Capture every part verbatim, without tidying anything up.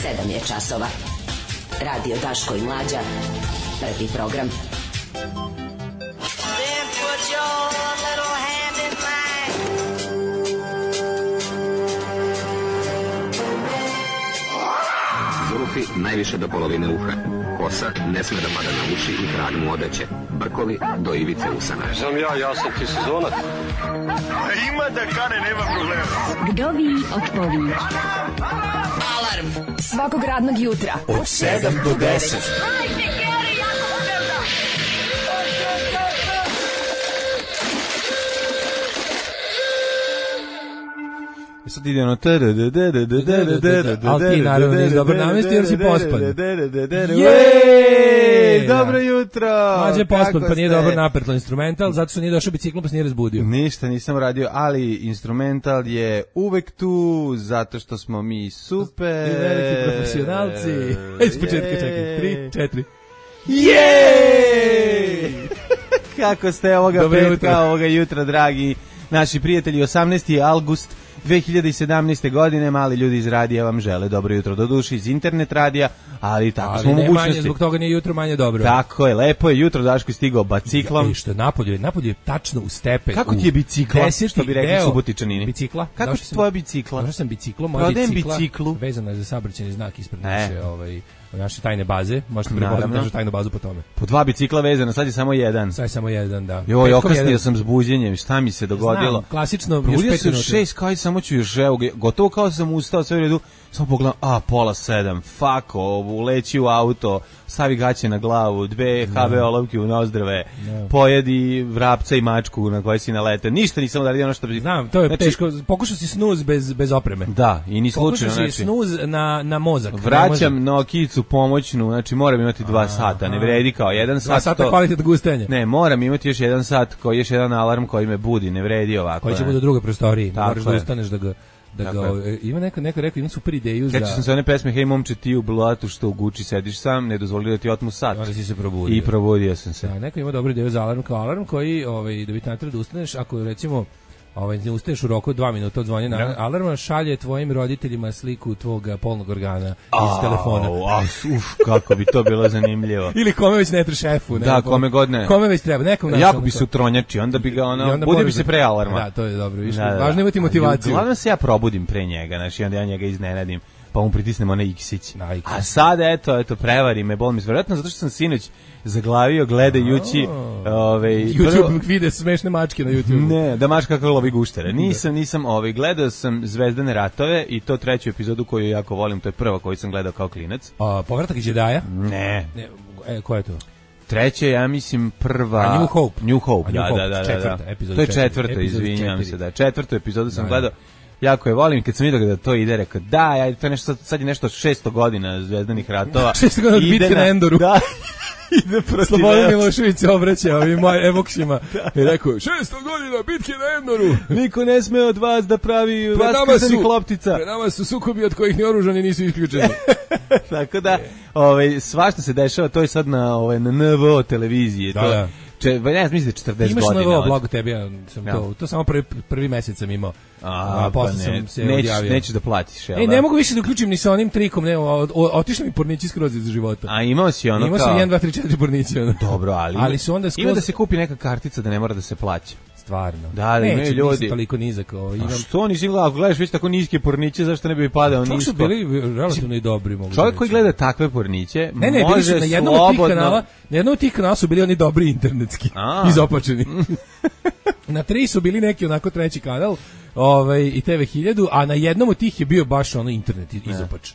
sedam je časova. Radio Daško i Mlađa. Prvi program. Zurufi najviše do polovine uha. Kosa ne sme da pada na uši i krag mu odeće. Brkovi do ivice usana. Znam ja, ja sam ti sezonac. Ima da kane, nema problema. Vdovi otpovi. Alarm svakog radnog jutra od sedam do deset. Hajde, Geri, jako se velda. Sad ide ono ali ti naravno nisi dobro namestio jer si pospan. Jej, dobro jutro. Mađe je pospan pa nije dobro napertlo instrumental, zato što nije došao biciklom pa se nije razbudio. Ništa nisam radio, ali instrumental je uvek tu, zato što smo mi super. I veliki profesionalci. Iz početka čekaj, tri, četiri. Jej! Kako ste ovoga petka, ovoga jutra, dragi naši prijatelji, osamnaesti avgust dve hiljade sedamnaeste. godine, mali ljudi iz radija vam žele dobro jutro, do duši iz internet radija, ali tako ali smo u mogućnosti. Manje, zbog toga nije jutro manje dobro. Tako je, lepo je jutro, Daško je stigao biciklom. I što je napolju, napolju je tačno u stepen. Kako ti je bicikla, što bi rekli Subotičanini? Bicikla? Kako ti tvoja bicikla? Došao sam biciklom, moja bicikla biciklu. Vezana je za saobraćajni znak ispred naše, ovaj, naše tajne baze. Možete prepoznati našu tajnu bazu po tome. Po dva bicikla vezana, sad je samo jedan. Sad je samo jedan, da. Joj, okasnio sam s buđenjem, šta mi se dogodilo? Znam, klasično, još Probudio pet sam minuta. šest, kao i samo ću još, evo, gotovo kao sam ustao, sve u redu, samo pogledam, a, pola sedam, fuck, uleći u auto, stavi gaće na glavu, dve ha be olovke u nozdrave, no. Pojedi vrapca i mačku na koje si nalete. Ništa nisam uradio ono što bi... Znam, to je znači, teško. Pokušao si snuz bez, bez opreme. Da, i ni slučajno. Pokušao si snuz na, na mozak. Vraćam Nokijicu pomoćnu, znači moram imati dva sata, ne vredi kao jedan sat. Dva sata to... kvalitet gustenja. Ne, moram imati još jedan sat, koji još jedan alarm koji me budi, ne vredi ovako. Koji će biti u drugoj prostoriji, moraš da je. ustaneš da ga... Da ga, ima neko, neko rekao, ima super ideju za... Sjećam se one pesme, hej momče ti u blatu što u Guči sediš sam, ne dozvoli da ti otmu sat. Onda si se probudio. I probudio sam se. Da, neko ima dobru ideju za alarm kao alarm koji, ovaj, da bi natred da ustaneš, ako recimo ovaj, ne ustaješ u roku od dva minuta od zvonja na alarma, šalje tvojim roditeljima sliku tvog polnog organa iz a, telefona. A, uf, kako bi to bilo zanimljivo. Ili kome već ne treba šefu. Ne, da, kome god ne. Kome već treba, nekom našom. Jako bi se utronjači, onda bi ga ono, budio bi se pre alarma. Da, to je dobro, više. Da, da, važno imati motivaciju. Uglavnom se ja probudim pre njega, znači onda ja njega iznenadim, pa mu pritisnem onaj iksić. A sad, eto, eto, prevari me, bol mi zvjerojatno, zato što sam sinoć zaglavio gledajući ovaj YouTube vide smešne mačke na YouTube. Ne, da mačka kako lovi guštere. Nisam, nisam ovaj gledao sam Zvezdane ratove i to treću epizodu koju jako volim, to je prva koju sam gledao kao klinac. A Povratak Jedija? Ne. Ne, e, koja je to? Treća, ja mislim prva A New Hope. New Hope, A New da, Hope, da, da, četvrta, da. epizod to je četiri, četvrta, izvinjavam se, da. Četvrtu epizodu sam da, gledao. Jako je volim, kad sam vidio da to ide, rekao, da, ja, to je nešto, sad je nešto šesto godina Zvezdanih ratova. šesto godina od bitke na Endoru. Da, ide protiv Slobodan Milošević se obraća ovim evoksima i rekao, šesto godina bitke na Endoru. Niko ne sme od vas da pravi vaskrsenih loptica. Pred nama su sukobi od kojih ni oružani nisu isključeni. Tako da, ovaj, svašta se dešava, to je sad na, ovaj, na en ve o televiziji. Da, to, da. Če, ne, mislim da četrdeset godina. Imaš novo blog tebi, ja sam ja. to, to samo prvi, prvi mesec sam imao. A, a posle pa ne, sam se nećeš, odjavio. Nećeš da platiš, jel? E, ne mogu više da uključim ni sa onim trikom, ne, otišli mi pornići skroz iz života. A imao si ono imao kao... Imao sam jedan, dva, tri, četiri pornići. Ono. Dobro, ali, ali su onda skroz... ima da se kupi neka kartica da ne mora da se plaća. Stvarno. Da, da imaju ljudi. Neće, toliko nizak. O, imam... A što nisi gledao? Ako gledaš već tako niske porniće, zašto ne bi padao nisko? Čak su bili relativno i dobri, mogu čovjek koji gleda takve porniće, ne, ne, može bili su na jednom slobodno... od tih kanala, na jednom od tih kanala su bili oni dobri internetski, A. izopačeni. Na tri su bili neki onako treći kanal, ovaj, i te ve hiljadu, a na jednom od tih je bio baš ono internet izopač.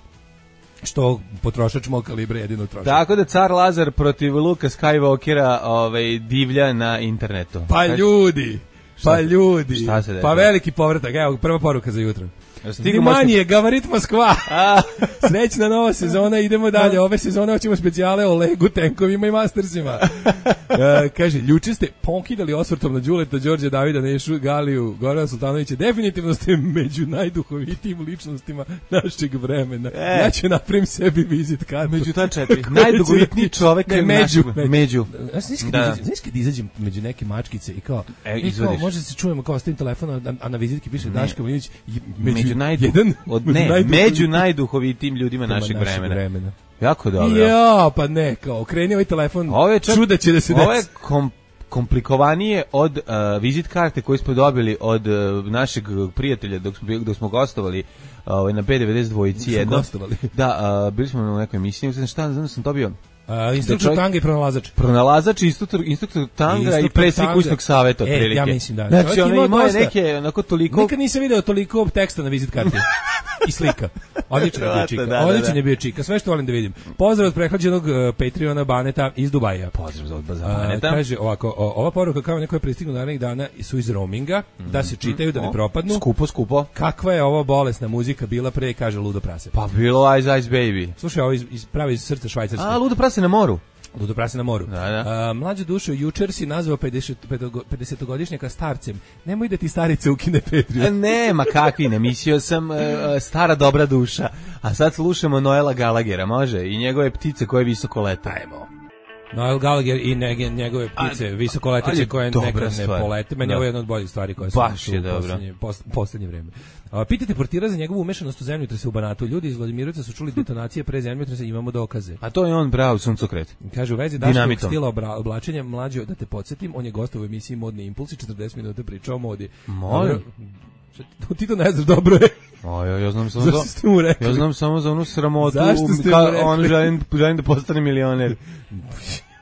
Što potrošač mog kalibra jedino troši. Tako da car Lazar protiv Luka Skywalkera ovaj, divlja na internetu. Pa Kaži? ljudi, pa šta, ljudi, šta se pa veliki povratak, evo prva poruka za jutro. Stigu Manje, Gavarit Moskva. Srećna nova sezona, idemo dalje. Ove sezone hoćemo specijale o Legu, tenkovima i Mastersima. Uh, kaže, ljuče ste pokidali osvrtom na Đuleta, Đorđe Davida, Nešu, Galiju, Gorana Sultanovića. Definitivno ste među najduhovitijim ličnostima našeg vremena. E. Ja ću napravim sebi vizit kartu. Među ta četiri. Najdugovitniji čovek. Ne, među. Među. među. Znaš kad izađem među neke mačkice i kao, e, i kao može se čujemo kao s tim telefonom, a na vizitki piše Daško Milinović među među najdu, jedan od, ne, najduhovitijim. među najduhovitijim ljudima našeg, našeg vremena. vremena. Jako dobro. Ja, pa ne, kao, kreni ovaj telefon, Ovo je čak, čuda će da se desi. ovo je kom, komplikovanije od uh, vizit karte koju smo dobili od uh, našeg prijatelja dok smo, dok smo gostovali uh, na B devedeset dva jedno. Da, uh, bili smo na nekoj emisiji, ne šta, znam da sam dobio Uh, instruktor čovjek, tanga i pronalazač. Pronalazač, instruktor, instruktor tanga instruktor i predsjednik kućnog saveta, otprilike. E, ja mislim da. Znači, ono imao je neke, onako toliko... Nikad nisam video toliko teksta na vizit karti. I slika. Odličan je bio čika. Da, Odličan je bio čika. Sve što volim da vidim. Pozdrav od prehlađenog uh, Patreona Baneta iz Dubaja. Pozdrav od Baneta. Uh, kaže ovako, o, ova poruka kao neko je pristignu narednih dana su iz roaminga, mm-hmm. da se čitaju, da ne propadnu. Skupo, skupo. Kakva je ovo bolesna muzika bila pre, kaže Ludo prase. Pa bilo Ice Ice Baby. Slušaj, ovo iz, iz, pravi iz srca Švajcarske. A, Ludo prase na moru. Ludo prase na moru. Da, da. Uh, mlađe dušo, jučer si nazvao pedesetogodišnjaka starcem. Nemoj da ti starice ukine Patreon. Nema kakvi, ne, mislio sam uh, stara dobra duša. A sad slušamo Noela Gallaghera, može? I njegove ptice koje visoko lete. Ajmo. Noel Gallagher i nege, njegove ptice visokoleteće koje nekad ne polete. Meni je ovo jedna od boljih stvari koje su baš je dobro. Poslednje, pos, poslednje vreme. A, pitajte portira za njegovu umešanost u zemljotrese u Banatu. Ljudi iz Vladimirovca su čuli detonacije pre zemljotresa, imamo dokaze. A to je on bravo suncokret. Kaže u vezi Daškovog stila obra, oblačenja, mlađo, da te podsjetim, on je gostao u emisiji Modni impulsi, četrdeset minuta pričao o modi. Molim. Ti to ne znaš, dobro je. O, ja, ja znam samo za, ja znam samo za onu sramotu, ka, on želim, želim da postane milioner.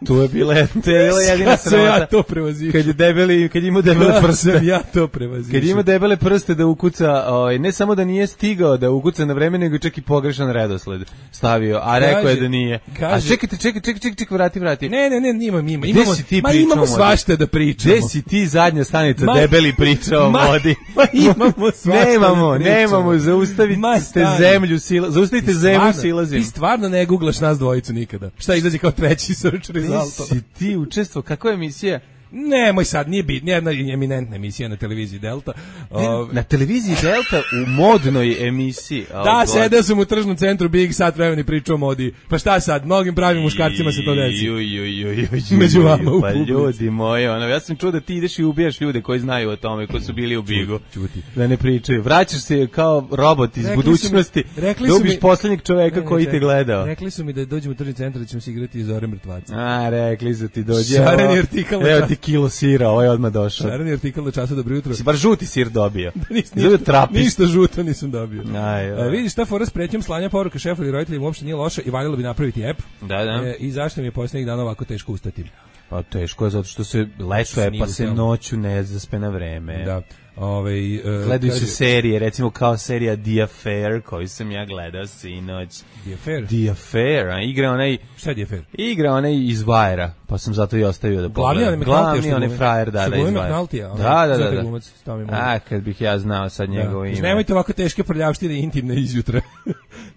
Tu je bila, to je bila jedina sramota. Ja to prevazim. Kad je debeli, kad ima debele prste. Ja to prevazim. Kad ima debele prste da ukuca, ovaj ne samo da nije stigao da ukuca na vreme, nego čak i pogrešan redosled stavio, a rekao je da nije. Kaže, a čekajte, čekaj, čekaj, čekaj, čekaj, vrati, vrati. Ne, ne, ne, imamo, imamo. Imamo, ma imamo svašta da pričamo. Gde si ti zadnja stanica ma, debeli pričao o vodi? Ma imamo svašta. Nemamo, nemamo, zaustavite zemlju, sila, zaustavite zemlju silazim. Ti stvarno ne guglaš nas dvojicu nikada. Šta izlazi kao treći search result? Si ti učestvovao, kako je emisija? Nemoj sad, nije bitno, jedna eminentna emisija na televiziji Delta. Ne, na televiziji Delta u modnoj emisiji. Oh, da, God. Sedeo sam u tržnom centru Big sat vremena i pričao o modi. Pa šta sad, mnogim pravim muškarcima se to desi. Ju, ju, ju, ju, među vama u pa ljudi moji, ono, ja sam čuo da ti ideš i ubijaš ljude koji znaju o tome, koji su bili u Bigu. Čuti. Da ne pričaju. Vraćaš se kao robot iz rekli budućnosti, mi, da ubiš mi, poslednjeg čoveka ne, koji ne, te gledao. Rekli su mi da dođemo u tržni centar da ćemo se igrati iz Zore mrtvaca. A, rekli su ti dođe. Šareni artikal. Evo ti kilo sira, ovaj odmah došao. Šareni artikal na času dobro jutro. Si bar žuti sir dobio. ništa, ništa žuto nisam dobio. Aj, A, vidiš šta fora s pretnjom slanja poruka šefu ili roditeljima uopšte nije loša i valjalo bi napraviti app. Da, da. E, I zašto mi je posljednjih dana ovako teško ustati? Pa teško je zato što se leto je pa se noću ne zaspe na vreme. Da. Ovaj uh, gledaju se serije, recimo kao serija The Affair, koju sam ja gledao sinoć. The Affair? The Affair, a igra onaj... Šta je The Affair? Igra onaj iz Vajera, pa sam zato i ostavio da pogledam. Glavni onaj frajer, da, da, iz Vajera. Da, da, da. da. A, kad bih ja znao sad njegovo ime. Nemojte ovako teške prljavštine intimne izjutra.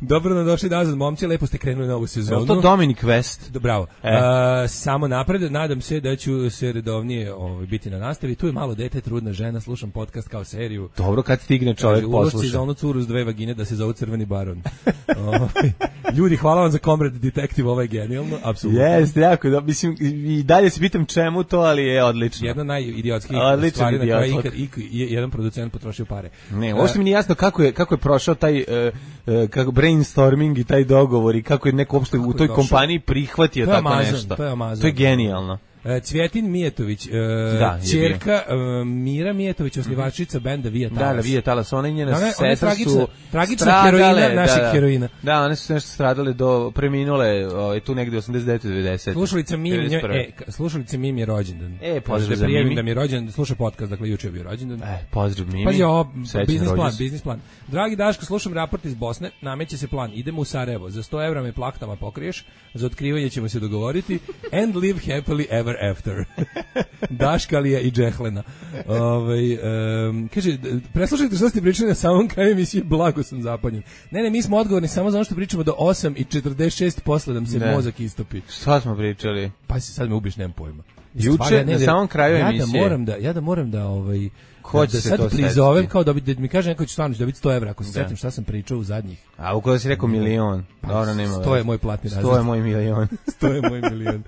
Dobro nam došli nazad, momci, lepo ste krenuli novu sezonu. Je to Dominic West? Bravo. E. Uh, samo napred, nadam se da ću se redovnije ovaj, biti na nastavi. Tu je malo dete, trudna žena, slušam podcast kao seriju. Dobro, kad stigne čovjek posluša. Ulošci za onu curu s dve vagine da se zove Crveni baron. Ljudi, hvala vam za Comrade Detective, ovo je genijalno, apsolutno. Jeste, jako, da, mislim, i dalje se pitam čemu to, ali je odlično. Jedna najidiotskih stvari na koja ikad, ikad, jedan producent potrošio pare. Ne, uopšte mi nije jasno kako je, kako je prošao taj uh, uh, kako brainstorming i taj dogovor i kako je neko uopšte u toj kompaniji prihvatio tako Amazon, nešto. To je Amazon. To je genijalno. Cvjetin Mijetović, e, da, ćerka e, Mira Mijetović, osnivačica benda Via Talas. Da, da, Via Talas, ona i njena one, sestra one su tragična heroina naših da, da, heroina. Da, one su nešto stradale do, preminule, o, tu negde osamdeset devete devedeset. Slušalica Mimi, e, slušalica Mimi je rođendan. E, pozdrav za Mimi. Da mi je rođendan, sluša podcast, dakle juče je bio rođendan. E, pozdrav Mimi. Pazi, ovo, biznis plan, biznis plan. Dragi Daško, slušam raport iz Bosne, nameće se plan, idemo u Sarajevo, za sto evra me plaktama pokriješ, za otkrivanje ćemo se dogovoriti, and live happily ever after. Daškalija i Džehlena. Ovaj um, kaže, preslušajte što ste pričali na samom kraju emisije, blago sam zapanjen. Ne, ne, mi smo odgovorni samo za ono što pričamo do osam i četrdeset šest posle da se ne. mozak istopi. Šta smo pričali? Pa si sad me ubiš, nemam pojma. Juče na samom kraju ja emisije. Da moram da, ja da moram da ovaj Ko će da se sad to prizovem setiti? kao da, bi, da mi kaže neko će stvarno dobiti sto evra ako se Da. setim šta sam pričao u zadnjih. A ukoliko si rekao milion, dobro, nema sto je moj platni razred. sto je moj milion. sto je moj milion.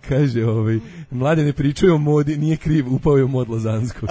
Kaže, ovaj, mlade ne pričaju o modi, nije kriv, upao je u mod Lozansko.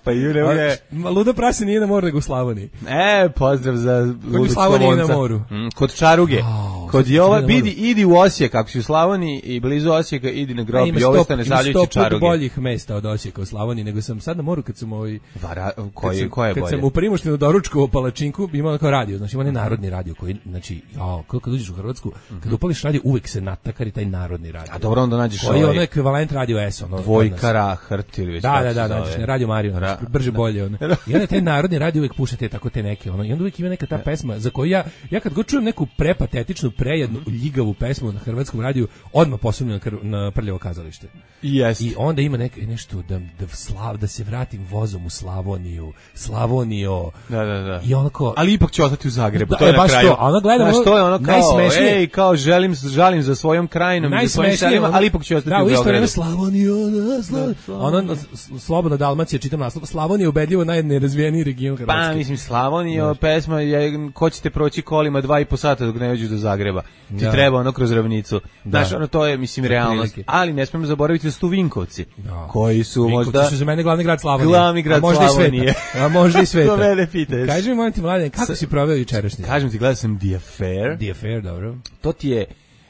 Pa ju ne može. Luda prase nije na moru, nego u Slavoniji. E, pozdrav za Ludog Slavoniji Slavonca. na moru. Mm, kod Čaruge. Au, Kod sad Jova, idem na moru. idi, idi u Osijek, ako si u Slavoniji i blizu Osijeka, idi na grob Ima Jove sto, ima Stanesavljevića sto put Čaruge. boljih mesta od Osijeka u Slavoniji, nego sam sad na moru kad sam ovaj Vara, kad koji, sam, ko je kad bolje? sam u Primoštinu doručkovao palačinku, imao kao radio, znači ima onaj narodni radio koji, znači, jao, kako kad uđeš u Hrvatsku, kad upališ radio, uvek se natakari taj narodni radio. A dobro, onda nađeš Koji je ovaj ono ekvivalent radio S, ono. Vojka Rahrt ili već Da, kako da, se da, zove. znači, radio Mario, Ra- znači, brže bolje, ono. I onda taj narodni radio uvek pušta te tako te neke, ono, i onda uvek ima neka ta pesma za koju ja, ja kad god čujem neku prepatetičnu, prejednu, ljigavu pesmu na hrvatskom radiju, odmah posumnjam na, kr- na Prljavo kazalište. Jest. I onda ima neke, nešto da, da, slav, da se vratim vozom u Slavoniju, Slavonijo. Da, da, da. I onako, Ali ipak će ostati u Zagrebu, Da, to je e, na baš kraju. to, a onda gledam Znaš, ono- to je ono kao, najsmešnije- ej, kao želim, žalim za svojom krajinom i za svojim selima, ono- ali ipak će ostati da, u u isto Beogradu. vreme Slavonija, da, Slavonija. Ono, s- Slobodna Dalmacija, čitam naslov, Slavonija je ubedljivo najnerazvijeniji region Hrvatske. Pa, mislim, Slavonija, pesma je, ko ćete proći kolima dva i po sata dok ne dođeš do Zagreba. Ti Da. treba ono kroz ravnicu. Da. Znaš, ono, to je, mislim, Za realnost. prilike. Ali ne smemo zaboraviti da su tu Vinkovci, Da. koji su Vinkovci možda... su za mene glavni grad Slavonije. Glavni grad a možda Slavonije. I sveta. A možda i sveta. To mene pitaš. Kaži mi, molim ti, mladen, kako Sa- si proveo jučerašnji? Kažem ti, gledao sam The Affair. The Affair, dobro. To ti je,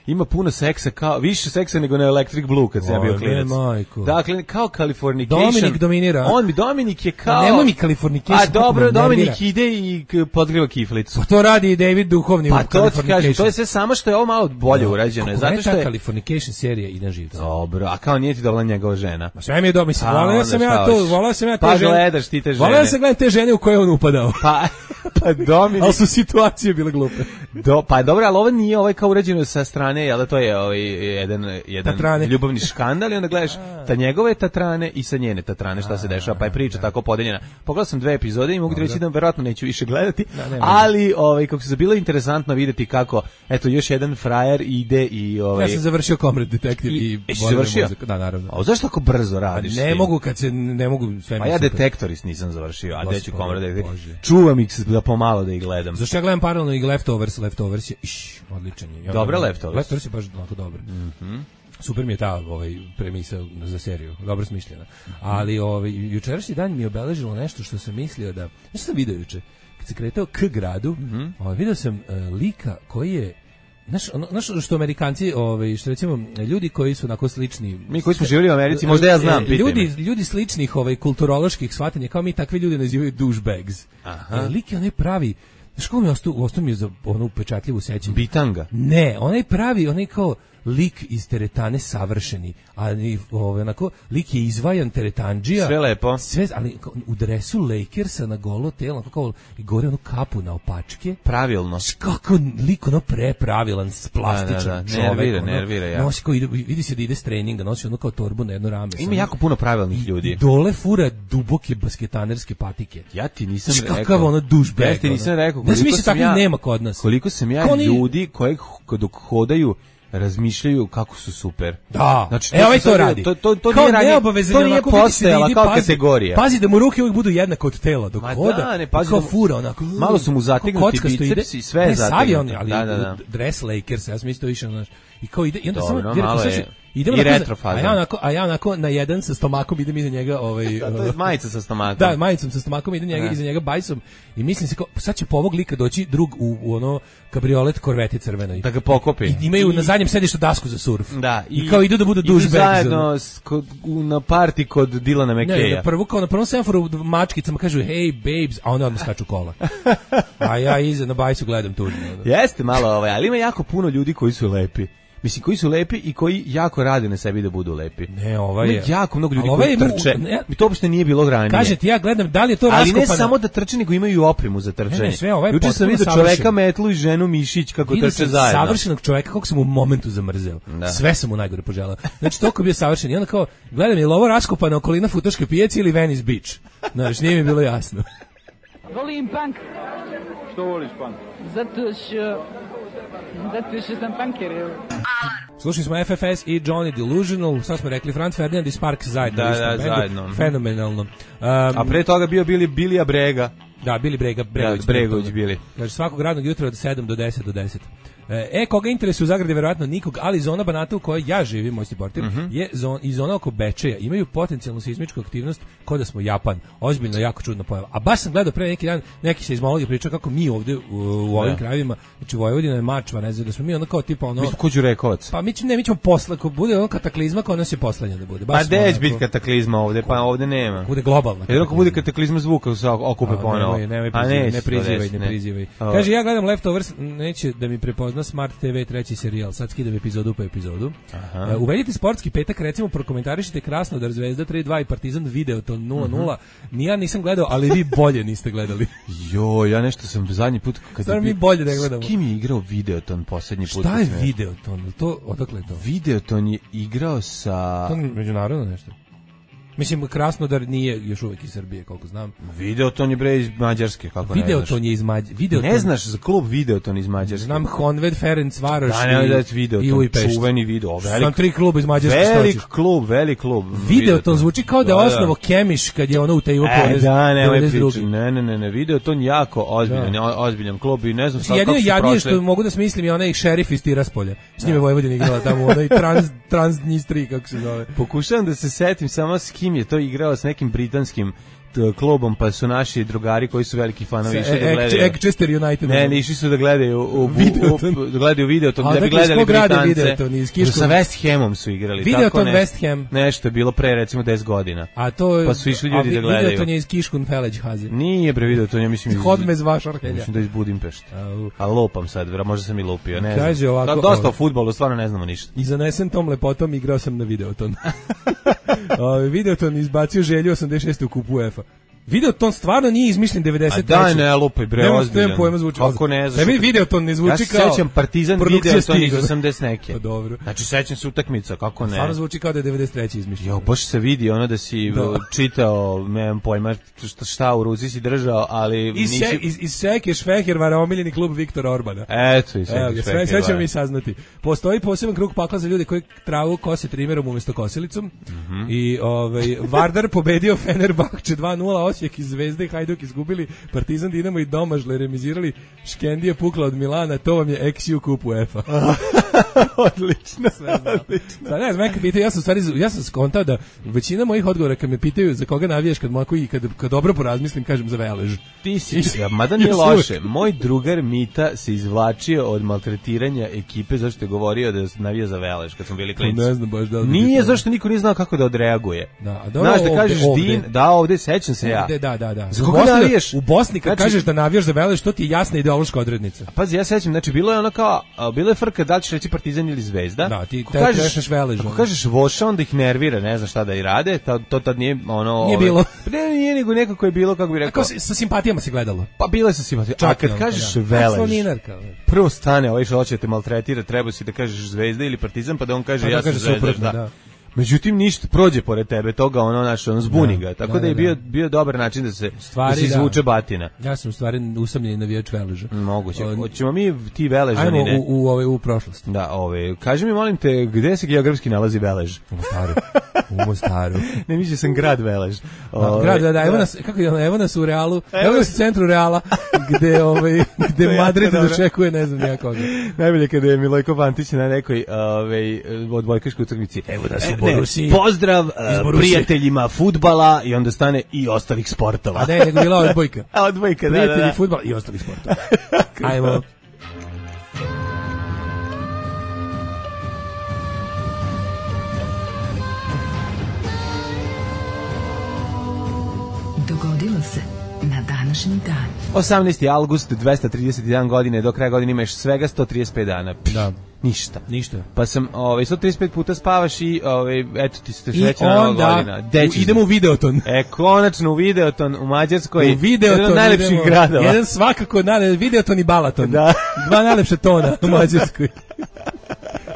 ima puno seksa, kao, više seksa nego na Electric Blue kad sam ja bio Oj, klinac. ne, majko. Dakle, kao Californication. Dominik dominira. On mi, Dominik je kao... A nemoj mi Californication, A kako dobro, me nervira. Dominik ide i k- podgriva kiflicu. Pa to radi i David Duhovni Pa u to ti Californication. kažem, to je sve samo što je ovo malo bolje urađeno. Kako Zato meni što ta je... Californication serija ide na živce. Dobro, a kao nije ti dobila njegova žena. Ma sve mi je dobro, mislim, A, voleo onda sam šta ja to, hoćeš? voleo sam ja te Pa žene. gledaš ti te žene. Voleo sam gledam te žene u koje on upadao. Pa, pa Dominik... Ali su situacije bile glupe. Do, pa dobro, ali ovo nije ovaj kao urađeno sa strane, jel da to je ovaj jedan jedan Tatrane. ljubavni škandal i onda gledaš ta njegove tatrane i sa njene tatrane šta se dešava, pa je priča tako podeljena. Pogledao sam dve epizode i mogu ti reći da verovatno neću više gledati, nema ali ovaj kako se bilo interesantno videti kako eto još jedan frajer ide i ovaj Ja sam završio Comrade Detective i, I- jesi volim završio? muziku. Da, naravno. A zašto tako brzo Pa radiš? s ne tim? mogu kad se ne mogu sve mi Pa ja super. Detektoris nisam završio, a gde ću Gospode komrade. Bože. Čuvam ih se da pomalo da ih gledam. Zašto ja gledam paralelno i Leftovers, Leftovers je iš, odličan je. Ja Dobra gledam- Leftovers. Leftovers je baš onako dobar. Super mi je ta ovaj premisa za seriju, dobro smišljena. Ali ovaj jučerašnji dan mi je obeležilo nešto što sam mislio da, nešto sam video juče. Kad se kretao k gradu, ovaj video sam uh, lika koji je Znaš, ono, znaš što Amerikanci, ovaj, što recimo ljudi koji su onako slični... Mi koji smo živjeli u Americi, možda ja znam, pitaj ljudi, me. ljudi sličnih ovaj, kulturoloških shvatanja, kao mi takvi ljudi nazivaju douchebags. Aha. E, lik je onaj pravi, znaš kako mi je ostao, ostao mi je za ono upečatljivu sećanje? Bitanga. Ne, onaj pravi, onaj kao lik iz teretane savršeni, ali ovaj onako lik je izvajan teretandžija. Sve lepo. Sve, ali kao u dresu Lakersa na golo telo, onako kao i gore onu kapu na opačke. Pravilno. Znaš kako lik ono prepravilan, plastičan Da, da, da, čovek. nervira, ono, nervira jako. Nosi kao, ide, vidi se da ide s treninga, nosi ono kao torbu na jedno rame. Ima samo. jako puno pravilnih I ljudi. dole fura duboke basketanerske patike. Ja ti nisam Znaš rekao. kakav ono douchebag, Ja ti nisam ono. rekao. Ne znam, koliko mislim, sam takvih nema kod nas. Koliko sam ja Kao oni- ljudi koji dok hodaju razmišljaju kako su super. Da, Znači, e, to ovaj su to sad- radi. to- to- to Kao nije ranije- neobavezan to je nije onako, vidi se da postojala ide, kao pazi- kategorija. Pazi da mu ruke uvijek budu jednako od tela, dok Ma hoda. da, ne, pazi kao da mu- fura, onako. malo su mu zategnuti kao kockasto ide. bicepsi, sve je Ne, sav je on, zategnuto. ali Da, da, da. dres Lakers, ja sam isto više, znaš. I kao ide, i onda Dobro, samo, jer malo ako je slušaj, idemo i onako za- retro faza. A ja onako, a ja onako na jedan sa stomakom idem iza njega, ovaj, Da, to je majica sa stomakom. da, majicom sa stomakom ide njega, Da. iza njega bajsom i mislim se kao, sad će po ovog lika doći drug u, u ono kabriolet korveti crvenoj. Da ga pokopi. I imaju I- na zadnjem sedištu dasku za surf. Da, I, kao idu da budu idu douchebags. zajedno s- kod, u, na party kod Dilana Ne, McKeja. na prvu, kao na prvom semaforu u mačkicama kažu hey babes, a onda odmah skaču kola. A ja iza na bajsu gledam tužno. ono. Jeste malo ovaj, ali ima jako puno ljudi koji su lepi. Mislim, koji su lepi i koji jako rade na sebi da budu lepi. Ne, ovaj Ima je. jako mnogo ljudi Ali ovaj koji je mu- trče. ne- Mi to uopšte nije bilo ranije. Kaže ti, ja gledam da li je to ali ne raskopano. samo da trče, nego imaju i opremu za trčanje. Ne, ne, sve, ovaj je Juče sam potpuno vidio savršen. čoveka metlu i ženu mišić kako Vidio trče sam zajedno. savršenog čoveka kako sam u momentu zamrzeo. Da. Sve sam mu najgore poželao. Znači, toliko je bio savršen. I onda kao, gledam, je li ovo raskopana okolina Futoške pijace ili Venice Beach? Znaš, nije mi bilo jasno. Volim punk. Što voliš, pan? Zato što... Zato što sam punker. Slušali smo F F S i Johnny Delusional, sad smo rekli Franz Ferdinand i Sparks zajedno. Da, u istom da, bendu. zajedno. Fenomenalno. Um, A pre toga bio bili Bilija Brega. Da, Bili Brega, Bregović. Da, Bregović bili. Znači svakog radnog jutra od sedam do deset do deset. E, koga interesuje u Zagradi, verovatno nikog, ali zona Banata u kojoj ja živim, moj portir, mm-hmm. je zon, i zona oko Bečeja. Imaju potencijalnu seizmičku aktivnost kao da smo Japan. Ozbiljno, jako čudna pojava. A baš sam gledao pre neki dan, neki seizmologi pričao kako mi ovde u, u ovim krajevima, znači Vojvodina je Mačva, ne znam, da smo mi ono kao tipa ono... Mi smo ko Đurekovac. Pa mi ćemo, ne, mi ćemo posle, ako bude ono kataklizma, kao nas je poslednja da bude. Baš pa deć biti kataklizma ovde, pa ovde nema. Bude globalna. Jedno ako bude kataklizma zvuka se okupe ponovo. Nemoj, nemoj prizivaj, ne prizivaj, ne prizivaj. Kaže, ja gledam Leftovers, neće da mi prepozna Smart T V treći serijal, sad skidam epizodu po epizodu. Aha. Uh, uvedite sportski petak, recimo prokomentarišite Krasnodar, Zvezda tri dva i Partizan Videoton nula nula. Uh-huh. Ni ja nisam gledao, ali vi bolje niste gledali. Jo, ja nešto sam zadnji put kad Stvarno mi bolje da gledamo. S kim je igrao Videoton poslednji put? Šta je Videoton? To, odakle je to? Videoton je igrao sa... To je međunarodno nešto. Mislim, Krasnodar nije još uvek iz Srbije, koliko znam. Videoton je bre iz Mađarske, kako ne znaš. Videoton je iz Mađarske. Ne znaš za klub Videoton iz Mađarske. Znam Honved, Ferenc Varoš da, ne, da, Videoton, i Ujpešt. Čuveni video. Velik, Znam tri kluba iz Mađarske. Velik klub, velik klub. Videoton zvuči kao da je osnovo Kemiš kad je ono u Teju e, da, ne, ne, ne, ne, ne, Videoton jako ozbiljan, da. ozbiljan klub i ne znam sad kako su prošli. Jedino jadnije što mogu da smislim je onaj šerif iz Tiraspolja. S njime Vojvodina igrala tamo, onaj trans, Transnistri, kako se zove. Pokušavam da se setim samo s kim je to igrao, s nekim britanskim klubom, pa su naši drugari koji su veliki fanovi išli da gledaju. Manchester United. Ne, ne, išli su da gledaju u Videoton, da gledaju Videoton, da bi gledali Britance. Sa West Hamom su igrali. Videoton West Ham. Nešto je bilo pre recimo deset godina. A to pa su išli ljudi da gledaju. Videoton je iz Kiškun Feleđhaze. Nije bre Videoton, ja mislim iz Hodmez Vašarhelja. Mislim da iz Budimpešte. A lopam sad, možda sam i lupio, ne znam. Kaže ovako. Dosta o fudbalu, stvarno ne znamo ništa. I zanesen tom lepotom igrao sam na Videoton. Videoton izbacio Želju osamdeset šeste u kupu UEFA. Videoton stvarno nije izmišljen devedeset treće. A daj ne, lupaj bre, ozbiljan. Kako ne znaš? Tebi Videoton ne zvuči kao... Ja se sećam Partizan Videoton iz osamdeset neke. Pa dobro. Znači sećam se utakmica, kako ne. Stvarno zvuči kao da je devedeset treće izmišljen. Jo, baš se vidi ono da si da. čitao, nemam pojma šta, šta u ruci si držao, ali... Iz, nisi... iz, iz Seke Švehervara omiljeni klub Viktora Orbana. Eto, iz Seke Švehervara. Sve ćemo mi saznati. Postoji poseban krug pakla za ljude koji travu kose trimerom umjesto kosilicom. Mm-hmm. I ovaj, Vardar pobedio Fenerbahče dva nula, Osijek iz Zvezde, Hajduk izgubili, Partizan, Dinamo i Domažle remizirali, Škendija pukla od Milana, to vam je X U kup UEFA. Odlično. Sve odlično. Sad ne znam, neka pitaju, ja sam stvari, ja sam skontao da većina mojih odgovora kad me pitaju za koga navijaš, kad mogu i kad, kad dobro porazmislim, kažem za Velež. Ti si, ja, mada nije loše. Moj drugar Mita se izvlačio od maltretiranja ekipe zašto je govorio da navija za Velež kad smo bili klinci. Ne znam baš da li nije, zašto niko nije znao kako da odreaguje. Da, a dobro, znaš, da kažeš ovde, Din, da, ovde sećam se ja. Da, da, da. da. Za koga navijaš? U Bosni kad znači, kažeš da navijaš za Velež, to ti je jasna ideološka odrednica. A pazi, ja sećam, znači bilo je ono kao, bilo je frka da li ćeš reći Partizan ili Zvezda. Da, ti kažeš Velež. Ako kažeš Voša, onda ih nervira, ne zna šta da i rade, to, to tad nije ono... Nije bilo. Ne, nije nego nekako je bilo, kako bi rekao... Ako sa simpatijama se gledalo. Pa bile sa simpatijama. A kad kažeš Velež, prvo stane, ovaj što hoće te maltretira, treba si da kažeš Zvezda ili Partizan, pa da on kaže ja sam Zvezda. Međutim ništa prođe pored tebe, toga ono naše on zbuni ga. Tako da, da, da je bio bio dobar način da se stvari, da se izvuče batina. Ja sam u stvari usamljeni navijač Veleža. Moguće. Hoćemo mi ti Veležani, ne? Ajmo u u ove u prošlost. Da, ove. Kaži mi molim te, gde se geografski nalazi Velež? U Mostaru. U Mostaru. Ne mislio sam grad Velež. Ove, grad, da, da, evo nas, kako je ono, evo nas u Realu, evo nas u centru Reala, gde ovaj gde Madrid dočekuje ne znam ja koga. Najbolje kada je Milojko Pantić na nekoj ovaj odbojkaškoj utakmici. Evo nas u Ne, pozdrav uh, prijateljima fudbala i onda stane i ostalih sportova. A ne, nego bila odbojka. A odbojka, da, prijatelji da, da. fudbala i ostalih sportova. Ajmo. Dogodilo se na današnji dan. osamnaesti avgust, dvesta trideset jedan godine, do kraja godine imaš svega sto trideset pet dana. Da. Ništa. Ništa. Pa sam, ovaj, sto trideset pet puta spavaš i, ovaj, eto ti ste srećna nova godina. I idemo u Videoton. E, konačno u Videoton, u Mađarskoj. U Videoton. Jedan od najlepših idemo, gradova. Jedan svakako, najlepši, Videoton i Balaton. Da. Dva najlepše tona u Mađarskoj.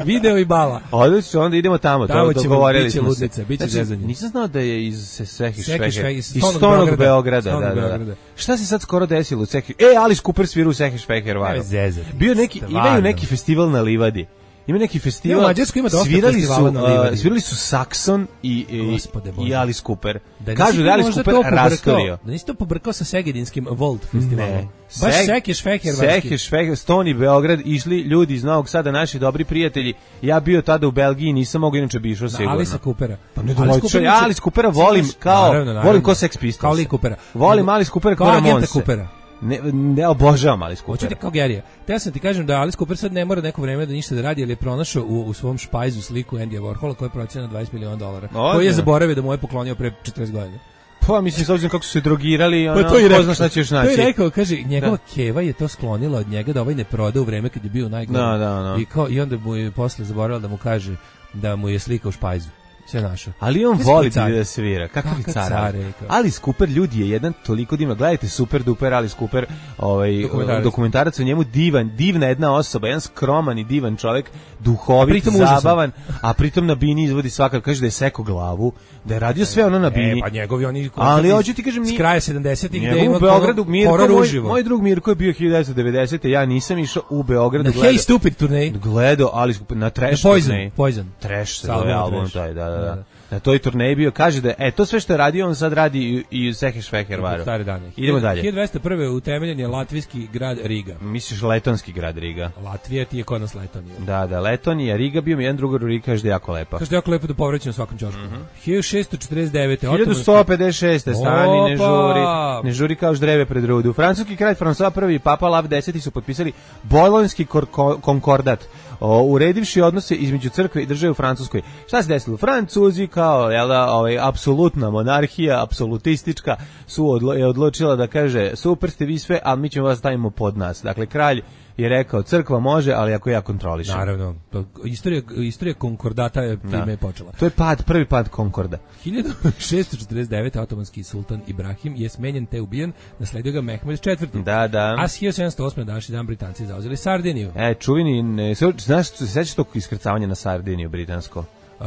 Video i bala. Odlično, onda idemo tamo, tamo to dogovorili smo ludnica, se. Biće znači, zezanje. nisam znao da je iz Seki Šveher, iz Stonog Beograda. Beograda, Stonog da, da, Beograda. da. Šta se sad skoro desilo u Seki? E, Alice Cooper svira u Seki Šveher, Bio Bio neki, imaju neki festival na Livadi. Ima neki festival. Ja, u Mađarskoj ima dosta svirali festivala su, na uh, livadi. svirali su Saxon i, i, Gospode Bože. i Alice Cooper. Da Kažu da je Alice Cooper rastorio. Da nisi to pobrkao sa Segedinskim Volt festivalom. Ne. Baš Seg- Sekeš Feher. Sekeš, Feher, Stoni, Beograd, išli ljudi iz Novog Sada, naši dobri prijatelji. Ja bio tada u Belgiji, nisam mogao, inače bi išao sigurno. Alice Coopera. Pa ne domaće, ja Alice Coopera volim kao, naravno, naravno. volim ko Sex Pistols. Kao Lee Coopera. Volim Alice Coopera kao Kao agenta Ramonse. Coopera. Ne, ne obožavam Alice Coopera. Hoćete kao Gerija. Te sam ti kažem da Alice Cooper sad ne mora neko vreme da ništa da radi, jer je pronašao u, u svom špajzu sliku Andyja Warhola koja je procenjena dvadeset miliona dolara. O, koji je ne. zaboravio da mu je poklonio pre četrdeset godina. Pa mislim, s obzirom kako su se drogirali, ono, Pa to i ko rekao, zna šta ćeš to naći. je rekao, kaže, njegova Da. keva je to sklonila od njega da ovaj ne proda u vreme kad je bio najgori. Da, da, da. I, kao, I onda mu je posle zaboravila da mu kaže da mu je slika u špajzu. Sve našao. Ali on Kakav voli car. da svira. Kakav je Kakav car. car je, kao. Alice Cooper, ljudi, je jedan toliko divno. Gledajte Super Duper Alice Cooper, ovaj Dokumentarac. dokumentarac o njemu, divan, divna jedna osoba, jedan skroman i divan čovjek, duhovit, A pritom užasan. zabavan, a pritom na bini izvodi svakav, kaže da je seko glavu, da je radio sve ono na bini. E, pa njegovi oni Ali hoću ti kažem, s ni- kraja sedamdesetih gde Njegov ima u Beogradu, Mirko, horor moj, uživo. moj drug Mirko je bio hiljadu devetsto devedesete. Ja nisam išao u Beogradu. Na gledao- Hey Stupid turneji. Gledao Alice Cooper na Trash Na Poison, turneji. Poison. Trash se Sa albumom zove album Trash. taj, da, da, Da, da. da. Na toj turneji bio, kaže da, e, to sve što je radio, on sad radi i, i u Sekeš Feher varu. Stare dane. Idemo dalje. hiljadu dvesta prve utemeljen je latvijski grad Riga. Misliš letonski grad Riga? Latvija ti je kod nas Letonija. Da, da, Letonija, Riga bio mi jedan drugar u Riga, kaže da je jako lepa. Kaže da je jako lepo da povraćam na svakom ćošku. hiljadu šessto četrdeset devete. hiljadu sto pedeset šeste. Stani, ne Opa! žuri, ne žuri kao ždreve pred rudu. Francuski kralj François prvi i Papa Lav deseti su potpisali Bolonjski kor- ko- konkordat, o, uredivši odnose između crkve i države u Francuskoj. Šta se desilo? Francuzi kao, jel da, ovaj, apsolutna monarhija, apsolutistička, su odlo, je odlučila da kaže, super ste vi sve, ali mi ćemo vas stavimo pod nas. Dakle, kralj je rekao, crkva može, ali ako ja kontrolišem. Naravno. Pa, Istorija, istorija konkordata je time je počela. To je pad, prvi pad Konkorda. hiljadu šessto četrdeset devete. otomanski sultan Ibrahim je smenjen te ubijen, nasledio ga Mehmed četvrti. Da, da. A s hiljadu sedamsto osme. današnji dan Britanci zauzeli Sardiniju. E, čuveni, ne, znaš, se sećaš tog iskrcavanja na Sardiniju britansko? Uh,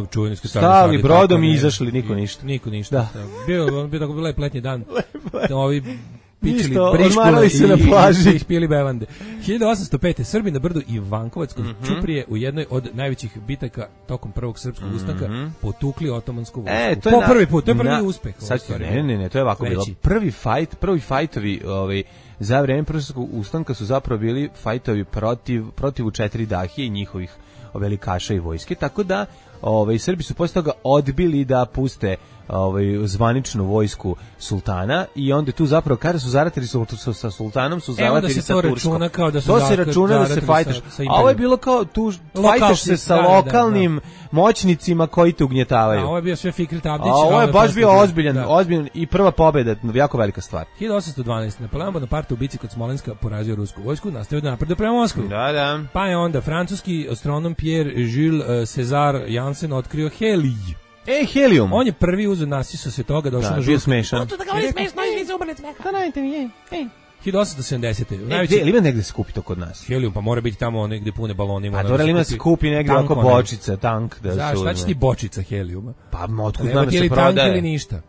čuveni su Stali brodom i izašli, niko ništa. Niko ništa. Da. Bio, on bio tako lep letnji dan. Ovi pičili Ništa, briškule odmarali se i, na plaži. i ispili bevande. hiljadu osamsto pete. Srbi na brdu Ivankovac kod Mhm. Ćuprije u jednoj od najvećih bitaka tokom prvog srpskog ustanka potukli otomansku vojsku. E, to je po na- prvi put, to je prvi na- uspeh. Sad, u stvari. ne, ne, ne, to je ovako Veći. bilo. Prvi fight, prvi fajtovi ovaj, za vreme prvog ustanka su zapravo bili fajtovi protiv, protiv četiri dahije i njihovih velikaša i vojske, tako da ovaj, Srbi su posle toga odbili da puste ovaj, zvaničnu vojsku sultana i onda tu zapravo kada su zaratili su, su, sa sultanom su E, onda zaratili se sa to Turskom. računa kao da su to se zaka- računa da se zaratili fajtaš. sa- sa A ovo je imperijom. bilo kao tu Lokalci, fajtaš se sa da, da, lokalnim moćnicima koji te ugnjetavaju. A ovo je bio sve Fikret Abdić. A ovo je a baš posle bio bio- ozbiljan, da. ozbiljan i prva pobjeda, jako velika stvar. hiljadu osamsto dvanaeste. Napoleon Bonaparte u bici kod Smolenska porazio rusku vojsku, nastavio da napreduje prema Moskvi. Da, da. Pa je onda francuski astronom Pierre Jules uh, César Janssen otkrio helij. E, helium. On je prvi uzeo nasisao se toga, došao da, na bio žurku. smešan. To da govori smešno i vi se umrli od smeha. Da najte mi je. hiljadu osamsto sedamdesete. E, Najveći gde, ima negde se kupi to kod nas? helijum, pa mora biti tamo negde pune balonima. A ono dobro, da ima se se kupi negde tank oko onaj. bočica, tank. Da Znaš, su, šta će ti bočica helijuma? Pa, otkud Nema znam da ti se ili tank ili prodaje. ništa.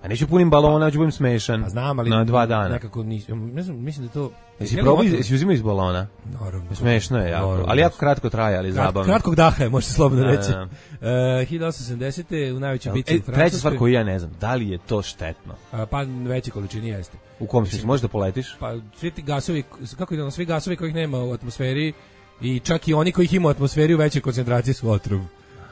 A neću punim balona, ću budem smešan. Pa znam, ali Na dva dana. nekako nisam, ne znam, mislim da to... Jesi Helijum probao, otkud? jesi uzimao iz balona? Naravno. Smešno je jako. Naravno. Ali jako kratko traje, ali Krat- zabavno. Kratkog daha je, može se slobodno Da, reći. da, Uh, hiljadu osamsto sedamdesete. u najvećoj bici E, u Francuskoj. treća stvar koju ja ne znam, da li je to štetno? A, pa veće količini jeste. U kom smislu, možeš da poletiš? Pa svi ti gasovi, kako ide ono, svi gasovi kojih nema u atmosferi i čak i oni kojih ima u atmosferi u većoj koncentraciji su otrov.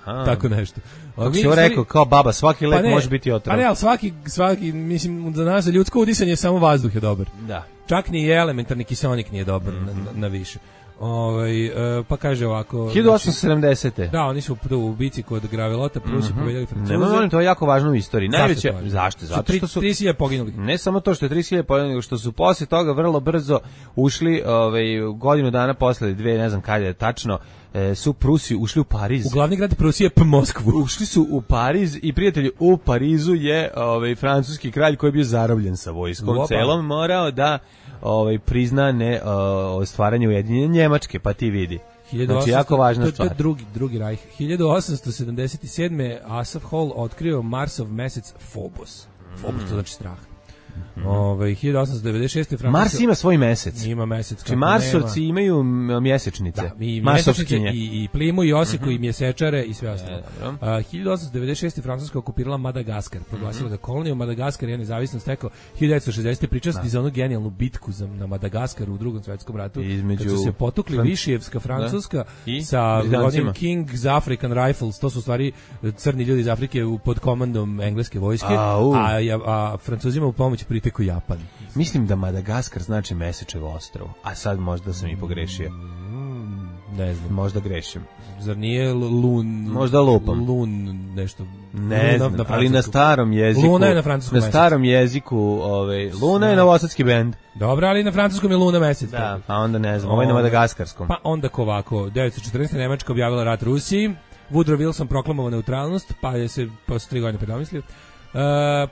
Aha. Tako nešto. A Kako mi si u ovo stvari- rekao, kao baba, svaki lek Pa ne, može biti otrov. Pa ne, ali svaki, svaki, mislim, za nas, za ljudsko udisanje, samo vazduh je dobar. Da. Čak ni elementarni kiseonik nije dobar na, na, na više. Ovaj, e, pa kaže ovako... hiljadu osamsto sedamdesete. Da, oni su tu u bici kod Gravelota, prvo su pobedili Francuze. Ne, molim, to je jako važno u istoriji. Najveće, to važno? zašto? Zato što su trideset hiljada poginulih. ne samo to što je trideset hiljada poginulih, nego što su posle toga vrlo brzo ušli, ovaj godinu dana posle, dve, ne znam kada je tačno, e, su Prusi ušli u Pariz. U glavni grad Prusije, P. Moskvu. Ušli su u Pariz i prijatelji u Parizu je ovaj francuski kralj koji je bio zarobljen sa vojskom Opa. celom morao da ovaj prizna ne o, stvaranje ujedinjene Njemačke, pa ti vidi. Znači, jako važna to, to stvar. je drugi, drugi rajh. hiljadu osamsto sedamdeset sedme. Asaph Hall otkrio Marsov mesec Phobos. Phobos, to znači strah. Mm-hmm. Ove, hiljadu osamsto devedeset šeste. Francuska... Mars ima svoj mesec. Ima mesec. Znači Marsovci nema. Imaju mjesečnice. Da, i mjesečnice i, i plimu i osiku mm-hmm. i mjesečare i sve ostalo. Uh, hiljadu osamsto devedeset šeste. Francuska okupirala Madagaskar. Proglasila mm-hmm. da koloniju Madagaskar je nezavisnost stekao hiljadu devetsto šezdesete. Pričasti za onu genijalnu bitku za, na Madagaskaru u Drugom svjetskom ratu. Između... Kad su se potukli Fran... Višijevska Francuska I? sa onim King's African Rifles. To su u stvari crni ljudi iz Afrike pod komandom engleske vojske. A, a, a Francuzima u pomoć priteku Japan. Mislim da Madagaskar znači Mesečevo ostrvo. A sad možda sam i pogrešio. Mm, ne znam. Možda grešim. Zar nije Lun... Možda lupam. Lun nešto... Ne znam, na ali na starom jeziku... Luna je na francuskom Na starom mesec. jeziku... Ovaj, Luna je novosadski bend. Dobro, ali na francuskom je Luna mesec. Da, a onda ne znam, ovo je na madagaskarskom. Pa onda ovako, devetsto četrnaeste. Nemačka objavila rat Rusiji, Woodrow Wilson proklamovao neutralnost, pa je se posle tri godine predomislio. Uh,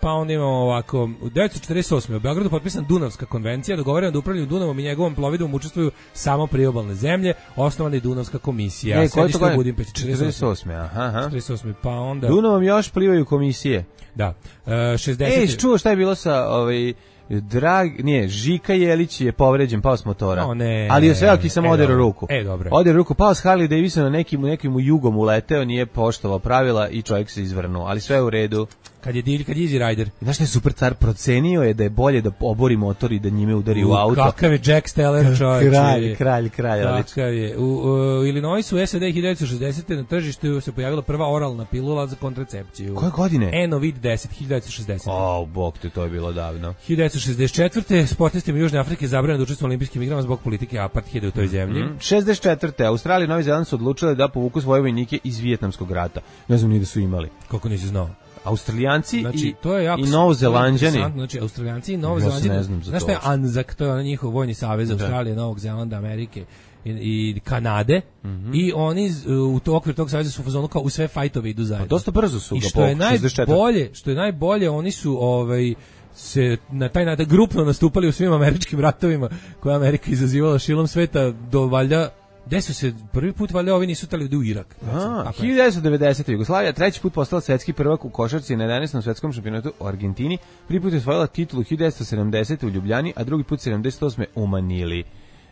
pa onda imamo ovako, u devetsto četrdeset osme. u Beogradu potpisan Dunavska konvencija, dogovoreno da upravljanju Dunavom i njegovom plovidbom učestvuju samo priobalne zemlje, osnovana je Dunavska komisija. E, koje to godine? četrdeset osme. Aha, aha. četrdeset osme. Pa onda... Dunavom još plivaju komisije. Da. Uh, šezdeset. Ej, čuo šta je bilo sa... Ovaj... Drag, nije, Žika Jelić je povređen, pao s motora. O, ne, ali je sve ok, samo e, oderu ruku. E, dobro. Oderu ruku, pao s Harley Davidson, nekim, nekim jugom uleteo, nije poštovao pravila i čovjek se izvrnuo, ali sve je u redu. Kad je divlj, kad je Easy Rider. Znaš što je super car, procenio je da je bolje da obori motor i da njime udari u, u auto. Kakav je Jack Steller, čovječe. Kralj, kralj, kralj. Kakav je. U, u Illinoisu, S A D hiljadu devetsto šezdesete. na tržištu se pojavila prva oralna pilula za kontracepciju. Koje godine? Enovid deset, hiljadu devetsto šezdesete. O, bog te, to je bilo davno. hiljadu devetsto šezdeset četvrte. sportistima Južne Afrike zabranjeno da učestvuju na olimpijskim igrama zbog politike apartheida u toj zemlji. Mm-hmm. šezdeset četvrte. Australija i Novi Zeland su odlučile da povuku svoje vojnike iz Vijetnamskog rata. Ne znam ni da su imali. Kako nisi znao? Australijanci znači, i, to je jako, i Novozelanđani. Znači, Australijanci i Novozelanđani. Ja znaš šta je ANZAC, to je onaj njihov vojni savez Australije, Novog Zelanda, Amerike i, i Kanade. Mm-hmm. I oni u to okviru tog saveza su u fazonu kao u sve fajtove idu zajedno. Pa dosta brzo su I ga što je najbolje, što je najbolje, oni su ovaj se na taj način grupno nastupali u svim američkim ratovima koje Amerika izazivala šilom sveta do valjda. Gde su se prvi put valjda ovi nisu tali u Irak? A, hiljadu devetsto devedesete. Jugoslavija treći put postala svetski prvak u košarci na jedanaestom svetskom šampionatu u Argentini. Prvi put je osvojila titulu hiljadu devetsto sedamdesete u Ljubljani, a drugi put sedamdeset osme u Manili.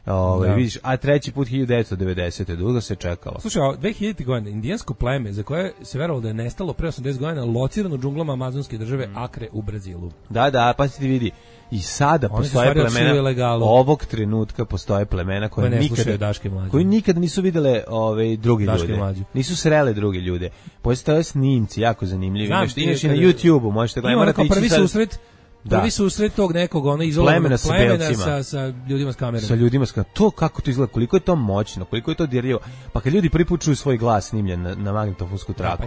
Ove, vidiš, a treći put hiljadu devetsto devedesete. Dugo se čekalo. Slušaj, dve hiljadite. godine indijansko pleme za koje se verovalo da je nestalo pre osamdeset godina locirano u džunglama amazonske države mm. Akre u Brazilu. Da, da, pa ti vidi. I sada oni postoje plemena, ovog trenutka postoje plemena koje, koje nikada, koji nikada nisu videle ove, drugi Daške ljude. Mlađu. Nisu srele druge ljude. Postoje snimci jako zanimljivi. Znam, imaš i na YouTubeu, možete gledati. Prvi susret Prvi da. susret tog nekog ono izolovanog plemena, sa, plemena sa, sa ljudima s kamerama. Sa ljudima s kamerama. To kako to izgleda, koliko je to moćno, koliko je to dirljivo. Pa kad ljudi prvi put čuju svoj glas snimljen na, na magnetofonsku traku,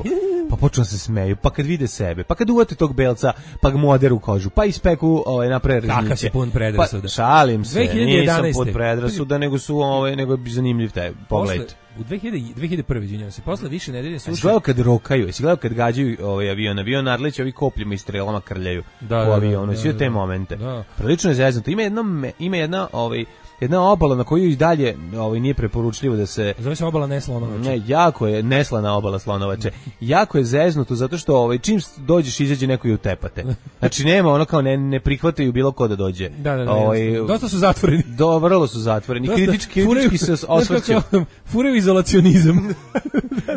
pa počnu se smeju, pa kad vide sebe, pa kad uvate tog belca, pa ga mu oderu kožu, pa ispeku ovaj, na predrasnice. Kakav si pun predrasuda. Pa, šalim se, nisam pun predrasuda, nego su ovaj, nego je zanimljiv taj pogled. U dve hiljade prve. izvinjavam se, posle više nedelje suše. Jesi gledao kad rokaju, jesi gledao kad gađaju ovaj avion, avion Arlić, ovi kopljima i strelama krljaju da, u avionu, svi te momente. Da. Prilično je zeznuto. Ima jedna, ima jedna, ovaj, jedna obala na koju i dalje ovaj, nije preporučljivo da se... Zove se obala Neslonovače. Ne, jako je, neslana obala Slonovače. jako je zeznuto, zato što ovaj, čim dođeš izađe neko i utepate. Znači nema ono kao ne, ne prihvataju bilo ko da dođe. Da, da, da. Ovaj, dosta su zatvoreni. Do, vrlo su zatvoreni. Dosta, kritički, kritički se osvrću. Furaju izolacionizam.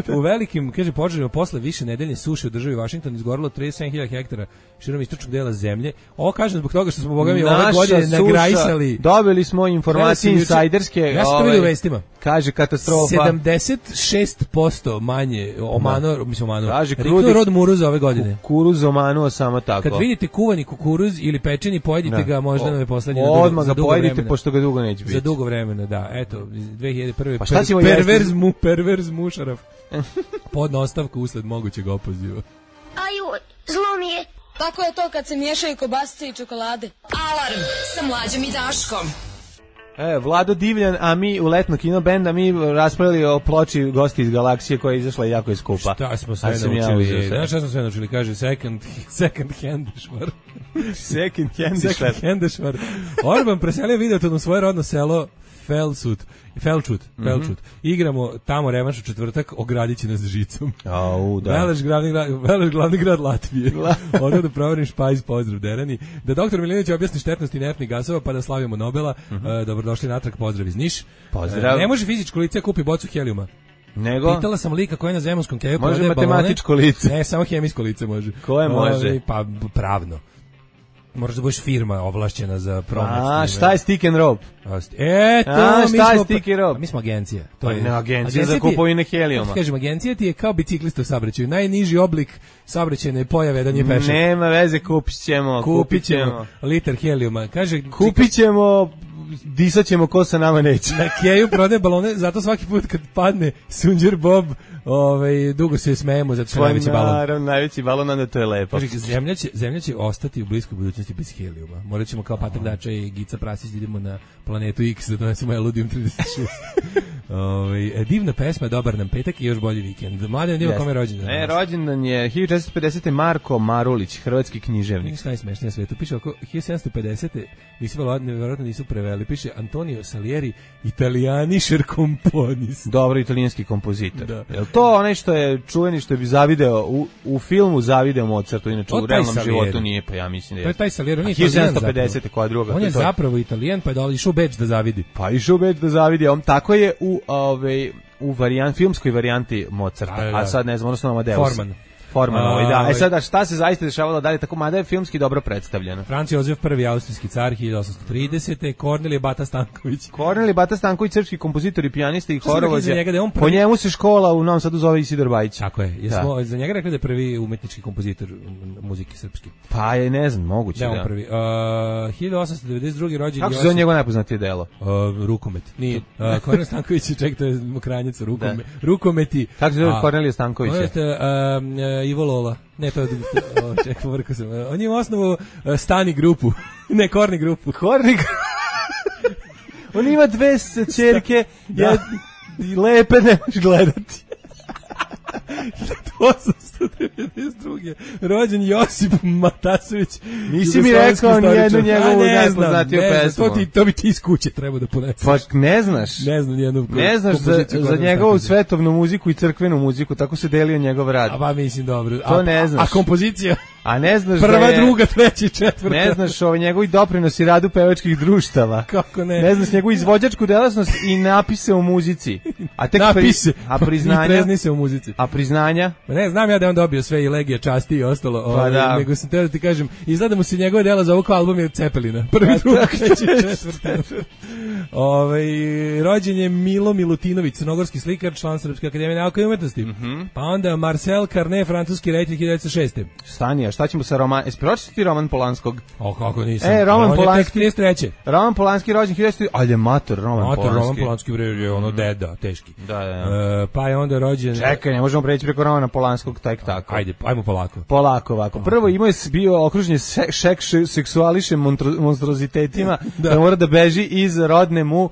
U velikim, kaže, požarima posle više nedeljne suše u državi Washington izgorilo trideset sedam hiljada hektara širom istočnog dela zemlje. Ovo kažem zbog toga što smo bogami ove godine nagrajsali. Dobili smo informacije insajderske. Ja sam to vidio u vestima. Kaže katastrofa. sedamdeset šest posto manje omano, no. mislim omano. Kaže krudi rod muruza ove godine. Kukuruz omanuo samo tako. Kad vidite kuvani kukuruz ili pečeni, pojedite no. ga, možda nam je poslednji na dugo, za dugo pojedite, vremena. Pošto ga dugo neće biti. Za dugo vremena, da. Eto, dve hiljade prve. Pa šta per, perverz mu, perverz mušaraf. Podna ostavka usled mogućeg opoziva. Aju, zlo mi je. Tako je to kad se miješaju kobasice i čokolade. Alarm sa Mlađom i Daškom. E, Vlado Divljan, a mi u letno kino benda, mi raspravili o ploči Gosti iz galaksije koja je izašla i jako je skupa. Šta smo sve naučili? Ja Znaš šta smo sve naučili? Kaže second, second hand švar. second hand švar. Second hand švar. Orban preselio Videoton u svoje rodno selo Felsut, Felčut, Felčut. Mm-hmm. Igramo tamo revanš u četvrtak, ogradit će nas žicom. Au, da. Veleš glavni grad, Veleš glavni grad Latvije. Ono da proverim špajz, pozdrav Derani. Da doktor Milinović objasni štetnost inertnih gasova, pa da slavimo Nobela. Mm-hmm. Uh, dobrodošli natrag, pozdrav iz Niš. Pozdrav. Uh, ne može fizičko lice kupi bocu helijuma. Nego? Pitala sam lika koja je na Zemunskom keju. Može matematičko balone. lice. Ne, samo hemijsko lice može. Koje može? Ove, pa pravno. Moraš da budeš firma ovlašćena za promet. A, šta je stick and rope? E, to A, mi šta smo, je stick and rope? Mi smo agencija. To pa je ne, agencija, agencija za kupovine helijuma. Kažem, agencija ti je kao biciklista u saobraćaju. Najniži oblik saobraćajne pojave da nije pešak. Nema veze, kupit ćemo. Kupit ćemo litar helijuma. Kaže, kupit ćemo, disat ćemo ko sa nama neće. Na keju prodaje balone, zato svaki put kad padne Sunđer Bob, ovaj, dugo se smejemo, zato što je najveći balon. Naravno, najveći balon, onda to je lepo. Kaže, zemlja će, zemlja će ostati u bliskoj budućnosti bez helijuma. Morat ćemo kao Patak Dača i Gica Prasić da idemo na planetu X da donesemo Eludijum trideset šest. Ovaj, divna pesma, dobar nam petak i još bolji vikend. Mladen, nima kome je rođendan? E, rođendan je hiljadu četiristo pedesete. Marko Marulić, hrvatski književnik. Šta je najsmešnije na svetu? Piše oko hiljadu sedamsto pedesete. Nisu verovatno nisu preveli. Piše Antonio Salieri, italijanišer komponist. Dobro, italijanski kompozitor. Da. Jel to onaj što je čuveni, što bi zavideo u, u filmu zavideo Mozartu, inače u realnom životu nije, pa ja mislim da je. To je taj Salieri, on je hiljadu sedamsto pedesete. koja druga. On je to zapravo Italijan, pa je dao išao u Beč da zavidi. Pa išao u Beč da zavidi, on tako je u ove u varijant filmskoj varijanti Mozarta, da, da. a sad ne znam, odnosno Amadeus. Forman. Forman, ovaj, da. E sada, šta se zaista dešavalo dalje, tako mada je filmski dobro predstavljeno. Franc Jozef prvi, austrijski car, hiljadu osamsto tridesete. Kornelije Bata Stanković. Kornelije Bata Stanković, srpski kompozitor i pijanista i horovođa. Prvi... Po njemu se škola u Novom Sadu zove Isidor Bajić. Tako je. Jesmo za njega rekli da je prvi umetnički kompozitor muzike srpski. Pa je, ne znam, moguće da. Da, on prvi. Uh, hiljadu osamsto devedeset drugi rođen Kako se zove njegovo najpoznatije delo? Uh, rukomet. Nije. Uh, Kornelije Stanković, ček, to je Mokranjica, rukomet. Rukometi. Kako se zove Kornelije Stanković? On je uh, Ivo Lola. Ne, to je o, čekaj, vrko sam. On je u osnovu uh, Stani grupu. Ne, Korni grupu. Korni grupu. On ima dve ćerke, ja, lepe ne možeš gledati. hiljadu osamsto devedeset druge rođen Josip Matasović. Nisi mi rekao ni jednu njegovu najpoznatiju pesmu. To, ti, to bi ti iz kuće trebao da poneseš. Pa ne znaš. Ne znam nijednu. Ne znaš za, za njegovu svetovnu muziku i crkvenu muziku, tako se delio njegov rad. A ba mislim dobro. To a, ne znaš. A, a kompozicija? A ne znaš prva, da je, druga, treća, četvrta. Ne znaš ovaj njegovi doprinosi radu pevačkih društava. Kako ne? Ne znaš njegovu izvođačku delatnost i napise u muzici. A tek napise. Pri, a priznanja? Trezni se u muzici. A priznanja? Ne, znam ja da je on dobio sve i legije, časti i ostalo. Pa ovaj, da. Nego sam te da ti kažem, izgleda mu se njegove dela za ovog album je Cepelina. Prvi, drugi, treći, četvrti. Ovaj rođen je Milo Milutinović, crnogorski slikar, član Srpske akademije nauka i umetnosti. Mm -hmm. Pa onda Marcel Carné, francuski reditelj hiljadu devetsto šeste. Stani, a šta ćemo sa roman... Jesi pročitati roman Polanskog? O, kako nisam. E, roman on Polanski. Je tek trideset treće. Roman Polanski rođen hiljadu devetsto, ali je mator roman mator, Polanski. Roman Polanski je ono deda, teški. Da, da. da. E, pa je onda rođen... Čekaj, ne možemo preći preko romana Polanskog tek tako. Ajde, ajmo polako. Polako ovako. Prvo imao je bio okružen se, šek seksuališem monstrozitetima, da. da mora da beži iz rodne mu uh,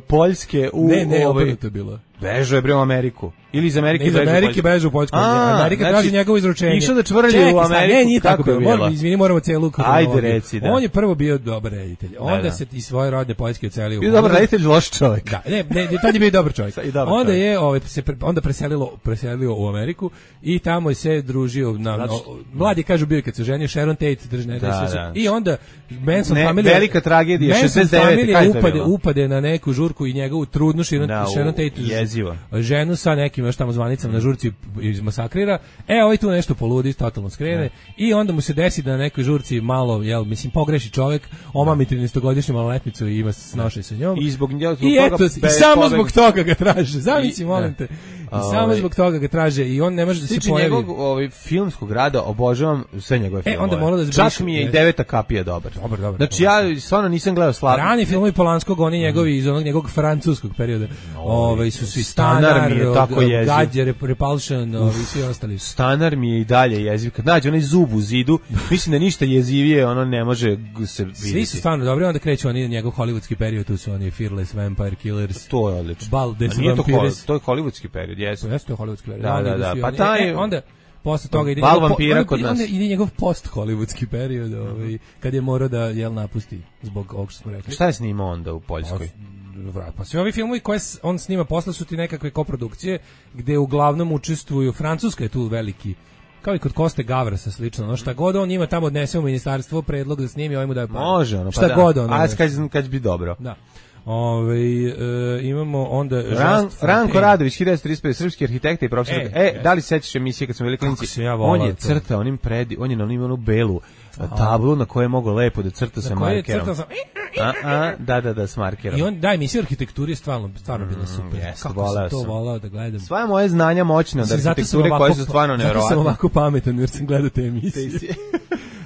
Poljske u... Ne, ne, ovaj, obrnuto je bilo. Bežao je bre u Ameriku. Ili iz Amerike bežao u Poljsku. Iz Amerike bežao u Poljsku. Amerika znači, traži njegovo izručenje. Išao da čvrlje u Ameriku. Ne, nije tako bilo. Moramo, izvini, moramo celu kronologiju. Ajde, reci, da. On je prvo bio dobar reditelj. Onda da, da. se iz svoje rodne Poljske ocelio. Bio dobar reditelj, loš čovjek. Da, ne, ne, tad je bio dobar čovjek. dobar onda čovjek. je ovaj se onda preselilo, preselio u Ameriku i tamo je se družio na no, mladi kažu bio kad se ženio Sharon Tate, držne da, da. I onda Manson ne, familija velika tragedija šezdeset devete kaj upade upade na neku žurku i njegovu trudnu Sharon, da, Sharon Tate jezivo. Ženu sa nekim još tamo zvanicama na žurci izmasakrira. E, ovaj tu nešto poludi, totalno skrene ne. I onda mu se desi da na nekoj žurci malo, jel, mislim, pogreši čovjek, omami trinaestogodišnju maloletnicu i ima snošaj sa njom. I zbog njega I eto, i samo pobeg... zbog toga ga traže. Zamisli, molim te. I samo ovaj, zbog toga ga traže i on ne može da se pojavi. Njegovog ovaj, filmskog rada obožavam sve njegove filmove. E, onda mora da zbriš, čak mi je i Deveta kapija dobar. Dobar, dobar. Znači ja stvarno nisam gledao Slavno. Rani filmovi Polanskog, oni njegovi mm. iz onog njegovog francuskog perioda. Ovaj su svi Stanar, mi je tako jeziv. Gađer, Repulsion, ovi svi ostali. Stanar mi je i dalje jeziv. Kad nađe onaj zub u zidu, mislim da ništa jezivije ono ne može se vidjeti. Svi su stvarno dobri, onda kreću oni njegov hollywoodski period, tu su oni Fearless Vampire Killers. To je odlično. Bal des Vampires. To je hollywoodski period, jesu. Jeste to hollywoodski period. Da, da, da. Pa taj e, onda posle toga ide Bal njegov, vampira po, kod nas. onda ide njegov post-hollywoodski period, ovaj, kad je morao da jel napusti zbog ovog što smo rekli. Šta je snimao onda u Poljskoj? Pa, pa svi ovi filmovi koje on snima posle su ti nekakve koprodukcije gde uglavnom učestvuju, Francuska je tu veliki, kao i kod Koste Gavrasa slično, ono šta god on ima tamo odnese u ministarstvo predlog da snimi, ovaj mu daje pare. Može, ono, pa šta da. god ono. A kad, kad bi dobro. Da. Ove, e, imamo onda Ran, Ranko Radović, hiljadu devetsto trideset pet, srpski arhitekta i profesor. E, E, e da li sećaš emisije kad smo bili klinici? Ja on je crtao onim predi, on je na onim onu belu tablu na kojoj je mogao lepo da crta sa markerom. Sam... A, a, da, da, da, s markerom. I on, da, emisija arhitekturi je stvarno, stvarno bila super. Mm, yes, kako sam to volao da gledam. Sva moje znanja moćne od arhitekture koje su stvarno nevjerovatne. Zato sam ovako pametan jer sam gledao te emisije.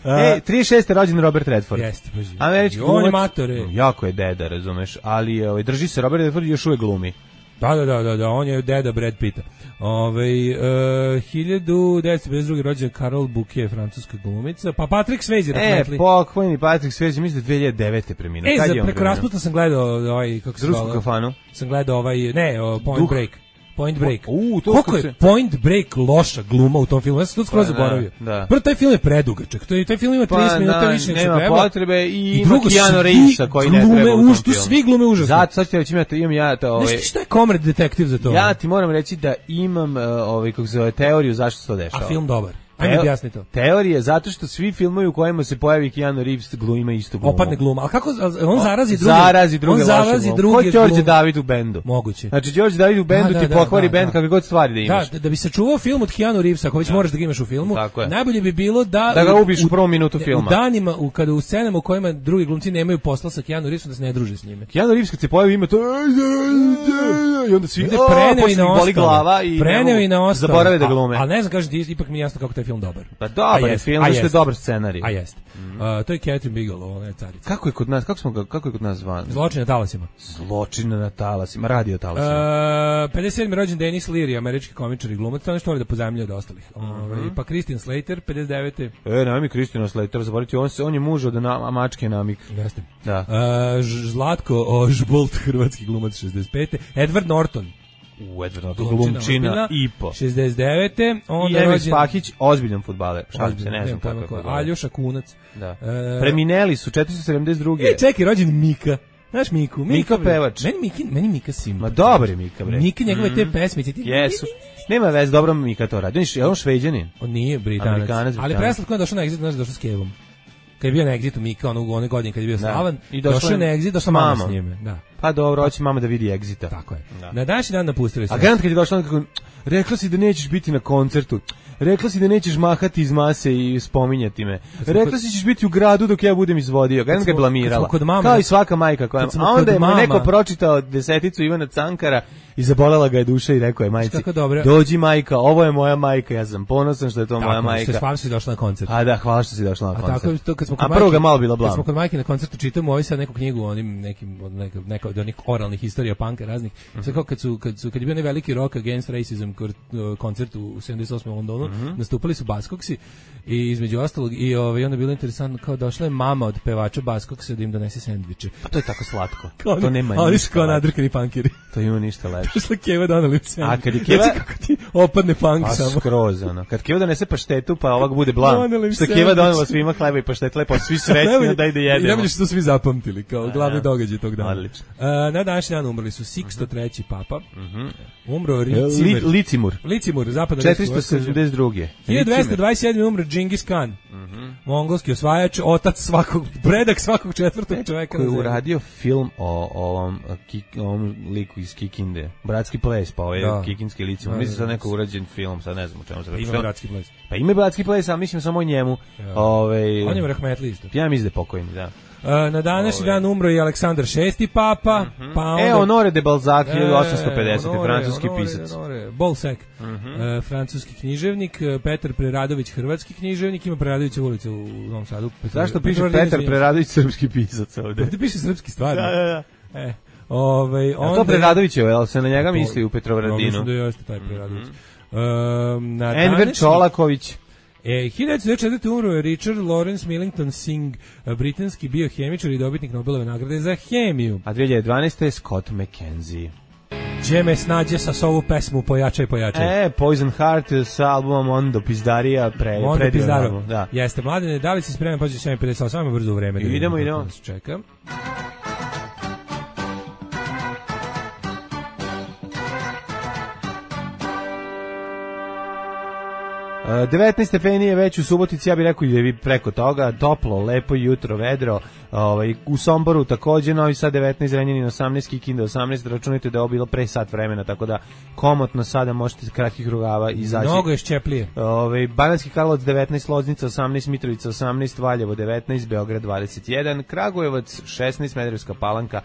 E, trideset šeste rođen Robert Redford. Jeste, paži. Američki on je glumac, matore. jako je deda, razumeš, ali je, ovaj, drži se Robert Redford i još uvek glumi. Da, da, da, da, da, on je deda Brad Pitta. Ove, uh, hiljadu devetsto pedeset druge rođen Carol Bouquet, francuska glumica, pa Patrick Swayze, E, pokojni Patrick Swayze, mislim da dve hiljade devete preminuo. E, Kad za preko rasputa sam gledao ovaj, kako se zove? Rusku kafanu. Sam gledao ovaj, ne, o, Point Duh. Break. Point Break. U, to koliko je se... Point Break loša gluma u tom filmu? Ja sam to skroz zaboravio. Da. Prvo, taj film je predugačak. To je, taj film ima trideset pa, minuta da, više nego nema treba. potrebe i, I ima drugo, Keanu Reevesa koji ne treba u tom užtu, filmu. Svi glume užasno. Zato, sad ću reći, imam, imam ja to... Ovaj, Nešto šta je Comrade Detective za to? Ja ti moram reći da imam ovaj, kako se zove, teoriju zašto se to dešava. A film dobar. Ajme objasni to. Teorija zato što svi filmovi u kojima se pojavi Keanu Reeves gluma istu glumu. Opadne gluma. A kako on zarazi druge? Zarazi druge. On zarazi druge. Ko Đorđe David u bendu? Moguće. Znači Đorđe David u bendu da, ti da, pokvari da, bend da. Kakve god stvari da imaš. Da, da bi se čuvao film od Keanu Reevesa, ako već da. moraš da ga imaš u filmu, najbolje bi bilo da da ga ubiš u prvom minutu filma. U danima u kada u scenama u kojima drugi glumci nemaju posla sa Keanu Reevesom da se ne druže s njime. Keanu Reeves kad se pojavi ima to i onda svi preneo i na boli glava i preneo i na ostalo. Zaborave da glume. Al ne znam, kažeš ti ipak mi je jasno kako taj film dobar. Pa dobar je film, što je dobar scenarij. A jeste. Mm. Uh, to je Catherine Bigelow, ona je carica. Kako je kod nas, kako smo kako je kod nas zvan? Zločin na talasima. Zločin na talasima, radio talasima. Uh, pedeset sedmi rođen Denis Leary, američki komičar i glumac, to nešto voli da pozajmljuje od ostalih. Mm -hmm. Ove, pa Christian Slater, pedeset devete E, nema mi Christian Slater, zaboraviti, on se on je muž od na, mačke namik. Jeste. Da. Uh, Zlatko Ožbolt, hrvatski glumac, šezdeset pete Edward Norton. U Edward Norton, glumčina i po. šezdeset devete Onda I Emil Spahić, ozbiljan fudbaler. Šalim se, ne znam kako je. Aljoša Kunac. Da. E, Premineli su četiristo sedamdeset druge E, čekaj, rođen Mika. Znaš Miku? Mika, Mika pevač. Meni Mika, meni Mika simpatičan. Ma dobar je Mika, bre. Mika, njegove mm. te pesmice. Ti... Jesu. Nema veze, dobro Mika to radi. Je on Šveđanin? On nije Britanac. Amerikanac, ali preslatko je došao na Exit, znaš, došao s Kevom. Kad je bio na Exitu Mika, ono u one godine kad je bio slavan, došao na Exit, došla mama s njime. Da. Pa dobro, hoće mama da vidi Exita. Tako je. Da. Na današnji dan napustili su. A garant kad je došla, kako rekla si da nećeš biti na koncertu. Rekla si da nećeš mahati iz mase i spominjati me. Rekla si ćeš biti u gradu dok ja budem izvodio. Garant ga je blamirala. Kao i svaka majka koja. A onda je mu neko pročitao deseticu Ivana Cankara i zabolela ga je duša i rekao je majci: "Dođi majka, ovo je moja majka, ja sam ponosan što je to tako, moja majka." Tako, hvala što si došla na koncert. A da, hvala što si došla na koncert. A tako to kad smo kod majke. A prvo ga malo bila blam. Kad smo kod majke na koncertu čitamo ovaj sad neku knjigu onim nekim od neka neka od onih oralnih istorija panka raznih. Mm -hmm. Sve kao kad su kad su kad je bio onaj veliki Rock Against Racism koncert u sedamdeset osmom u Londonu, mm -hmm. nastupali su Buzzcocksi i između ostalog i ovaj onda je bilo interesantno kao došla je mama od pevača Buzzcocksa da im donese sendviče. Pa to je tako slatko. Kao to nema ništa. Ali su kao nadrkani punkeri. To ima ništa lepše. Došla Keva doneli sendvič. A kad je Keva kako ti opadne punk a, samo. Skroz ono. Kad Keva donese paštetu pa ovak bude blam. Što Keva donela svima hleba i paštet, lepo svi srećni da ide jedemo. I najbolje što su svi zapamtili kao a, glavni događaj tog dana. Odlično. Uh, na današnji dan umrli su Siksto treći papa. Mhm. Umro Licimur. Licimur. Licimur, zapadno četiristo sedamdeset druge hiljadu dvesta dvadeset sedme umro Džingis Khan. Mhm. Mongolski osvajač, otac svakog, predak svakog četvrtog čoveka koji je uradio film o ovom, ovom liku iz Kikinde. Bratski ples, pa ovaj da. Kikinski Licimur. Mislim sad neko urađen film, sad ne znam o čemu se radi. Ima Bratski ples. Pa ima Bratski ples, a mislim samo o njemu. Ja. Ove, on je rahmetli isto. Ja mislim da je pokojni, da. Uh, na današnji dan umro i Aleksandar šesti papa, mm -hmm. pa onda... E, Honore de Balzac, hiljadu osamsto pedesete E, francuski honore, pisac. Honore, Balzac, mm -hmm. uh, francuski književnik, Petar Preradović, hrvatski književnik, ima Preradovića ulica u Novom Sadu. Petar, zašto piše Petar, Petar Preradović, srpski pisac ovde? Ovde piše srpski stvarno. Da, da, da. E, ovaj, onda... A to Preradović je, ali se na njega misli u Petrovaradinu? Mislim da jeste taj Preradović. Mm -hmm. uh, na Enver današnji... Čolaković. E, hiljadu devetsto devedeset četvrte umro je Richard Lawrence Millington Singh, britanski biohemičar i dobitnik Nobelove nagrade za hemiju. A dve hiljade dvanaeste je Scott McKenzie. Gdje me snađe sa ovu pesmu Pojačaj, pojačaj. E, Poison Heart sa albumom Mondo Pizdarija, pre, Mondo Pizdaro. Da. Jeste, Mladene, da li si spreman, pođe sedam pedeset osam, samo brzo u vreme. Da idemo, vidimo, idemo. Čekam. devetnaest stepeni je već u Subotici, ja bih rekao i da je preko toga, toplo, lepo jutro, vedro, ovaj, u Somboru takođe, Novi Sad devetnaest, Zrenjanin osamnaest, Kikinda osamnaest, računajte da je ovo bilo pre sat vremena, tako da komotno sada možete kratkih rugava izaći. Mnogo je šćeplije. Ovaj, Banatski Karlovac devetnaest, Loznica osamnaest, Mitrovica osamnaest, Valjevo devetnaest, Beograd dvadeset jedan, Kragujevac šesnaest, Smederevska Palanka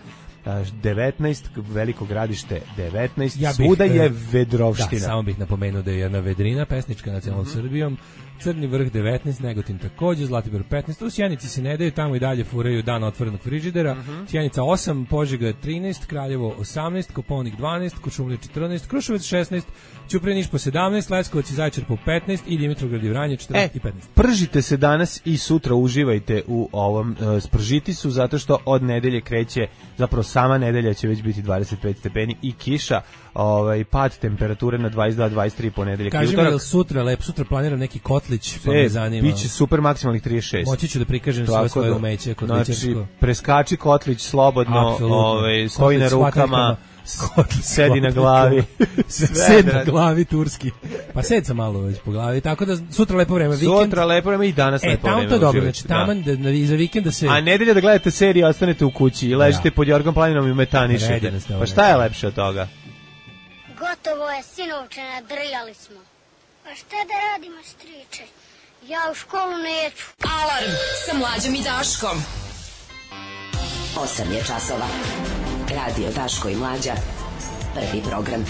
devetnaest, Veliko Gradište devetnaest, ja bih, svuda je vedrovština. Da, samo bih napomenuo da je jedna vedrina pesnička nacionalnom mm-hmm. Srbijom, Crni Vrh devetnaest, Negotin takođe, Zlatibor petnaest, u Sjenici se ne daju, tamo i dalje furaju dan otvorenog frižidera, mm-hmm. Sjenica osam, Požega trinaest, Kraljevo osamnaest, Koponik dvanaest, Kuršumlija četrnaest, Kruševac šesnaest, Ćuprija po sedamnaest, Leskovac i Zaječar po petnaest i Dimitrovgrad i Vranje četrnaest e, i petnaest. Pržite se danas i sutra, uživajte u ovom uh, spržitisu, zato što od nedelje kreće, zapravo sama nedelja će već biti dvadeset pet stepeni i kiša, ovaj, pad temperature na dvadeset dva dvadeset tri ponedeljak. Kaži mi, je li sutra, lep, sutra planiram neki kotlić, pa e, me zanima. Biće super maksimalnih trideset šest. Moći ću da prikažem sve svoje da, umeće kotličarsko. Znači, preskači kotlić slobodno, ovaj, stoji na rukama, sedi na glavi. Sed na glavi turski. Pa sed sam malo već po glavi, tako da sutra lepo vreme, vikend. Sutra lepo vreme i danas e, lepo vreme. E, tamo to dobro, znači taman da, da, iza vikenda se... A nedelja da gledate seriju, ostanete u kući i ležite ja. pod Jorgom planinom i metanišete. Pa šta je lepše od toga? Gotovo je, sinovče, nadrljali smo. Pa šta da radimo, striče? Ja u školu neću. Alarm sa Mlađom i Daškom. osam je časova. Radio Daško i Mlađa. Prvi program.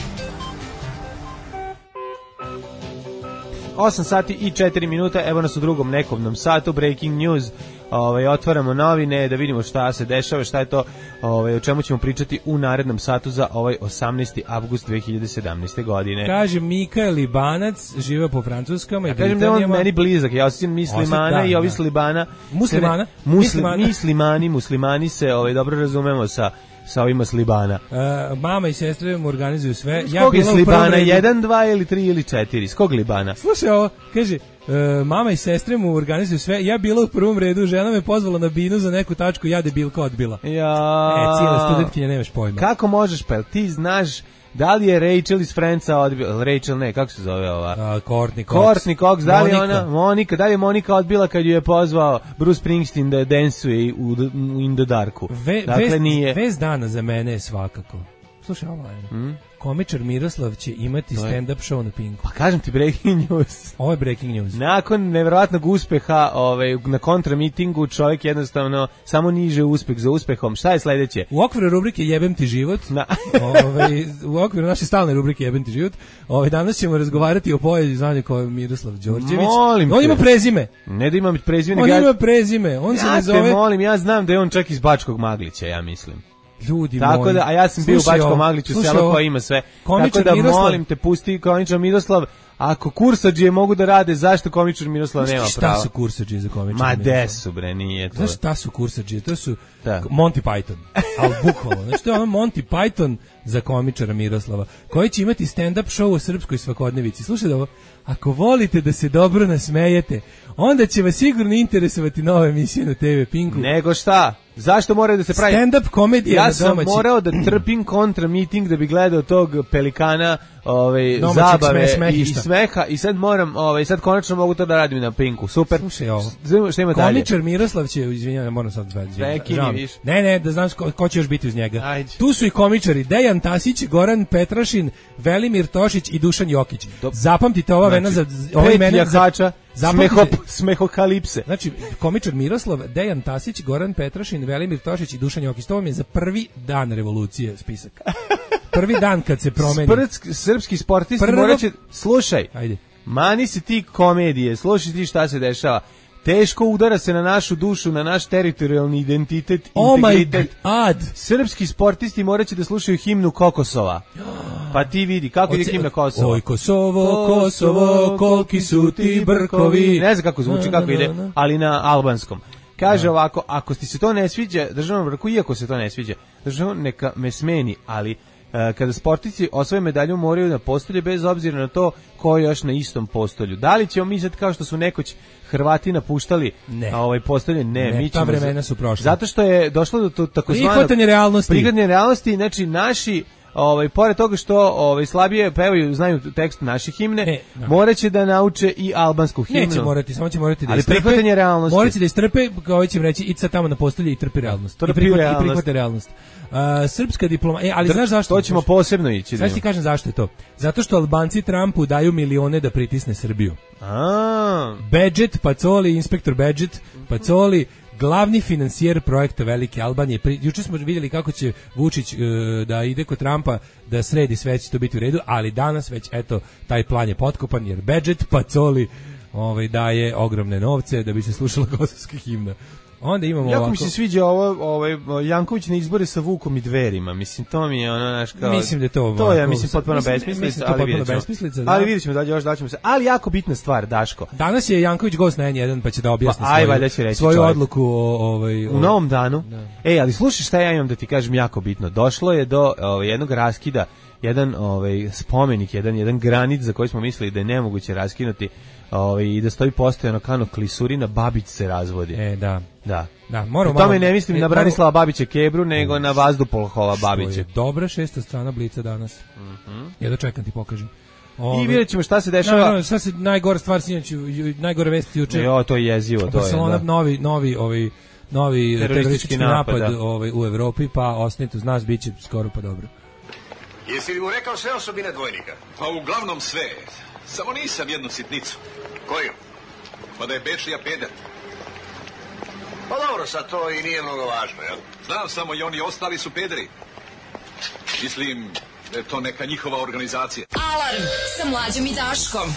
osam sati i četiri minuta, evo nas u drugom nekovnom satu, breaking news. Ovaj, otvaramo novine da vidimo šta se dešava, šta je to, ovaj, o čemu ćemo pričati u narednom satu za ovaj osamnaesti avgust dve hiljade sedamnaeste. godine. Kaže Mika Libanac, živeo po Francuskama ja i kažem da je on meni blizak, ja osjećam muslimana da, i ovi da. Slibana. Muslimana? Muslim, muslimana. Muslimani, muslimani se ovaj, dobro razumemo sa sa ovima Slibana. Uh, mama i sestre mu organizuju sve. S kog ja je Slibana? jedan, dva ili tri ili četiri? S kog Libana? Slušaj ovo, kaže, uh, mama i sestre mu organizuju sve. Ja bila u prvom redu, žena me pozvala na binu za neku tačku, ja debilka odbila. Ja. E, cijela studentkinja, nemaš pojma. Kako možeš, pa ti znaš da li je Rachel iz Friendsa odbila, Rachel ne, kako se zove ova? Uh, Courtney Cox. Courtney Cox, da li Monika. ona, Monika, da li je Monika odbila kad ju je pozvao Bruce Springsteen da dansuje u, u In the Darku? Ve, dakle, vez, nije. Vez dana za mene je svakako. Slušaj, ovo je. Hmm? Komičar Miroslav će imati stand-up show na Pinku. Pa kažem ti breaking news. Ovo je breaking news. Nakon nevjerovatnog uspeha ovaj, na kontramitingu čovjek jednostavno samo niže uspeh za uspehom. Šta je sledeće? U okviru rubrike Jebem ti život, na. ovaj, u okviru naše stalne rubrike Jebem ti život, ovaj, danas ćemo razgovarati o poeziji znanje ko je Miroslav Đorđević. Molim on te. ima prezime. Ne da ima prezime. On ja, ima prezime. On ja se ne zove... te molim, ja znam da je on čak iz Bačkog Maglića, ja mislim. Ljudi tako moji. Da, a ja sam bio u Bačkom Magliću, selo koje ima sve. Tako da Miroslav, molim te, pusti komičar Miroslav. Ako kursadžije mogu da rade, zašto komičar Miroslav nema prava? Šta su kursadžije za komičar Ma Miroslav? Ma su bre, nije to. Znaš šta su kursadžije? To su da. Monty Python. Ali bukvalno. Znači to je ono Monty Python za komičara Miroslava, koji će imati stand-up show o srpskoj svakodnevici. Slušaj da ovo, ako volite da se dobro nasmejete, onda će vas sigurno interesovati nova emisija na te ve Pinku. Nego šta? Zašto mora da se pravi? Stand-up komedija ja na domaći. Ja sam morao da trpim kontra miting da bi gledao tog pelikana ovaj, zabave sme, i, i smeha i sad moram, ovaj, sad konačno mogu to da radim na Pinku. Super. Slušaj ovo. Šta ima dalje? Komičar Miroslav će, izvinjam, moram sad zvati. Prekini, ne, ne, da znam ko, ko će još biti uz njega. Ajde. Tu su i komičari Dejan Tasić, Goran Petrašin, Velimir Tošić i Dušan Jokić. Dob. Zapamtite ova znači, vena za ova imena za Smeho, smehokalipse. Znači, komičar Miroslav, Dejan Tasić, Goran Petrašin, Velimir Tošić i Dušan Jokić. To vam je za prvi dan revolucije spisak. Prvi dan kad se promeni. Sprc, srpski sportisti Prvo... morat će... Slušaj, Ajde. mani se ti komedije, slušaj ti šta se dešava. Teško udara se na našu dušu, na naš teritorijalni identitet, oh integritet. My God. Srpski sportisti morat će da slušaju himnu Kokosova. Pa ti vidi, kako Oce, ide himna Kosova. Oj Kosovo, Kosovo, koliki su ti brkovi. Ne znam kako zvuči, kako ide, ali na albanskom. Kaže ovako, ako ti se to ne sviđa, državnom vrhu, iako se to ne sviđa, državnom neka me smeni, ali kada sportisti osvoje medalju moraju na postolje bez obzira na to ko je još na istom postolju. Da li ćemo mi sad kao što su nekoć Hrvati napuštali ne. ovaj postolje? Ne, ne mi ćemo. Ta vremena su prošla. Zato što je došlo do to takozvanog prihvatanje realnosti. Prihvatanje realnosti, znači naši ovaj pored toga što ovaj slabije pevaju, znaju tekst naše himne, ne, no. moraće da nauče i albansku himnu. Neće morati, samo će morati da ali istrpe. Prihvatanje realnosti. Moraće da istrpe, kao će reći, ica tamo na postolje i trpi realnost. Trpi I prihvati realnost. i prihvati realnost. Uh, srpska diploma, e, ali Tr znaš zašto? To ćemo posebno ići. Znaš ti kažem zašto je to? Zato što Albanci Trumpu daju milione da pritisne Srbiju. A. Badget, Pacoli, inspektor Badget, Pacoli, glavni finansijer projekta Velike Albanije. Pri, juče smo vidjeli kako će Vučić uh, da ide kod Trumpa da sredi sve, će to biti u redu, ali danas već, eto, taj plan je potkopan, jer Badget, Pacoli ovaj, daje ogromne novce da bi se slušala kosovska himna. Onda imamo jako ovako. mi se sviđa ovo, ovaj Janković na izbore sa Vukom i Dverima. Mislim to mi je ono naš kao. Mislim da je to. To ja mislim potpuno besmislica, ali vidimo. Da. Ali videćemo da još daćemo se. Ali jako bitna stvar, Daško. Danas je Janković gost na N jedan pa će da objasni pa, svoju, aj, reći, svoju čovjek. odluku o, ovaj, u novom danu. Da. Ej, ali slušaj šta ja imam da ti kažem jako bitno. Došlo je do ovaj, jednog raskida, jedan ovaj spomenik, jedan jedan granit za koji smo mislili da je nemoguće raskinuti. Ovaj i da stoji postojano kano klisurina, Babić se razvodi. E, da. Da. Da, moramo. Tome ne mislim e, na Branislava Babića Kebru, nego na Vazdupolhova Babića. Je dobra šesta strana Blica danas. Mhm. Mm Ja dočekam ti pokažem. Ove, I vidjet ćemo šta se dešava. No, no, šta se najgore stvar sinoć, najgore vesti juče. Jo, to je jezivo, to Barcelona, je. Da. novi novi ovaj novi teroristički napad, napad ovaj u Evropi, pa ostanite uz nas, biće skoro pa dobro. Jesi li mu rekao sve osobine dvojnika? Pa uglavnom sve. Samo nisam jednu sitnicu. Koju? Pa da je Bečija peder. Pa dobro, sad to i nije mnogo važno, jel? Znam samo i oni ostali su pederi. Mislim da je to neka njihova organizacija. Alarm sa Mlađom i Daškom.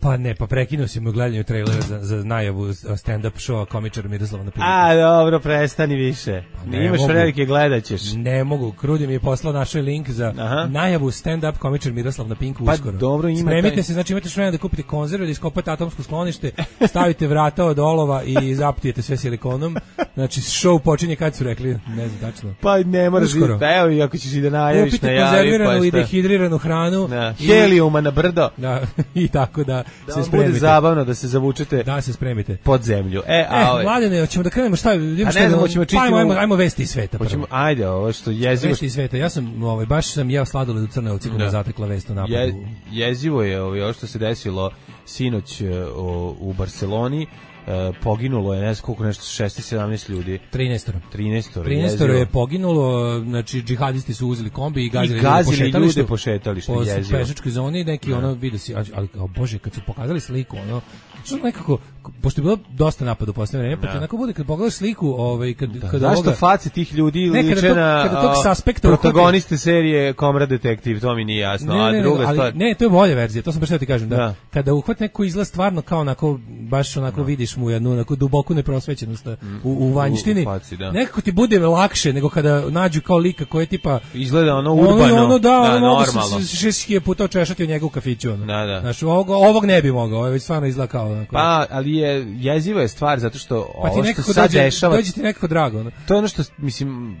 Pa ne, pa prekinuo si mu gledanje trailera za, za najavu stand-up showa komičara Miroslava na Pinku. A, dobro, prestani više. Pa ne imaš velike, gledat ćeš. Ne mogu, Krudi mi je poslao našoj link za Aha. najavu stand-up komičar Miroslav na Pinku pa uskoro. Dobro, ima Spremite taj... se, znači imate što vremena da kupite konzerve, da iskopate atomsko sklonište, stavite vrata od olova i zaptijete sve silikonom. Znači, show počinje kad su rekli, ne znam tačno. Pa ne moraš, pa evo i ako ćeš i da najaviš, kupite najavi. Kupite konzerviranu i dehidriranu hranu. Da. I... Helijuma na brdo. Da, i tako da, da se spremite. Bude zabavno da se zavučete. Da se spremite. Pod zemlju. E, a e ove... Mladene, hoćemo da krenemo šta? A ne znam, hoćemo čitati. Ajmo, ajmo, ajmo vesti iz sveta. Hoćemo, ajde, ovo što jezivo. Vesti iz sveta. Ja sam, ovaj, baš sam jeo sladoled u Crnovci kada zatekla vest o napadu. Je, jezivo je ovaj, ovo što se desilo sinoć o, u Barceloni. E, poginulo je nešto koliko nešto šesnaest sedamnaest ljudi. trinaest trinaest trinaest je poginulo, znači džihadisti su uzeli kombi i gazili, I gazili ljude ljude po šetalištu, po jezivo. pešačkoj zoni, neki da. Ono vidi se, ali o bože, kad su pokazali sliku, ono što nekako, pošto je bilo dosta napada u poslednje vreme, pa ti onako bude kad pogledaš sliku, ovaj kad da. kad zašto ovoga, face tih ljudi ne, liče na kada tog suspekta protagoniste uhvati, serije Komrad detektiv, to mi nije jasno, ne, ne, a druga ali, stvar. Ne, to je bolja verzija, to sam baš htio ti kažem, da, da. Kada uhvat neko izgleda stvarno kao onako baš onako da. Vidiš mu jednu onako duboku neprosvećenost u, u vanjštini. U, u faci, da. Nekako ti bude lakše nego kada nađu kao lika koji je tipa izgleda ono urbano, ono, ono da, da ono normalno. šest hiljada puta očešati od njega u kafiću. Ono. Da, da. Znaš, ovog, ovog ne bi mogao, ovo je već stvarno izgleda kao. Onako. Pa, ali je jeziva je stvar zato što pa ovo što sad dođe, dešava. Dođe ti nekako drago. Ono. To je ono što, mislim,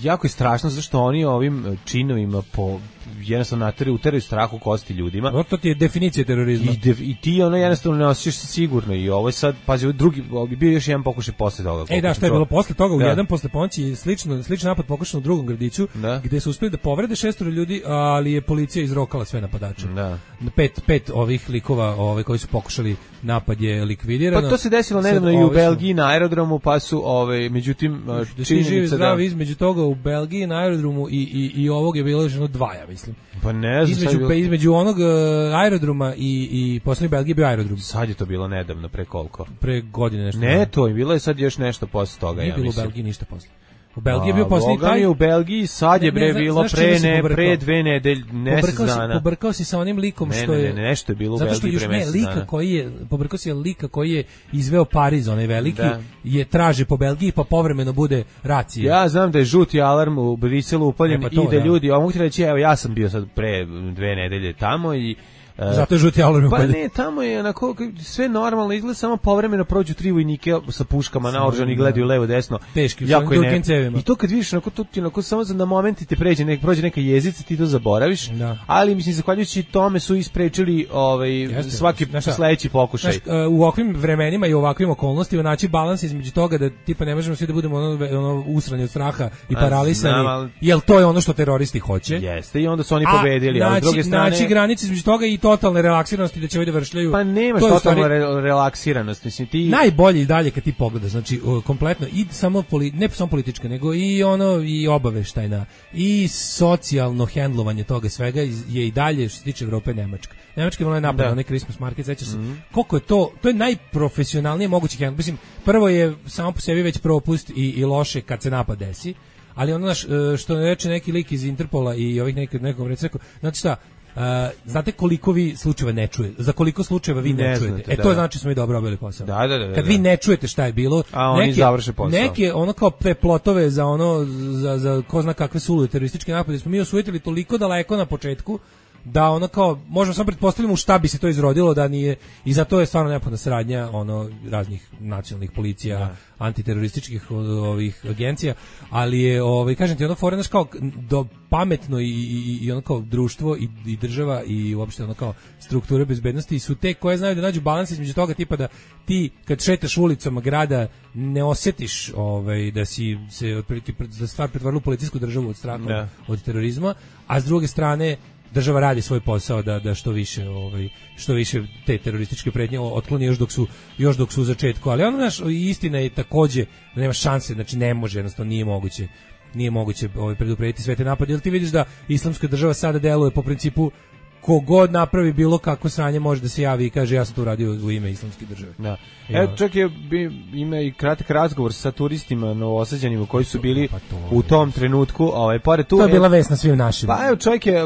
jako je strašno zato što oni ovim činovima po jednostavno nateraju, uteraju strah u kosti ljudima. O, to ti je definicija terorizma. I, de, i ti ono jednostavno ne osjećaš se sigurno i ovo je sad, pazi, drugi, ovo bi bio još jedan pokušaj posle toga. Ej da, što je bilo posle toga, u da. jedan posle ponoći, slično, sličan napad pokušan u drugom gradiću, da. Gde su uspeli da povrede šestoro ljudi, ali je policija izrokala sve napadače. Da. Pet, pet ovih likova ove, koji su pokušali napad je likvidirano. Pa to se desilo nedavno i u Belgiji na aerodromu, pa su, ove, međutim, činjenica da... između toga u Belgiji na aerodromu i, i, i ovog je bilo ženo dva, ja mislim. Pa ne znam, između, bilo... između onog uh, aerodroma i, i poslednje Belgije bio aerodrom. Sad je to bilo nedavno, pre koliko? Pre godine nešto. Ne, to je bilo je sad još nešto posle toga, nije ja bilo mislim. u Belgiji ništa posle. U Belgiji je bio poslednji taj. U Belgiji sad je bre bilo pre ne pre dve nedelje, mesec dana. Pobrkao si sa onim likom što je. Ne, ne, nešto je bilo u Belgiji pre mesec dana. Zato što lika koji je pobrkao si lika koji je izveo Pariz, onaj veliki, je traže po Belgiji pa povremeno bude racija. Ja znam da je žuti alarm u Briselu upaljen i da ljudi, a mogu ti reći, evo ja sam bio sad pre dve nedelje tamo i Zato je žuti alarm. Pa ne, tamo je onako sve normalno, izgleda samo povremeno prođu tri vojnike sa puškama naoružani i gledaju levo desno. Teški, jako je ne. Cevima. I to kad vidiš onako to ti onako samo za na momenti te pređe nek prođe neka jezica, ti to zaboraviš. Da. Ali mislim zahvaljujući tome su isprečili ovaj Jeste, svaki sledeći pokušaj. Znaš, u ovakvim vremenima i u ovakvim okolnostima naći balans između toga da tipa ne možemo svi da budemo ono, ono usrani od straha i paralisani. Ali... Jel to je ono što teroristi hoće? Jeste, i onda su oni pobedili, a, ali s druge strane naći granice između toga i totalne relaksiranosti da će ovi da vršljaju. Pa nemaš to totalnu stvari... re relaksiranost, mislim ti. Najbolje i dalje kad ti pogledaš, znači kompletno i samo poli... ne samo politička, nego i ono i obaveštajna i socijalno hendlovanje toga svega je i dalje što se tiče Evrope Nemačka. Nemačka je napad na onaj Christmas market, sećaš se. Mm-hmm. Koliko je to, to je najprofesionalnije mogući hendl. Mislim, prvo je samo po sebi već propust i, i loše kad se napad desi, ali ono naš, što reče neki lik iz Interpola i ovih nekog nekom reče, znači šta, Uh, znate koliko vi slučajeva ne čujete, za koliko slučajeva vi ne, ne čujete. Znate, e to da. Znači smo i dobro obavili posao. Da, da, da, kad da. vi ne čujete šta je bilo, a oni neke, završe posao. Neke ono kao te plotove za ono za za ko zna kakve sulude terorističke napade smo mi osujetili toliko daleko na početku da ono kao možemo samo pretpostaviti u šta bi se to izrodilo da nije i zato je stvarno neophodna saradnja ono raznih nacionalnih policija, ja. antiterorističkih ovih agencija, ali je ovaj kažem ti ono fore naš kao do pametno i i i ono kao društvo i, i država i uopšte ono kao strukture bezbednosti su te koje znaju da nađu balans između toga tipa da ti kad šetaš ulicama grada ne osjetiš ovaj da si se otprilike da stvar pretvorila u policijsku državu od straha ja. od terorizma, a s druge strane država radi svoj posao da da što više ovaj što više te terorističke pretnje otkloni još dok su još dok su u začetku, ali ono naš istina je takođe da nema šanse, znači ne može, jednostavno nije moguće nije moguće ovaj preduprediti sve te napade. Jel ti vidiš da islamska država sada deluje po principu kogod napravi bilo kakvo sranje može da se javi i kaže ja sam to uradio u ime islamske države. Da. Evo čak je ima i kratak razgovor sa turistima novosađanima koji su bili pa to, u tom trenutku, ovaj pored tu. To je bila vest na svim našim. Pa evo čovjek je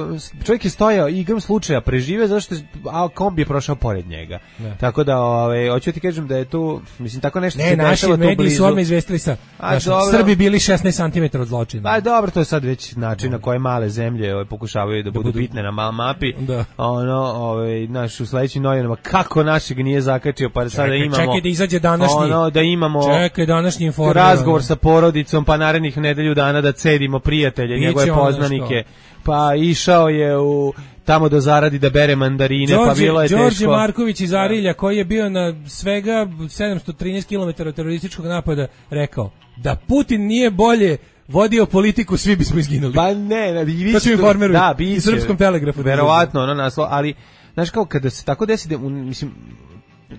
čovjek je stojao i igram slučaja prežive zašto a kombi je prošao pored njega. Ne. Tako da ovaj hoću ti kažem da je tu mislim tako nešto ne, se dešava tu blizu. Ne, naši mediji su odmah izvestili sa naši Srbi bili šesnaest centimetara od zločina. Pa dobro, to je sad već način na koje male zemlje ovaj pokušavaju da, da budu, budu bitne na mal mapi. Da. Ono, ovaj naš u sledećim novinama kako našeg nije zakačio pa sada imamo. Čekaj da izađe današnji. Ono da imamo. Čekaj današnji informer. Razgovor sa porodicom pa narednih nedelju dana da cedimo prijatelje, Biće njegove poznanike. Pa išao je u tamo do zaradi da bere mandarine, Đorđe, pa bilo je Đorđe teško. Đorđe Marković iz Arilja koji je bio na svega sedamsto trinaest kilometara terorističkog napada rekao da Putin nije bolje vodio politiku, svi bismo izginuli. Pa ne, ne, vi to ću informeruju da, i Srpskom telegrafu. Verovatno, ono naslov, ali znaš kao kada se tako desi da, mislim,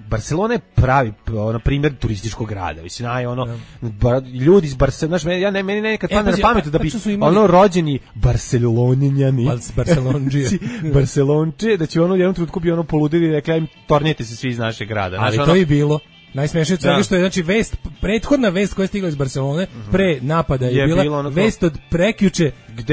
Barcelona je pravi ono primjer turističkog grada. Mislim aj ono bar, ljudi iz Barcelone, znaš, ja ne meni nekad padne na pamet da bi imali... ono rođeni Barcelonjani, Barcelondžije, Barcelonče, da će ono u jednom trenutku bi ono poludili i rekli im tornjete se svi iz našeg grada. Ali znaš, to ono... je bilo najsmešnije od svega što je, znači, vest, prethodna vest koja je stigla iz Barcelone, pre napada je, je bila ono vest od prekjuče,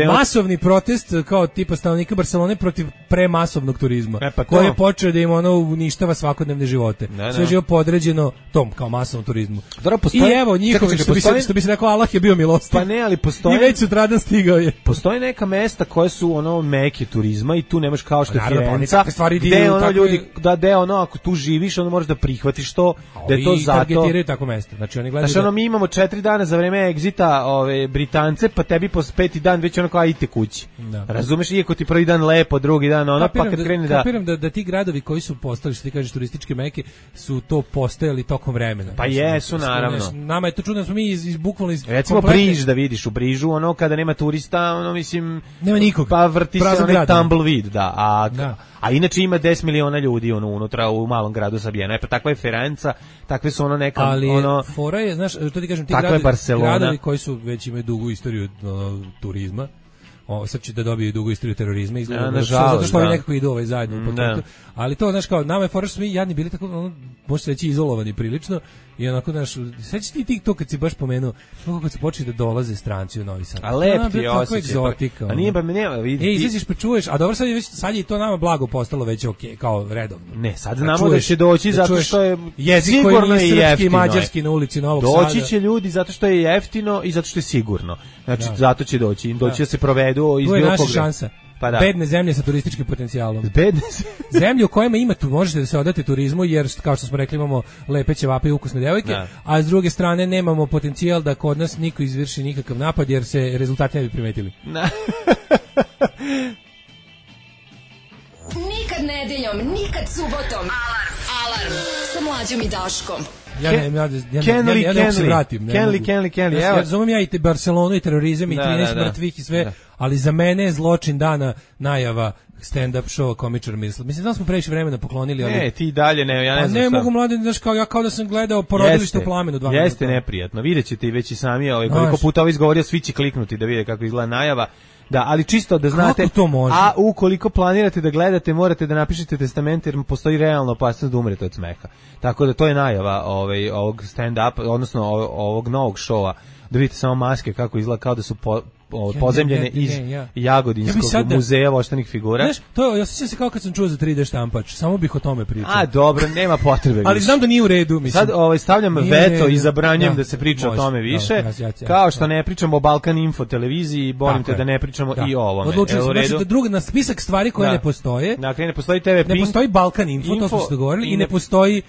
masovni od... protest kao tipa stanovnika Barcelone protiv premasovnog turizma, e, pa koji je počeo da im ono uništava svakodnevne živote. Ne, sve živo podređeno tom kao masovnom turizmu. Dobro, postoji... I evo njihovi, što, postoji... bi se, što bi se rekao, Allah je bio milostiv. Pa ne, ali postoji... I već sutradan stigao je. Postoji neka mesta koje su ono meke turizma i tu nemaš kao što je Firenca, gde gde ono ljudi, da de ono, ako tu živiš, onda možeš da prihvatiš to, da je to zato... targetiraju tako mesto. Znači oni gledaju. Znači ono mi imamo četiri dana za vreme egzita, ove Britance, pa tebi posle peti dan već ono kao idite kući. Da. Razumeš, iako ti prvi dan lepo, drugi dan ono, pa kad krene da kapiram da da ti gradovi koji su postali, što ti kažeš, turističke meke, su to postojali tokom vremena. Pa jesu, naravno. Nama je to čudno, smo mi iz, iz bukvalno iz recimo kompletne... Briž da vidiš, u Brižu ono kada nema turista, ono mislim nema nikog. Pa vrti se onaj tumbleweed, da. A da. A inače ima deset miliona ljudi ono unutra u malom gradu sabijeno. E pa takva je Firenca, takve su ono neka ali ono fora je, znaš, to ti kažem, ti gradovi, gradovi koji su već imaju dugu istoriju uh, turizma. O, sad će da dobiju dugu istoriju terorizma izgleda, ja, nažalost, zato što oni nekako idu ovaj zajedno po tom. Ali to, znaš, kao, nama je fora što smo mi jadni bili tako, ono, može se reći izolovani prilično i onako, znaš, sećaš ti ti to kad si baš pomenuo, kako se počeli da dolaze stranci u Novi Sad. A lep ti je osjećaj. Pa, a nije, pa me nema, vidi. E, izađeš pa čuješ, a dobro sad je, već, sad je to nama blago postalo već okej, okay, kao redovno. Ne, sad znamo da, čuješ, da će doći da zato što je jezik sigurno i srpski i mađarski na ulici Novog Sada. Doći će ljudi zato što je jeftino i zato što je sigurno. Znači, da. Zato će doći, doći da, da se provedu iz bilo koga. Šansa. Pa da. Bedne zemlje sa turističkim potencijalom. Bedne zemlje u kojima ima tu možete da se odate turizmu jer kao što smo rekli imamo lepe ćevape i ukusne devojke, da. A s druge strane nemamo potencijal da kod nas niko izvrši nikakav napad jer se rezultati ne bi primetili. Da. Nikad nedeljom, nikad subotom. Alarm, alarm sa Mlađom i Daškom. Ja ne, ja, ja, ja, ja, ja ne se vratim. Kenli, Kenli, Kenli. Ja razumem ja i te Barcelonu i terorizam i da, trinaest da, da. mrtvih i sve, da. Ali za mene je zločin dana najava stand-up show komičar misli. Mislim da smo previše vremena poklonili, ali ne, ti dalje ne, ja ne znam. Ne mogu mladi, znaš, kao ja kao da sam gledao Porodilište u plamenu dva minuta. Jeste neprijatno. Videćete i već i sami, ovaj koliko puta ovo izgovorio, svi će kliknuti da vide kako izgleda najava. Da, ali čisto da znate, a ukoliko planirate da gledate, morate da napišete testament jer postoji realna opasnost da umrete od smeha. Tako da to je najava ovaj, ovog stand-up, odnosno ovog novog šova. Da vidite samo maske kako izgleda kao da su po, o, pozemljene ja, ja, ja, iz ja. Jagodinskog ja da, muzeja voštanih figura. Znaš, to je, ja sjećam se kao kad sam čuo za tri D štampač, samo bih o tome pričao. A, dobro, nema potrebe. Ali znam da nije u redu, mislim. Sad ovaj, stavljam nije veto i zabranjujem da, da se priča može, o tome više, da, ja, ja, kao što da. Ne pričamo o Balkan Info televiziji, bolim te da ne pričamo da. I o ovome. Odlučili smo znači, da drugi na spisak stvari koje da. Ne postoje. Dakle, ne postoji te ve Pink. Ne postoji Balkan Info, Info to smo se dogovorili, i ne postoji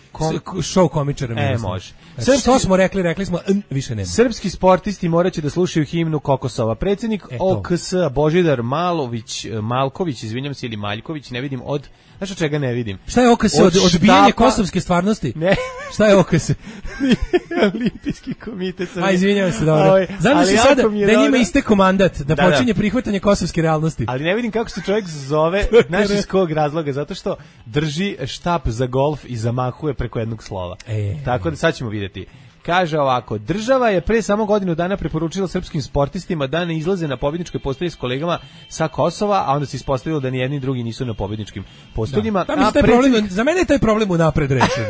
show komičara. E, može. Što smo rekli, rekli smo, više nema. Srpski sportisti moraće da slušaju himnu Kokosova. Predsjednik O K S Božidar Malović, Malković, izvinjam se, ili Maljković, ne vidim od... Znaš od čega ne vidim? Šta je O K S? Od, odbijanje kosovske stvarnosti? Ne. Šta je O K S? Olimpijski komitet. A, izvinjam se, dobro. Znam se sada da njima istekao mandat, da, da počinje da. Prihvatanje kosovske realnosti. Ali ne vidim kako se čovjek zove, znaš iz kog razloga, zato što drži štap za golf i zamahuje preko jednog slova. E, Tako da sad ćemo vidjeti. Kaže ovako, država je pre samo godinu dana preporučila srpskim sportistima da ne izlaze na pobjedničkoj postolji s kolegama sa Kosova, a onda se ispostavilo da ni jedni drugi nisu na pobjedničkim postoljima. Da. A predsjednik... problem, za mene je taj problem unapred rečen.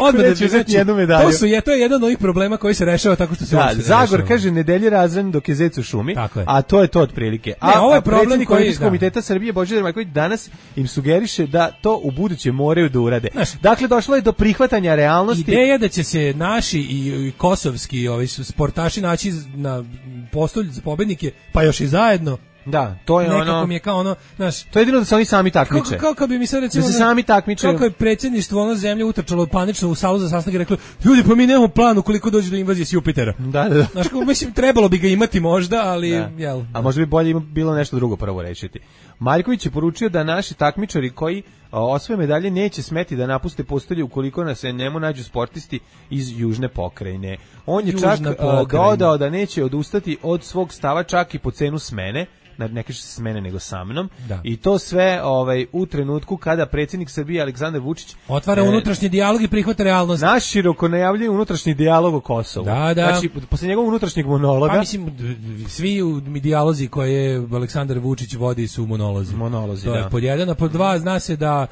Odmah da ću znači, jednu medalju. To, su, je, to je jedan od ovih problema koji se rešava tako što se da, Zagor rešava. Kaže, nedelje razran dok je zec u šumi, a to je to otprilike. A, ne, ovo je a predsjednik Olimpijskog komiteta Srbije Božidar Maljković danas im sugeriše da to u buduće moraju da urade. Znaš, dakle, došlo je do prihvatanja realnosti. Ideja da će se naši i i kosovski ovi sportaši naći na postolju za pobednike, pa još i zajedno. Da, to je nekako ono. Mi je kao ono, znaš, to je jedino da se oni sami takmiče. Kako, kako, kako bi mi sad recimo da se sami takmiče. Kako je predsjedništvo ono zemlje utrčalo panično u salu za sastanak i reklo: "Ljudi, pa mi nemamo plan ukoliko dođe do invazije s Jupitera." Da, da. Znaš, kako mislim trebalo bi ga imati možda, ali da. Jel. A možda bi bolje bilo nešto drugo prvo rešiti. Maljković je poručio da naši takmičari koji osvoje medalje neće smeti da napuste postolje ukoliko na se njemu nađu sportisti iz južne pokrajine. On je Južna čak pokrajina. Dodao da neće odustati od svog stava čak i po cenu smene. Ne kaže se s mene nego sa mnom. Da. I to sve ovaj u trenutku kada predsjednik Srbije Aleksandar Vučić otvara e, unutrašnji dijalog i prihvata realnost. Naš široko najavljuje unutrašnji dijalog o Kosovu. Da, da. Znači posle njegovog unutrašnjeg monologa, pa mislim svi dijalozi koje Aleksandar Vučić vodi su monolozi. Monolozi, to da. je pod jedan, a pod dva zna se da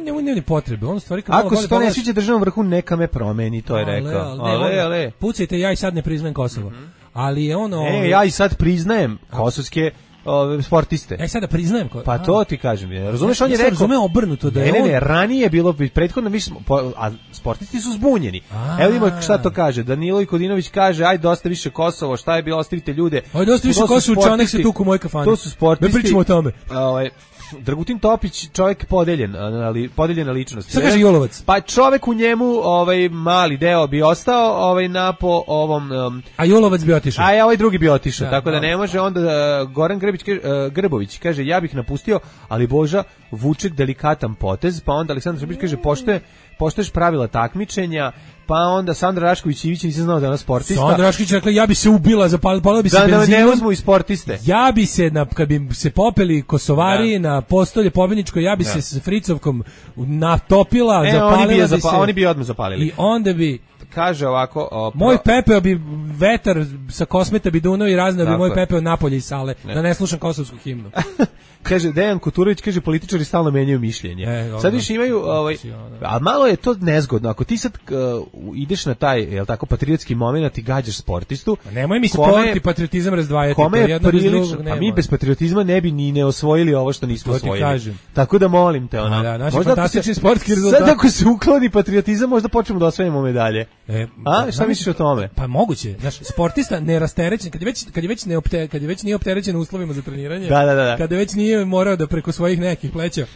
njemu nema ni potrebe. On stvari kao ako se to ne sviđa državnom vrhu neka me promeni, to je ale, rekao. Ale, ale, ale. Pucajte, ja i sad ne priznajem Kosovo. Mm -hmm. Ali je ono... E, ja i sad priznajem kosovske ove sportiste. Ja sada priznajem ko... Pa to ti kažem. Razumeš, on je rekao... Razume obrnuto da je ne, on... Ne, ne, ranije je bilo prethodno, mi smo, a sportisti su zbunjeni. A, evo ima šta to kaže. Danilo Ikodinović kaže, aj dosta više Kosovo, šta je bilo, ostavite ljude. Aj dosta više Kosovo, čanek se tuku u moj kafani. To su sportisti. Ne pričamo o tome. Ovaj Dragutin Topić, čovjek podeljen, ali podeljena ličnost. Šta kaže Jolovac? Pa čovjek u njemu, ovaj mali deo bi ostao, ovaj na po ovom um, a Jolovac bi otišao. A ja ovaj drugi bi otišao, tako da ne može onda uh, Goran Grbić uh, Grbović kaže ja bih napustio, ali Boža vuče delikatan potez, pa onda Aleksandar Srbić kaže poštuje poštuješ pravila takmičenja, pa onda Sandra Rašković Ivić, nisam znao da je ona sportista. Sandra Rašković rekla ja bi se ubila, zapalila bi se da, benzinom. Da ne uzmu i sportiste. Ja bi se, na, kad bi se popeli Kosovari da. Na postolje pobjedničko, ja bi da. Se s Fricovkom natopila, e, zapalila oni bi, bi zapa, se. Oni bi odmah zapalili. I onda bi... Kaže ovako... O, pro... Moj pepeo bi vetar sa Kosmeta bi dunao i raznao bi moj pepeo napolje iz sale, ne. Da ne slušam kosovsku himnu. Kaže Dejan Kuturović, kaže političari stalno menjaju mišljenje. E, sad više imaju, ovaj, a malo je to nezgodno. Ako ti sad uh, ideš na taj, jel tako, patriotski moment i gađaš sportistu, a nemoj mi sport i patriotizam razdvajati. Kome je prilično, a mi bez patriotizma ne bi ni ne osvojili ovo što nismo osvojili. Tako da molim te, ona. Da, naši fantastični sportski rezultati. Sad ako se ukloni patriotizam, možda počnemo da osvajamo medalje. E, A, šta misliš o tome? Pa moguće, znaš, sportista nerasterećen, kad je već kad je već ne opte, kad je već nije opterećen uslovima za treniranje, da, da, da. kada već nije morao da preko svojih nekih pleća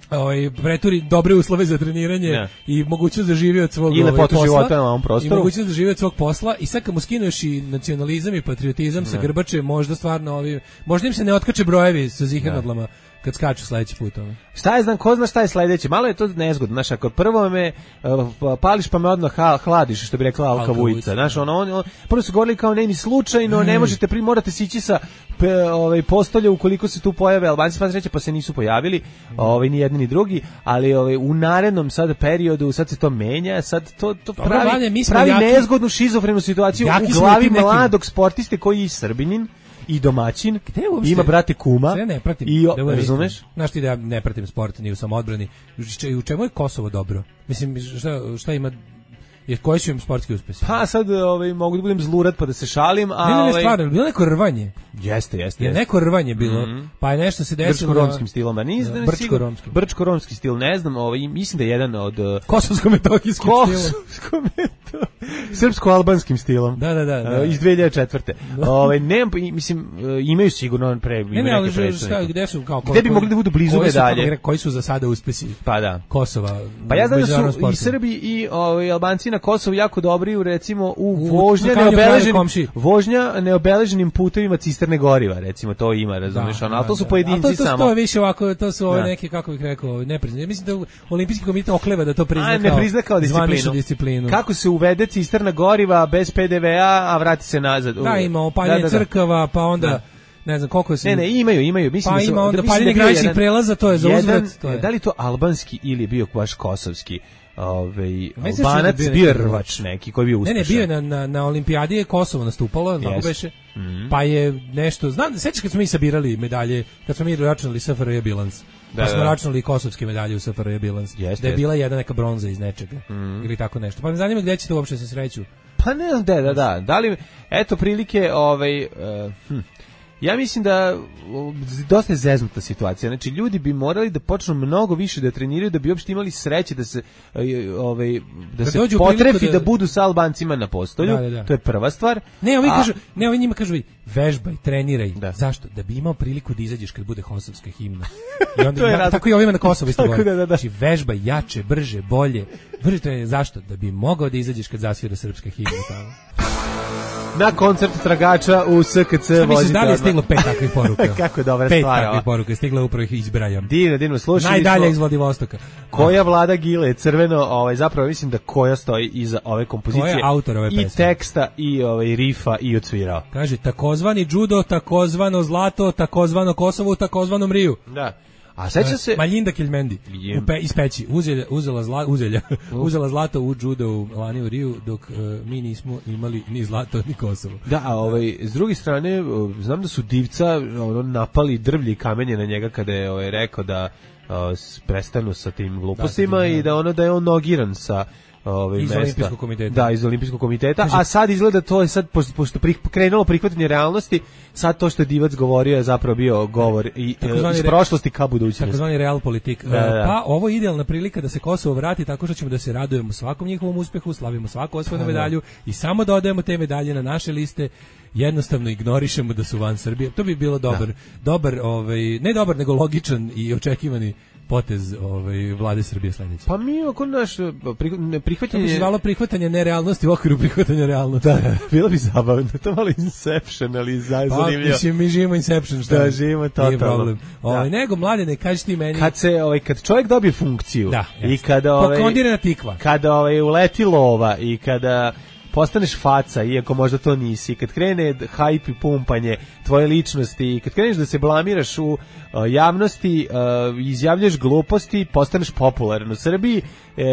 ovaj preturi dobre uslove za treniranje ja. i mogućnost da živi od svog ovaj, posla života na ovom prostoru i mogućnost da živi od svog posla i sad kad mu skineš i nacionalizam i patriotizam ja. sa grbače, možda stvarno ovi možda im se ne otkače brojevi sa zihernadlama kad skaču sledeći put ono. Šta je znam, ko zna šta je sledeće? Malo je to nezgodno, znaš, ako prvo me uh, pališ pa me odmah hladiš, što bi rekla Alka Vujica, znaš, ono, on, on, prvo su govorili kao ne, ni slučajno, mm. ne možete, pri, morate sići sa pe, ovaj, postolja ukoliko se tu pojave Albanci, pa sreće, pa se nisu pojavili, mm. ovaj, ni jedni ni drugi, ali ovaj, u narednom sad periodu, sad se to menja, sad to, to Dobro, pravi, Vane, pravi jaki, nezgodnu šizofrenu situaciju u glavi mladog sportiste koji je Srbinin, i domaćin, ima brate kuma. Sve ne pratim. I o, da razumeš? Znaš ti da ja ne pratim sport ni u samoodbrani. U čemu je Kosovo dobro? Mislim, šta, šta ima... Jer koji su im sportski uspesi? Pa sad ovaj, mogu da budem zlurat pa da se šalim. A, ne, ne, ne, ovaj... stvarno, bilo neko rvanje. Jeste, jeste. Je neko rvanje bilo, mm-hmm. pa je nešto se desilo... Brčko-romskim stilom, a nis, da, brčko-romskim. Brčko-romski stil, ne znam, ovaj, mislim da je jedan od... Kosovsko-metohijskim stilom. Srpsko-albanskim stilom. Da, da, da. da. Iz dve hiljade četvrte. ovaj, ne, mislim, imaju sigurno pre, ne, ne, ali šta, gde su... Kao, gde bi mogli da budu blizu medalje? Koji su za sada uspesi pa da. Kosova? Pa ja znam da su sportu. I Srbi i ovaj, Albanci na Kosovu jako dobri, recimo, u vožnja neobeleženim, vožnja neobeleženim putevima cisterne goriva, recimo, to ima, razumiješ, ono, ali to su pojedinci to, to, samo. To je više ovako, to su ove neke, kako bih rekao, nepriznanje. Mislim da Olimpijski komitet okleva da to prizna a, ne prizna kao disciplinu. disciplinu. Kako se uvede cisterna goriva bez pe de ve a, a vrati se nazad. Da, ima opaljanje da, da, da. crkava, pa onda... Da. Ne znam koliko se... Ne, ne, imaju, imaju. Mislim pa da su, ima onda da, paljenje graničnih prelaza, to je za uzvrat. To je. Da li to albanski ili je bio baš kosovski? Ovaj Albanac da bio rvač neki koji je bio uspešan. Ne, ne, bio je na na na olimpijadi je Kosovo nastupalo, tako yes. beše. Mm-hmm. Pa je nešto, znam, sećaš kad smo mi sabirali medalje, kad smo mi računali es ef er je bilans. Da, pa smo da. računali kosovske medalje u es ef er je bilans. Yes, da je yes. bila jedna neka bronza iz nečega mm-hmm. ili tako nešto. Pa me zanima gde ćete uopšte se sreću. Pa ne znam, da, da, da. Da li eto prilike ovaj uh, hm. Ja mislim da dosta je zeznuta situacija. Znači ljudi bi morali da počnu mnogo više da treniraju da bi uopšte imali sreće da se ovaj da, da se potrefi da... da budu sa Albancima na postolju. Da, da, da. To je prva stvar. Ne, ovi A... kažu, ne, ovi njima kažu vežbaj, treniraj. Da. Zašto? Da bi imao priliku da izađeš kad bude kosovska himna. I onda ja, tako i ovima na Kosovu isto govori. Da, da, da. Znači vežbaj jače, brže, bolje. Brže treniraj. Zašto? Da bi mogao da izađeš kad zasvira srpska himna tamo. Na koncert tragača u es ka ce vozite. Mislim, da li je stiglo pet takvih poruka? Kako je dobra pet stvar. Pet takvih poruka je stiglo, upravo ih izbrajam. Divno, divno, slušali Najdalje iz Vladivostoka. Koja vlada Gile, crveno, ovaj, zapravo mislim da koja stoji iza ove kompozicije. Koja je autor ove pesme? I teksta, i ovaj, rifa, i odsvirao. Kaže, takozvani judo, takozvano zlato, takozvano Kosovo, takozvano Mriju. Da. A seća se Maljinda Keljmendi u pe, iz peći uzela uzela zla, uzelja uzela zlato u judo u lani u Riju dok uh, mi nismo imali ni zlato ni Kosovo. Da, a ovaj s druge strane znam da su Divca ono napali drvlje i kamenje na njega kada je ovaj rekao da uh, prestanu sa tim glupostima da, i da ono da je on nogiran sa ovaj iz mesta. Olimpijskog komiteta. Da, iz Olimpijskog komiteta, Kaži, a sad izgleda to je sad pošto, pošto pri, krenulo prihvatanje realnosti, sad to što je Divac govorio je zapravo bio govor i iz prošlosti ka budućnosti. Takozvani real politik. Da, da. Pa ovo je idealna prilika da se Kosovo vrati tako što ćemo da se radujemo svakom njihovom uspehu, slavimo svaku osvojenu medalju i samo dodajemo te medalje na naše liste. Jednostavno ignorišemo da su van Srbije. To bi bilo dobar, da. dobar, ovaj, ne dobar, nego logičan i očekivani potez ovaj vlade Srbije sledeće. Pa mi oko naš prihvatanje je zvalo prihvatanje nerealnosti u okviru prihvatanja realnosti. Da, bilo bi zabavno. To malo Inception, ali zanimljivo. Pa, mislim, mi živimo Inception, šta? Da, živimo totalno. Ovaj nego mladene, kaži ti meni. Kad se ovaj kad čovjek dobije funkciju da, i kada ovaj pokondirana tikva. Kada ovaj uleti lova i kada postaneš faca, iako možda to nisi, kad krene hajp i pumpanje tvoje ličnosti, kad kreneš da se blamiraš u uh, javnosti, uh, izjavljaš gluposti, postaneš popularan u Srbiji uh,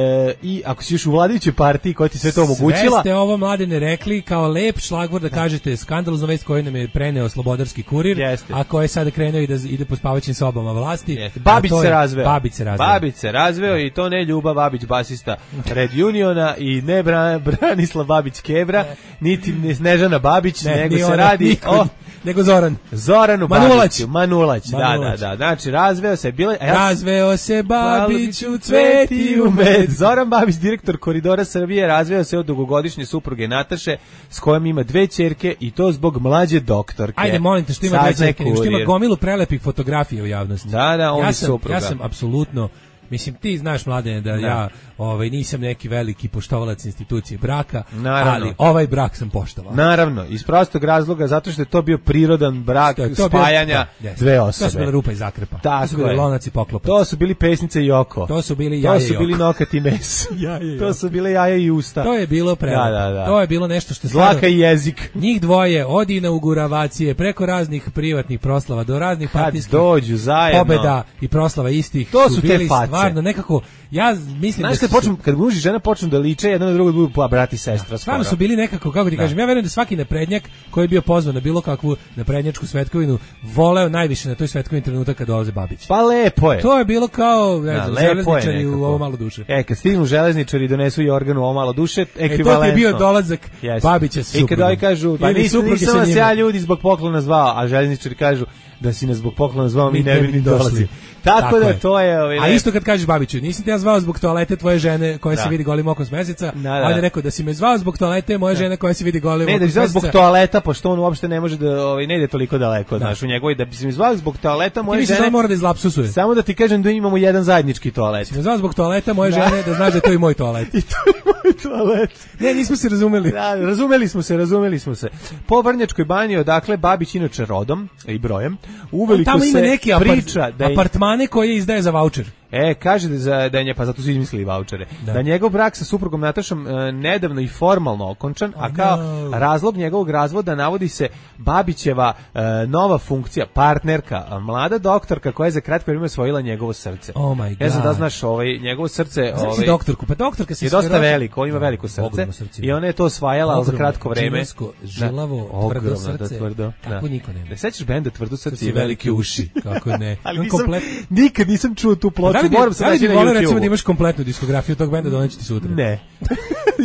i ako si još u vladajućoj partiji koja ti sve to omogućila... Sve ste ovo mladine rekli kao lep šlagvor da kažete skandaloznu vest koju nam je preneo Slobodarski kurir, Jeste. a ko je sada krenuo i da ide po spavaćim sobama vlasti. Jeste. Babić se razveo. Babić se razveo. Babić se razveo i to ne Ljuba Babić, basista Red Uniona i ne Bra, Branislav Babić, Babić Kebra, ne. niti Snežana Babić, ne, nego se ona, radi niko, o... Nego Zoran. Zoranu Manulać. Babiću. Manulać, Manulać, da, da, da. Znači, razveo se... Bila, ja razveo se Babić u cveti u med. Zoran Babić, direktor Koridora Srbije, razveo se od dugogodišnje supruge Nataše, s kojom ima dve ćerke i to zbog mlađe doktorke. Ajde, molim te, što ima dve ćerke, što ima gomilu prelepih fotografija u javnosti. Da, da, on ja je sam, supruga. Ja sam apsolutno... Mislim, ti znaš, Mladene, da, da. ja ovaj, nisam neki veliki poštovalac institucije braka, naravno. Ali ovaj brak sam poštovao. Naravno, iz prostog razloga, zato što je to bio prirodan brak spajanja bio, da, dve osobe. To su bile rupa i zakrpa. Tako to su bili lonac i poklopac. To su bili pesnice i oko. To su bili jaje i oko. To su bili nokat i mes. jaje i to su bile jaja i usta. To je bilo prelepo. Da, da, da. To je bilo nešto što... Zlaka i jezik. Njih dvoje, od inauguravacije, preko raznih privatnih proslava, do raznih partijskih dođu zajedno. Pobeda i proslava istih. To su, su bili te face. Stvarno nekako... Ja mislim Znaš, da kad su... počnu, kad muž i žena počnu da liče, jedan na drugog budu brat i sestra. Stvarno su bili nekako, kako ti da. kažem, ja verujem da svaki naprednjak koji je bio pozvan na bilo kakvu naprednjačku svetkovinu voleo najviše na toj svetkovini trenutak kad dolaze Babić. Pa lepo je. To je bilo kao, ne znam, da, železničari u ovo malo duše. E, kad stignu železničari i donesu Jorganu u ovo malo duše, ekvivalentno. E, to je bio dolazak yes. Babića sa suprugom. I kad ovaj kažu, pa nisam vas ja ljudi zbog poklona zvao, a železničari kažu da si nas zbog poklona zvao, mi ne bi ni dolazili. Tako, Tako da je. to je... Ovaj, a isto kad kažeš Babiću, nisam te ja zvao zbog toalete tvoje žene koja da. se vidi golim okom s meseca, da, da. On je rekao da si me zvao zbog toalete moje da. žene koja se vidi golim okom s meseca. Ne, da si zvao zbog toaleta, pošto on uopšte ne može da, ovaj, ne ide toliko daleko, da. znaš, u njegovoj, da bi si me zvao zbog toaleta moje žene... Ti mi se mora da izlapsusuje. Samo da ti kažem da imamo jedan zajednički toalet. Si me zvao zbog toaleta moje da. žene, da znaš da je to i moj toalet. I to je moj toalet. Ne, nismo se razumeli. Da, razumeli smo se, razumeli smo se. Po Vrnjačkoj banji, odakle Babić inače rodom i brojem, uveliko se neki priča da je... apartmane koje izdaje za vaučer. E, kaže da, za, da je nje, pa zato su izmislili vaučere, da. da njegov brak sa suprugom Natašom e, nedavno i formalno okončan, a kao oh, no. razlog njegovog razvoda navodi se Babićeva e, nova funkcija, partnerka, mlada doktorka koja je za kratko vrijeme osvojila njegovo srce. Oh my God. Ja znam da znaš, ovaj, njegovo srce znaš ovaj, doktorku, pa doktorka se je dosta veliko, on ima veliko srce, srce i ona je to osvajala ogromno, za kratko vrijeme. Džinesko, žilavo, da, tvrdo srce, da, tvrdo, kako da. niko nema. Ne sećaš benda Tvrdo srce i velike uši? Kako ne. Ali nisam, komplet... nikad nisam čuo tu ploču, moram se naći na YouTube. Recimo da imaš kompletnu diskografiju tog benda, doneću ti sutra. Ne.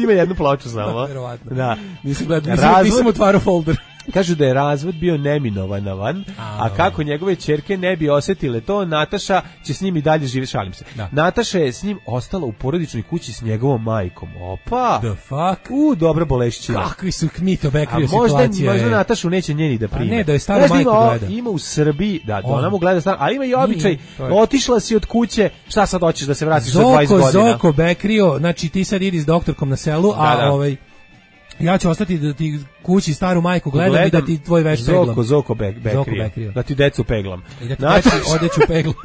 Ima jednu ploču samo. Verovatno. Da. Nisam gledao, nisam, razvod... nisam otvarao folder. Kažu da je razvod bio neminovan, a, a kako njegove ćerke ne bi osjetile to, Nataša će s njim i dalje živjeti, šalim se. Da. Nataša je s njim ostala u porodičnoj kući s njegovom majkom. Opa! The fuck? U, dobra bolešćina. Kakvi su Kmito Bekrio situacije. A možda Natašu neće njeni da prime. A ne, da je stara majka gleda. Ima u Srbiji, da, da ona mu gleda stara, ali ima i običaj, otišla si od kuće, šta sad hoćeš da se vratiš za dvadeset godina? Zoko, Zoko Bekrio, znači ti sad idi s doktorkom na selu, a da, da. ovaj... Ja ću ostati da ti kući staru majku gledam, gledam i da ti tvoj veš peglam. Zoko, Zoko Bekrio. Da ti decu peglam. I da ti znači, odeću peglam.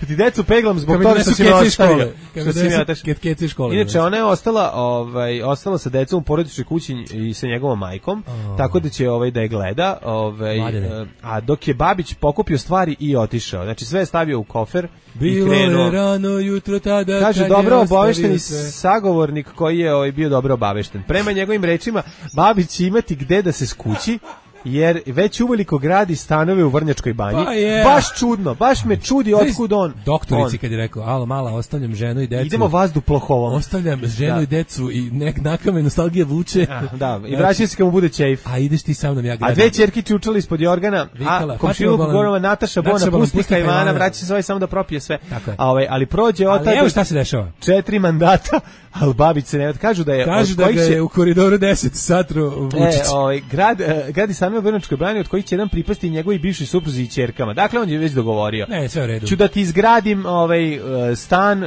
Da ti decu peglam zbog toga što si me ostavio. Što si me otaš. Keci škole. Inače, ona je ostala, ovaj, ostala sa decom u porodičnoj kući i sa njegovom majkom, oh. tako da će ovaj, da je gleda. Ovaj, a dok je Babić pokupio stvari i otišao. Znači, sve je stavio u kofer. Bilo je rano jutro tada. Kaže, dobro obavešteni sagovornik koji je ovaj, bio dobro obavešten. Prema njegovim rečima, Babić će imati gde da se skući, jer već uveliko gradi stanove u Vrnjačkoj banji. Pa yeah. Baš čudno, baš me čudi otkud on. Doktorici on. kad je rekao, alo mala, ostavljam ženu i decu. Idemo vazduhoplovom. Ostavljam ženu da. i decu i nek nakame nostalgije vuče. Ja, da, i vraća se kad mu bude ćejf. A ideš ti sa mnom, ja gradim. A dve ćerke čučali ispod jorgana, Vikala, a komšiluk Gorova Nataša Bona pustika Ivana, vraća se ovaj samo da propije sve. A ovaj, ali prođe od ali evo šta se dešava. Četiri mandata, al Babić se ne kažu da je kažu da ga je u koridoru deset satro Vučić. E, ovaj grad gradi stanove u Vrnjačkoj banji od kojih će jedan pripasti njegovi bivši supruzi i ćerkama. Dakle, on je već dogovorio. Ne, sve u redu. Ću da ti izgradim ovaj stan,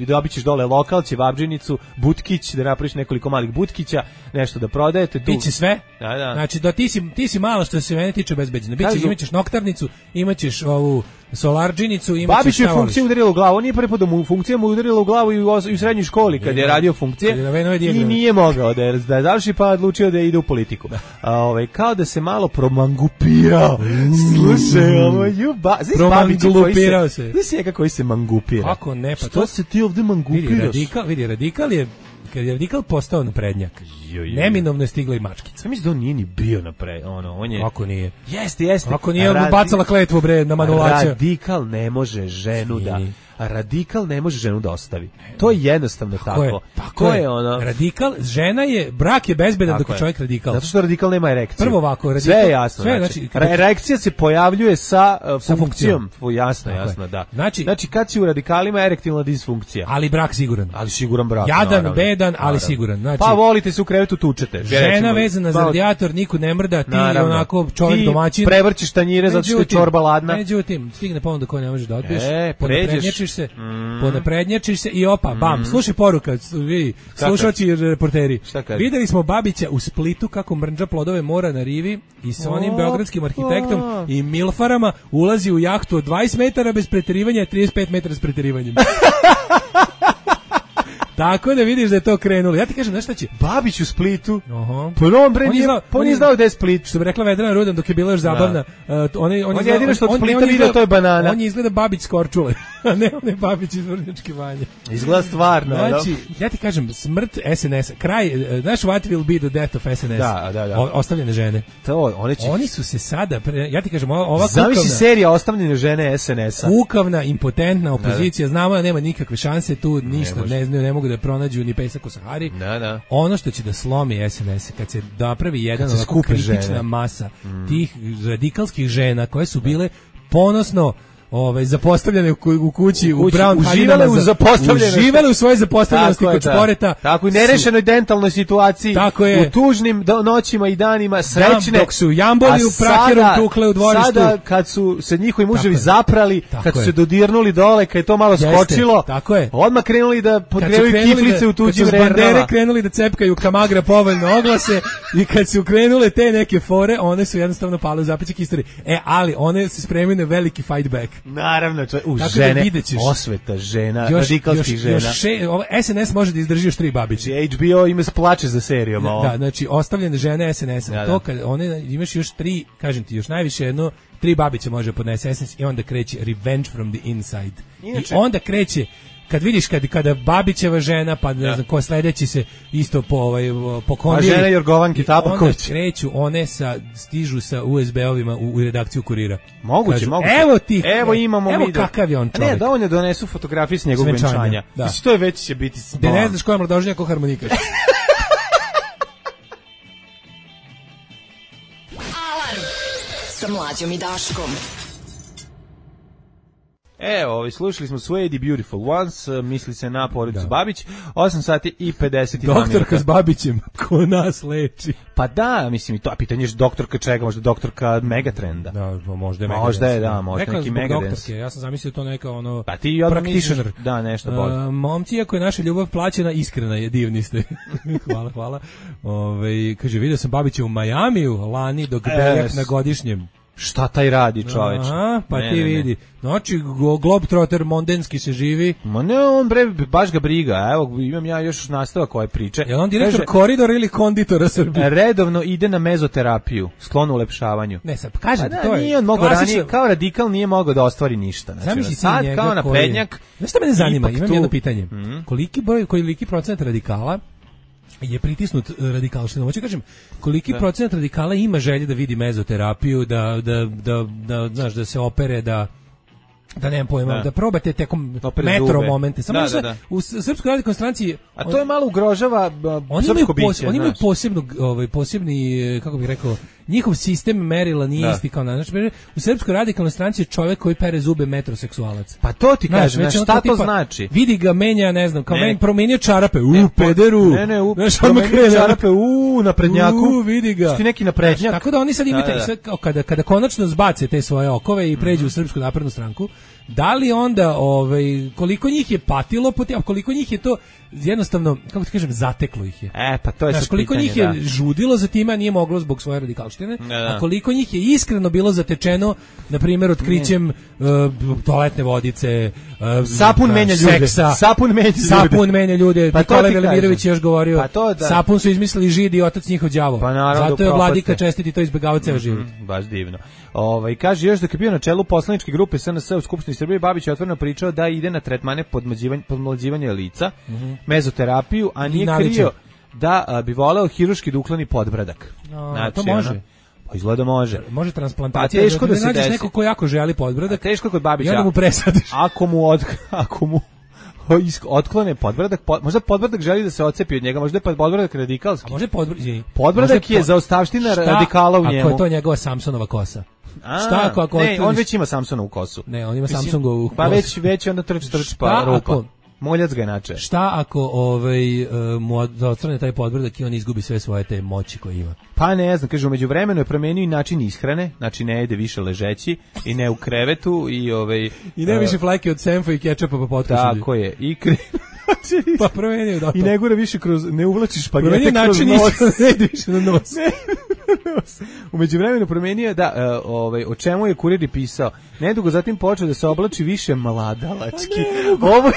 dobićeš dole lokal, ćevabdžinicu, butkić, da napraviš nekoliko malih butkića, nešto da prodajete tu. Biće sve? Da, da. Znači, da ti si ti si malo što se mene tiče bezbedno. Biće, imaćeš noktarnicu, imaćeš ovu solarđinicu, imaćeš Babić je funkciju udarila u glavu, on nije prvi put da mu funkcija mu udarila u glavu i u, i u srednjoj školi kad je radio funkcije i nije mogao da je, da je završi pa odlučio da ide u politiku. A, ovaj, kao da se malo promangupirao. Slušaj, ovo ju ba... Promangupirao se. Znaš se njega koji se mangupira? Kako ne, pa što to... se ti ovdje mangupiraš? Vidi, radikal, vidi, radikal je kad je radikal postao naprednjak. Neminovno je stigla i mačkica. Ja mislim da on nije ni bio napred, ono, on je... Kako nije? Jeste, jeste. Kako nije, on Radi... bacala kletvu, bre, na Manulaća. Radikal ne može ženu Svini. da... radikal ne može ženu da ostavi. To je jednostavno tako. tako. Je, tako to je. je ono. Radikal, žena je, brak je bezbedan dok je čovjek radikal. Zato što radikal nema erekciju. Prvo ovako, radikal. Sve je jasno. Sve, znači, znači, kada... erekcija se pojavljuje sa, uh, sa funkcijom. funkcijom. Jasno, tako jasno, je. da. Znači, znači, kad si u radikalima erektilna disfunkcija. Ali brak siguran. Ali siguran brak. Jadan, naravno, bedan, ali naravno. siguran. Znači, pa volite se u krevetu tučete. Žena recimo, vezana za radijator, niko ne mrda, ti naravno. onako čovjek domaćin. Ti prevrćiš tanjire zato što je čorba ladna. Međutim, stigne ponuda koju ne možeš da odbiješ. E, Ponaprednjačiš se, mm. ponaprednjačiš se i opa, bam. Mm. Slušaj poruka, vi, slušalci i reporteri. Videli smo Babića u Splitu kako mrnđa plodove mora na rivi i sa onim beogradskim arhitektom i milfarama ulazi u jahtu od dvadeset metara bez preterivanja, trideset pet metara s preterivanjem. Tako da vidiš da je to krenulo. Ja ti kažem, znaš šta će? Babić u Splitu. Aha. Pa on bre nije, znao, on nije znao da je Split. Što bi rekla Vedrana Rudan dok je bila još zabavna. Uh, on je, on on je jedino što od Splita vidio to je banana. On je izgleda Babić s Korčule, a ne on je Babić iz Vrnjačke Banje. Izgleda stvarno. Znači, ja ti kažem, smrt S N S, kraj, znaš what will be the death of S N S? Da, da, da. O, ostavljene žene. To, one će... Oni su se sada, pre, ja ti kažem, ova Zamisli kukavna... serija Ostavljene žene S N S-a. Kukavna, impotentna opozicija, da, da. Znamo da nema nikakve šanse tu, ništa, ne, ne, ne mogu da pronađu ni pesak u Sahari. Da, da. Ono što će da slomi S N S, kad se napravi jedan onako kritična žene. masa mm. tih radikalskih žena koje su bile ponosno ovaj zapostavljene u, u kući u, u brown uživale u zapostavljenosti, uživale u svoje zapostavljenosti kod šporeta, tako i nerešenoj dentalnoj situaciji, tako je, u tužnim do, noćima i danima srećne, dok su jamboli u prakerom tukle u dvorištu, sada kad su se njihovi muževi zaprali, tako kad su se dodirnuli dole, kad je to malo Jeste, skočilo, tako je, odmah krenuli da podgrevaju kiflice da, u tuđim rernama, kad su bandere krenuli da cepkaju Kamagra povoljno oglase i kad su krenule te neke fore, one su jednostavno pale u zapećak istorije. E, ali one se spremaju na veliki fight back. Naravno, čo, u žene, da osveta žena, još, radikalskih još, žena. Još še, ovo, S N S može da izdrži još tri Babića. H B O ima se plače za serijom. Da, da, znači, ostavljene žene S N S-a. Da, to kad one, imaš još tri, kažem ti, još najviše jedno, tri Babića može podnese S N S i onda kreće Revenge from the Inside. Inače, I onda kreće kad vidiš kad kada Babićeva žena pa ne znam ko sledeći se isto po ovaj po kondiji. A žena Jorgovanki Tabaković. Kreću one sa stižu sa U S B-ovima u, u redakciju Kurira. Moguće, Kažu, moguće. Evo ti. Evo imamo evo mi. Evo kakav je on čovjek. Ne, da on ne donesu fotografije s njegovog venčanja. Da. Mislim to je već će biti. Da ne znaš koja je mladoženja ko harmonika. Alarm sa Mlađom i Daškom. Evo, ovaj, slušali smo Suede Beautiful Ones, misli se na porodicu da. Babić, osam sati i pedeset dva minuta. Doktorka s Babićem, ko nas leči. Pa da, mislim, i to, a pitanje je doktorka čega, možda doktorka Megatrenda. Da, možda je Megadance. Možda je, da, možda Rekla neki Megadance. Ja sam zamislio to neka ono pa ti practitioner. Da, nešto bolje. Uh, momci, ako je naša ljubav plaćena, iskrena je, divni ste. hvala, hvala. Ove, kaže, vidio sam Babića u Majamiju, lani dok Beljak na godišnjem. Šta taj radi, čoveče? Aha, pa ne, ti ne, vidi. Ne. Znači, Globetrotter mondenski se živi. Ma ne, on bre, baš ga briga. Evo, imam ja još nastavak koje priče. Je on direktor kaže, koridora ili konditora Srbije? Redovno ide na mezoterapiju, sklon ulepšavanju. Ne, sad, kažem pa ti, to je... Nije mogao ranije, kao radikal nije mogao da ostvari ništa. Znači, zamisli sad, kao naprednjak... Znaš šta mene zanima? Imam tu... jedno pitanje. Mm. Koliki broj, koliki procent radikala je pritisnut radikalštinom. Hoću kažem, koliki da. procenat radikala ima želje da vidi mezoterapiju, da, da, da, da, znaš, da se opere, da da nemam pojma, da, da probate tekom metro zube. Momente. Samo da, da, da. U Srpskoj radikalnoj stranci... A to je malo ugrožava uh, srpsko biće. Oni imaju posebno, ovaj, posebni, kako bih rekao, njihov sistem merila nije da. isti kao na. Znači, u Srpskoj radikalnoj stranci je čovjek koji pere zube metroseksualac. Pa to ti znaš, kažem, šta to tipa, znači? Vidi ga, menja, ne znam, kao ne. men, promenio čarape, u, ne, pederu. Ne, ne, u, znaš, promenio čarape, u, naprednjaku. U, vidi ga. Ti neki naprednjak. Tako da oni sad imate, da, da. kada, kada konačno zbace te svoje okove i pređu mm-hmm. u Srpsku naprednu stranku, da li onda, ovaj, koliko njih je patilo, a koliko njih je to jednostavno, kako ti kažem, zateklo ih je. E, pa to je znaš, koliko pitanje, njih je da. žudilo za time, a nije moglo zbog svoje radikalštine, da, da. a koliko njih je iskreno bilo zatečeno, na primjer, otkrićem uh, toaletne vodice, uh, sapun da, menja seksa, ljude. Sapun menja ljude. Sapun menja ljude. Pa Nikola Velimirović još govorio, pa to, da. sapun su izmislili Židi i otac njihov đavo. Pa naravno, zato je Vladika čestiti to izbegavao ceo život. Mm, baš divno. Ovaj kaže još da je bio na čelu poslaničke grupe S N S u Skupštini Srbije, Babić je otvoreno pričao da ide na tretmane podmlađivanja podmlađivanja lica, mm-hmm. mezoterapiju, a nije krio da a, bi voleo hirurški duklani podbradak. A, znači, to može. Ono, Izgleda može. Može transplantacija. A teško da, da se nađeš desi. Neko ko jako želi podbradak. A teško kod Babića. I onda mu presadiš. Ako mu od, ako mu otklone podbradak, pod, možda podbradak želi da se odcepi od njega, možda je podbradak radikalski. A može podbradak, podbradak je pod... zaostavština radikala u njemu. Ako je to njegova Samsonova kosa? A, šta ako, ako ne, otvoriš... on već ima Samsonovu kosu. Ne, on ima Samsungovu kosu. Pa već, već onda trč, trč, pa rupa. Ako... Moljac ga inače. Šta ako ovaj, uh, mu odstrane taj podbradak i on izgubi sve svoje te moći koje ima? Pa ne znam, kaže, umeđu vremenu je promenio i način ishrane, znači ne jede više ležeći i ne u krevetu i ovaj... I ne uh, više flajke od senfa i kečapa pa potkušulji. Tako je, i kre... pa promenio da to. I ne gura više kroz, ne uvlačiš špagete kroz nos. Ne ide više na nos. Ne, nos. Umeđu vremenu promenio, da, uh, ovaj, o čemu je kurir pisao. Nedugo zatim počeo da se oblači više mladalački. Ovo je...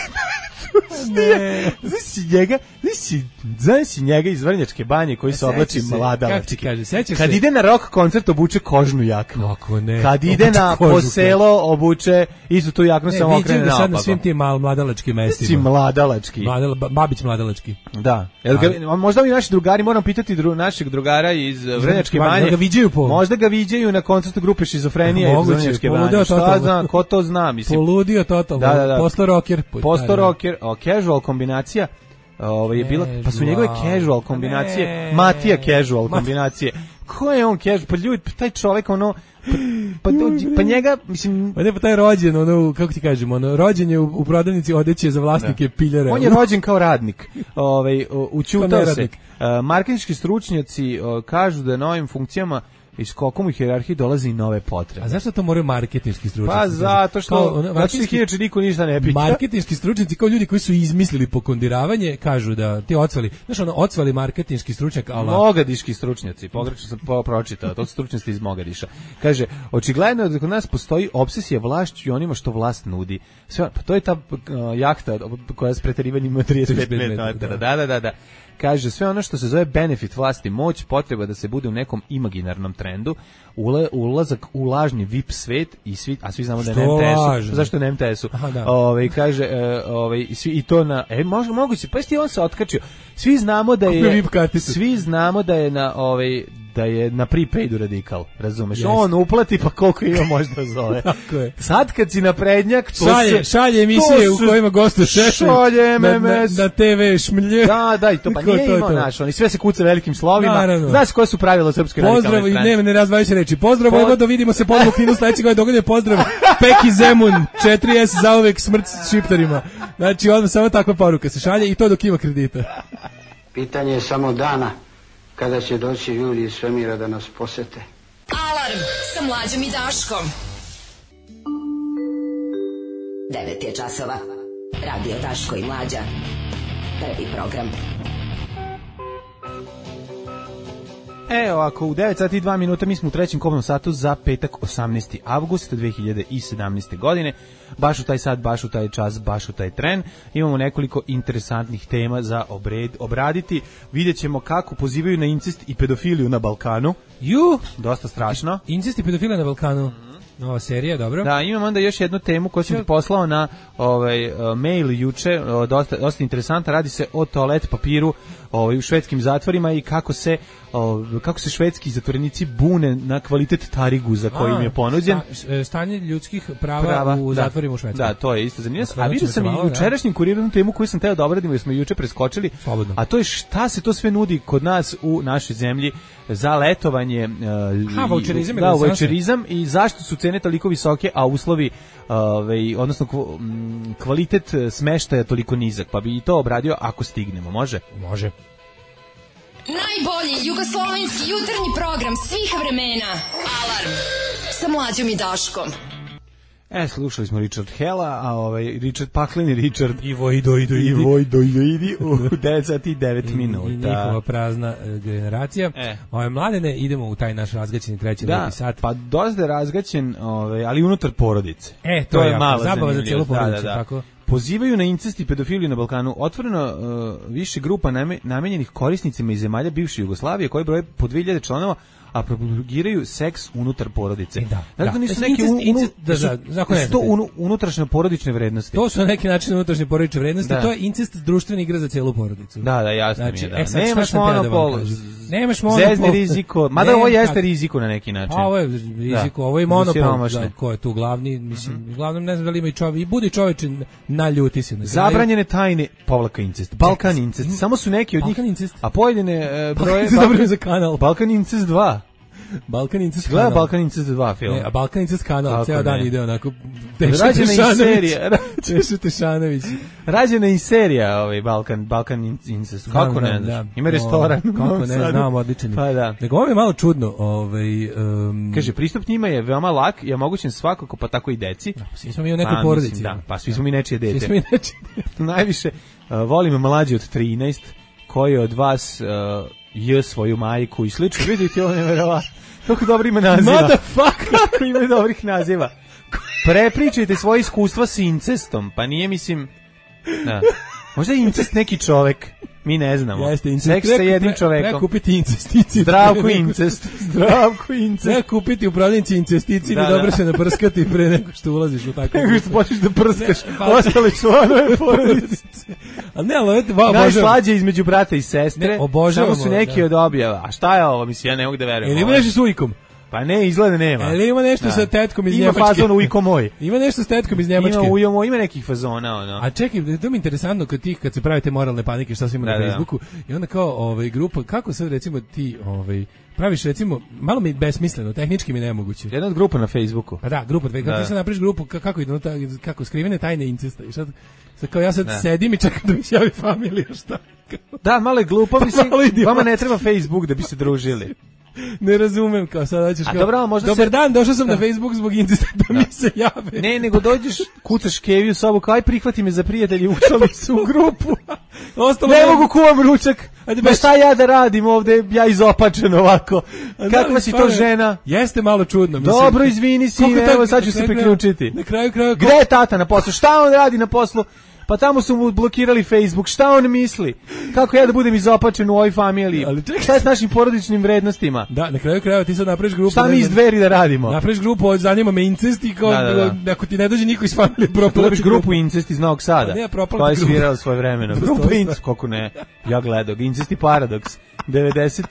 Ne. Znaš njega, znaš njega iz Vrnjačke banje koji se oblači mladalački. Kad ide na rock koncert obuče kožnu jaknu. Kako ne? Kad ide na poselo obuče istu tu jaknu samo okrene naopako. Sad na svim tim mal mladalačkim mestima. Si mladalački. Mladala, Babić mladalački. Da. Jel ga, možda i naši drugari, moram pitati dru, našeg drugara iz Vrnjačke banje. Ga viđaju po. Možda ga viđaju na koncertu grupe Šizofrenija iz Vrnjačke banje. Šta zna, ko to zna, mislim. Poludio totalno. Da, da, da. Posto rocker. Posto rocker, o, casual kombinacija. Ovaj je bila, pa su njegove casual kombinacije, ne. Matija casual kombinacije. Ko je on casual? Pa ljudi, taj čovjek ono pa, pa, pa njega, mislim, pa ne, pa taj rođen, ono, kako ti kažem, ono, rođen je u, u prodavnici odeće za vlasnike piljare. On je rođen kao radnik. Ovaj učutao se. Uh, marketinški stručnjaci uh, kažu da novim funkcijama iz skokom u hijerarhiji dolazi i nove potrebe. A zašto to moraju marketinški stručnjaci? Pa zato što, kao, ono, zato što inače niko ništa ne pita. Marketinški stručnjaci kao ljudi koji su izmislili pokondiravanje, kažu da ti ocvali, znaš ono, ocvali marketinški stručnjak, ala... Mogadiški stručnjaci, pogrešno sam po, pročitao, to su stručnjaci iz Mogadiša. Kaže, očigledno je da kod nas postoji obsesija vlašću i onima što vlast nudi. Sve, pa to je ta uh, jahta koja s preterivanjem ima trideset pet metara. Da, da, da, da. Kaže, sve ono što se zove benefit vlasti, moć, potreba da se bude u nekom imaginarnom trendu, ula, ulazak u lažni V I P svet, i svi, a svi znamo da je na M T S-u. Zašto je na M T S-u? Ove, kaže, e, ove, i, svi, i to na... E, može, moguće, pa jeste on se otkačio. Svi znamo da je... Svi znamo da je na... Ove, da je na prepaidu radikal, razumeš? Jest. On uplati, pa koliko ima možda zove. Tako je. Sad kad si naprednjak, to šalje, se... šalje emisije u kojima gostuje Šešelj. Šalje M M S. Na, na, na te ve šmlje. Da, da, i to pa nije imao naš. Oni sve se kuca velikim slovima. Znaš koje su pravila srpske radikalne stranke? Pozdrav, i ne, ne razdvajaju se reči. Pozdrav, Pod... Vojvodo, vidimo se ponovno u kinu sledeće godine. Događaj, pozdrav. Peki Zemun, četiri es zauvek smrt šiptarima. Znači, odmah samo takva poruka se šalje i to dok ima kredita. Pitanje je samo dana kada će doći ljudi iz svemira da nas posete. Alarm sa Mlađom i Daškom. devet je časova. Radio Daško i Mlađa. Prvi program. E, ovako, u devet sati i dva minuta mi smo u trećem kobnom satu za petak osamnaesti avgust dve hiljade sedamnaeste. godine. Baš u taj sat, baš u taj čas, baš u taj tren. Imamo nekoliko interesantnih tema za obred, obraditi. Vidjet ćemo kako pozivaju na incest i pedofiliju na Balkanu. Ju! Dosta strašno. Incest i pedofilija na Balkanu. Nova serija, dobro. Da, imam onda još jednu temu koju sam ti poslao na ovaj, uh, mail juče, uh, dosta, dosta interesanta, radi se o toalet papiru ovaj, u švedskim zatvorima i kako se, uh, kako se švedski zatvorenici bune na kvalitet tariguza koji im je ponuđen. Sta, stanje ljudskih prava, prava u da, zatvorima u Švedskoj. Da, to je isto zanimljivo. A vidio sam i jučerašnjim kurirom temu koju sam teo da obradim jer smo juče preskočili. Slobodno. A to je šta se to sve nudi kod nas u našoj zemlji za letovanje, uh, ha, voucherizam, da, voucherizam i zašto su cene toliko visoke, a uslovi, ovaj, odnosno kvalitet smeštaja toliko nizak, pa bi i to obradio ako stignemo, može? Može. Najbolji jugoslovenski jutarnji program svih vremena. Alarm sa Mlađom i Daškom. E, slušali smo Richard Hella, a ovaj Richard Paklin i Richard i Vojdo i i Vojdo i u devet sati i devet minuta. I njihova prazna uh, generacija. E. Ove mladene, idemo u taj naš razgaćeni treći da, sat. Pa dosta je razgaćen, ovaj, ali unutar porodice. E, to, to je, je malo zabava za cijelu porodicu, da, da, da. Tako. Pozivaju na incest i pedofiliju na Balkanu. Otvoreno uh, više grupa namenjenih korisnicima iz zemalja bivše Jugoslavije koji broje po dve hiljade članova, a propagiraju seks unutar porodice. Da, dakle, da. nisu Znači, neke incest- unu, incest- da, su, da, zakon ne su to znate. unu, unutrašnje porodične vrednosti. To su na neki način unutrašnje porodične vrednosti, Da. to je incest društvena igra za celu porodicu. Da, da, jasno Znači, mi je, da. e, sad, šta Nemaš sam teo da vam monopol, kažem? Nemaš monopol. zezni riziko, mada Ne, ovo jeste tako. riziko na neki način. A ovo je riziko, Da, ovo je za monopol. siromašne. Da, ko je tu glavni, mislim, mm-hmm. uglavnom ne znam da li ima i čovjek, i budi čoveče, naljuti se. Na kraju. Zabranjene tajne, povlaka incest, Balkan incest, samo su neki od njih, Balkan incest. a pojedine uh, broje... Balkan incest za kanal. Balkan incest dva. Balkan incest Gleda kanal. Balkan incest dva film. Ne, a Balkan incest kanal, Kako ceo dan ne? ide onako. Rađena i serija. Tešu Tešanović. Rađena i serija ovaj Balkan Balkan incest. Kako ne znaš? Da. Ima restoran. O, kako ne znam, odličan. Pa da. Nego ovo je malo čudno. Ovaj, um, Kaže, pristup njima je veoma lak i omogućen svakako, pa tako i deci. Da, svi smo mi u nekoj pa, porodici. Mislim, da, pa svi smo mi nečije dete. Svi smo mi nečije dete. Najviše uh, volim mlađe od trinaest koji od vas uh, je svoju majku i slično. Vidite, ovo neverovatno. Kako dobro ima naziva. Motherfucker. Kako ima dobrih naziva. Prepričajte svoje iskustva s incestom. Pa nije, mislim... Da. Možda je incest neki čovek. Mi ne znamo. Jeste, incest. Seks sa jednim čovekom. Treba kupiti incesticid. Zdravko incest. Zdravko incest. Treba kupiti u prodavnici incesticid Da, i dobro da. se naprskati pre nego što ulaziš u takvu. Nego što počneš da prskaš pa- ostale članove porodice. Ali ne, ali ovo je obožavam. Najslađe između brata i sestre. Ne, obožavamo, Samo su neki da. od objava. A šta je ovo? Mislim, ja ne mogu da verujem. Jel ima Ovo je- nešto s ujkom? Pa ne, izgleda nema. Jel ima nešto Da. sa tetkom iz Ima Njemačke? fazon ujko moj. Ima nešto s tetkom iz Njemačke? Ima ujomo, ima nekih fazona, ono. A čekaj, to mi je interesantno kad ti, kad se pravite moralne panike, šta se ima Da, na da. Facebooku, i onda kao ovaj, grupa, kako sad recimo ti ovaj, praviš recimo, malo mi besmisleno, tehnički mi nemoguće. Jedna od grupa na Facebooku. Pa da, grupa, kako Da. ti sad napraviš grupu, ka- kako ide, no, ta- kako skrivene tajne incesta, i sad, sad kao ja sad Da. sedim i čekam da mi se javi familija, šta? Da, malo je glupo, Pa mislim, malo idiot. vama ne treba Facebook da bi se družili. Ne razumem, kao sad hoćeš A kao, dobro, a možda dobar se- dan, došao sam Da. na Facebook zbog incesta da, mi se jave. Ne, nego dođeš, kucaš Kevi u sobu, kao aj prihvati me za prijatelji, učali su u grupu. Ostalo Ne je- mogu kuvam ručak. Ajde, Ma baš- šta ja da radim ovde, ja izopačen ovako. A da, Kakva si to stvarno, žena? Jeste malo čudno. Mislim. Dobro, izvini, sine, Koliko tak- evo sad ću na se kraju priključiti. krajeva- Na kraju krajeva... Gde je tata na poslu? Šta on radi na poslu? Pa tamo su mu blokirali Facebook. Šta on misli? Kako ja da budem izopačen u ovoj familiji? Ali čekaj. Šta je s našim porodičnim vrednostima? Da, na kraju krajeva ti sad napraviš grupu. Šta ne mi iz znam, dveri da radimo? Napraviš grupu, od zanima me incest i kao, Da, da, da. ako ti ne dođe niko iz familije, propala Napraviš ti grupu Incest iz Novog Sada. A ne, propala koja je ti grupa. svirala svoje vremena. Postoji Grupa stvar. Incest, kako ne. Ja gledao. Incest i Paradoks. devedeset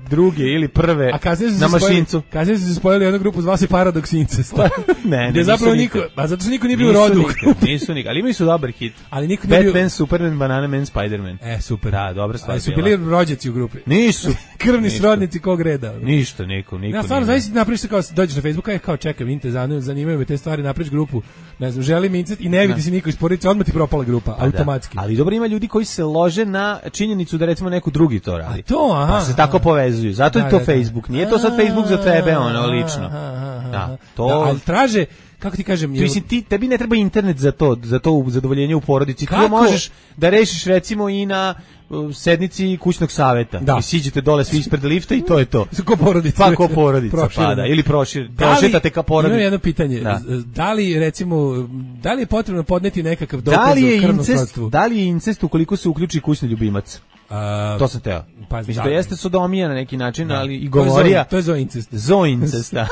druge ili prve A kasnije su na se spojili- mašincu. Kasnije su se spojili jednu grupu, zva se Paradox Incest. Ne, ne, Gde nisu zapravo nikad. niko, a zato što niko nije bio u Nisu rodu. nikad, Nisu nikad, ali imaju su dobar hit. Ali niko nije bio... Batman, Superman, Banana Man, Spider-Man. E, super. Da, dobra stvar Ali su bila. bili rođaci u grupi. Nisu. Krvni Ništa. srodnici kog reda. ono. Ništa, niko, niko. Ja stvarno nije. zaista napraviš se kao dođeš na Facebook, aj kao čekam, inte zanimaju, zanimaju me te stvari, napraviš grupu. Ne znam, želim incest i ne vidi Da. se niko iz porodice, odmah ti propala grupa, Pa automatski. da. Ali dobro, ima ljudi koji se lože na činjenicu da recimo neko drugi to radi. A to, aha. Pa se tako povezuju. Zato Da, je to da, da. Facebook. Nije to sad Facebook za tebe, ono, lično. Aha, aha, Da, aha. to... Da, ali traže, kako ti kažem, Ti, mislim, ti, tebi ne treba internet za to, za to zadovoljenje u porodici. Ti Kako? to možeš da rešiš recimo i na uh, sednici kućnog saveta. Da. I siđete dole svi ispred lifta i to je to. ko porodica. Pa ko porodica, Prošireno. pa da. Ili prošir, Da li- prošetate ka porodici. Imam jedno pitanje. Da. Z- Da li, recimo, da li je potrebno podneti nekakav dokaz Da li je o krvnom incest, srodstvu? da li je incest ukoliko se uključi kućni ljubimac? A, To sam teo. pa, Mislim, da. to jeste sodomija na neki način, ali i To je govorija. zo- To je zoincest. Zoincest, da.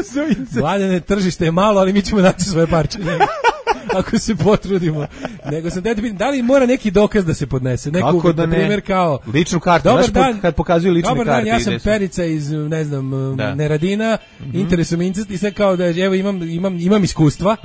Zoincest. Vladane, tržište je malo, ali mi ćemo naći svoje parče. Ne? Ako se potrudimo. Nego sam te pitam, da li mora neki dokaz da se podnese? Neku, Kako da na ne? primjer, kao... Ličnu kartu. Dobar Znaš dan, kad pokazuju lične dobar karte. dan, ja sam ide su. Perica iz, ne znam, Da. Neradina, interesuje me incest i sad kao da, evo, imam, imam, imam iskustva,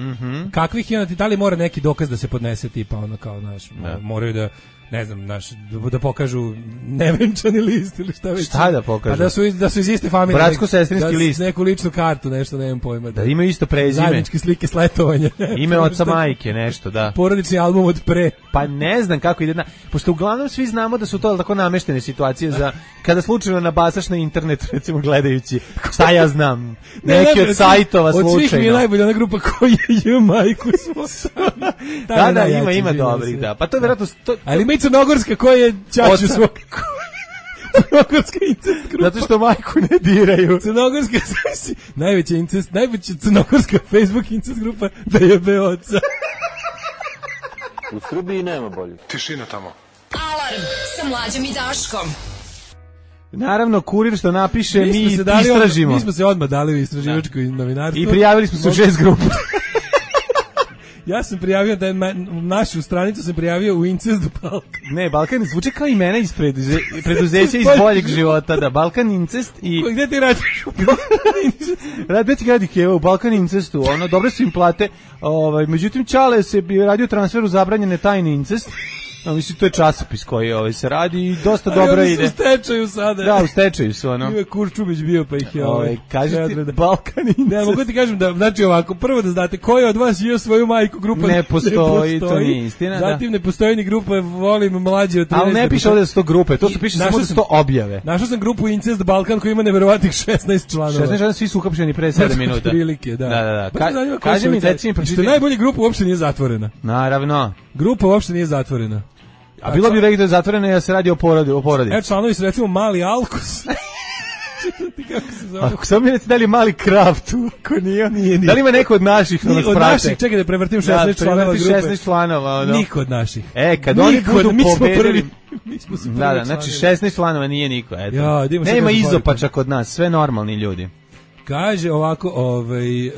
kakvih je, onda ti, da li mora neki dokaz da se podnese, tipa, ono, kao, znaš, Da. moraju da, ne znam, znaš, da, da pokažu nevenčani list ili šta već. Šta da pokažu? Pa da su, iz- da su iz iste familije. Bratsko-sestrinski da, list. Neku ličnu kartu, nešto, nemam pojma. Da imaju isto prezime. Zajedničke slike s letovanja. Ime oca majke, nešto, da. Porodični album od pre. Pa ne znam kako ide na... Pošto uglavnom svi znamo da su to tako nameštene situacije za... Kada slučajno nabasaš na internet, recimo gledajući, šta ja znam, neki od sajtova Od svih mi je slučajno. najbolja ona grupa koja je majku svoju. Da, da, ima, ima dobrih, da. Pa to je vjerojatno... To, Ali ima i crnogorska koja je čaču Oca. svoj. Crnogorska incest grupa. zato što majku ne diraju. Crnogorska, zavisi, najveća incest, najveća crnogorska Facebook incest grupa da jebe oca. U Srbiji nema bolje. Tišina tamo. Alarm sa mlađom i Daškom. Naravno, kurir što napiše, mi, mi istražimo. Odmah, mi smo se odmah dali u istraživačko novinarstvo. I prijavili smo se u šest grupa. Ja sam prijavio da je našu stranicu sam prijavio u Incest Balkan. Ne, Balkan zvuči kao imena iz preduze, preduzeća iz boljeg života, da, Balkan Incest i... Ko, gde ti radiš? Gde ti radi Keva u Balkan Incestu, ono, dobre su im plate, ovaj, međutim Čale se bi radio transfer u zabranjene tajne incest. No, mislim, to je časopis koji ovaj, se radi i dosta a dobro ide. U stečaju sada. Da, u stečaju su, ono. Ima Kurčubić bio, pa ih je ovaj. ovaj kažete, Balkan Incest. Ne, mogu ti kažem da, znači ovako, prvo da znate, ko je od vas jeo svoju majku, grupa ne postoji, ne postoji. To nije istina, zatim da. ne postoji ni grupa Volim mlađe od trinaest. Ali ne piše ovdje da su to grupe, to su piše samo da su to objave. Našao sam grupu Incest Balkan koji ima neverovatnih šesnaest članova. šesnaest članova, svi su uhapšeni pre sedam minuta. Prilike, da. Da, da, da. Ka, kaži mi, reci mi, pročiti. Najbolja grupa uopšte nije zatvorena. Naravno. Grupa uopšte nije zatvorena. A bilo bi rekli da je zatvoreno jer se radi o porodi, o porodici. E, članovi su recimo Mali Alkos. Kako se zove? Ako sam mi reći da li je Mali Krav tu, ako nije, nije, nije. Da li ima neko od naših da nas prate? Od naših, čekaj da prevrtim šesnaest da, članova grupe. šesnaest članova, ono. Niko od naših. E, kad niko, oni budu mi smo pobedili... prvi. Mi smo prvi da, da, znači šesnaest članova nije niko, eto. Ja, nema izopača kod nas, sve normalni ljudi. Kaže ovako, ovaj... Uh,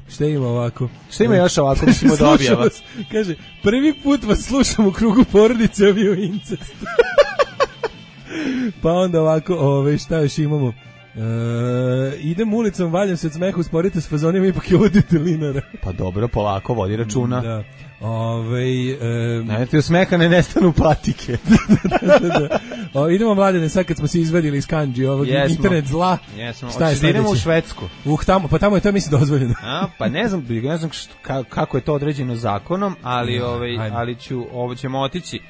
šta ima ovako? Šta ima još ovako, mislimo da objava? Kaže, prvi put vas slušam u krugu porodice ovi u incestu. Pa onda ovako, ove, šta još imamo? E, idem ulicom, valjam se od smeha, usporite s fazonima, ipak je vodite linara. Pa dobro, polako, vodi računa. Da. Ove, e, ne, ti od smeha ne nestanu patike. da, da, da. O, idemo mladene, sad kad smo se izvadili iz kanđi ovog yes, internet zla. Jesmo, šta je idemo u Švedsku. Uh, tamo, pa tamo je to mislim dozvoljeno. A, pa ne znam, ne znam što, kako je to određeno zakonom, ali, ja, ovaj, ali ću, ovo ćemo otići.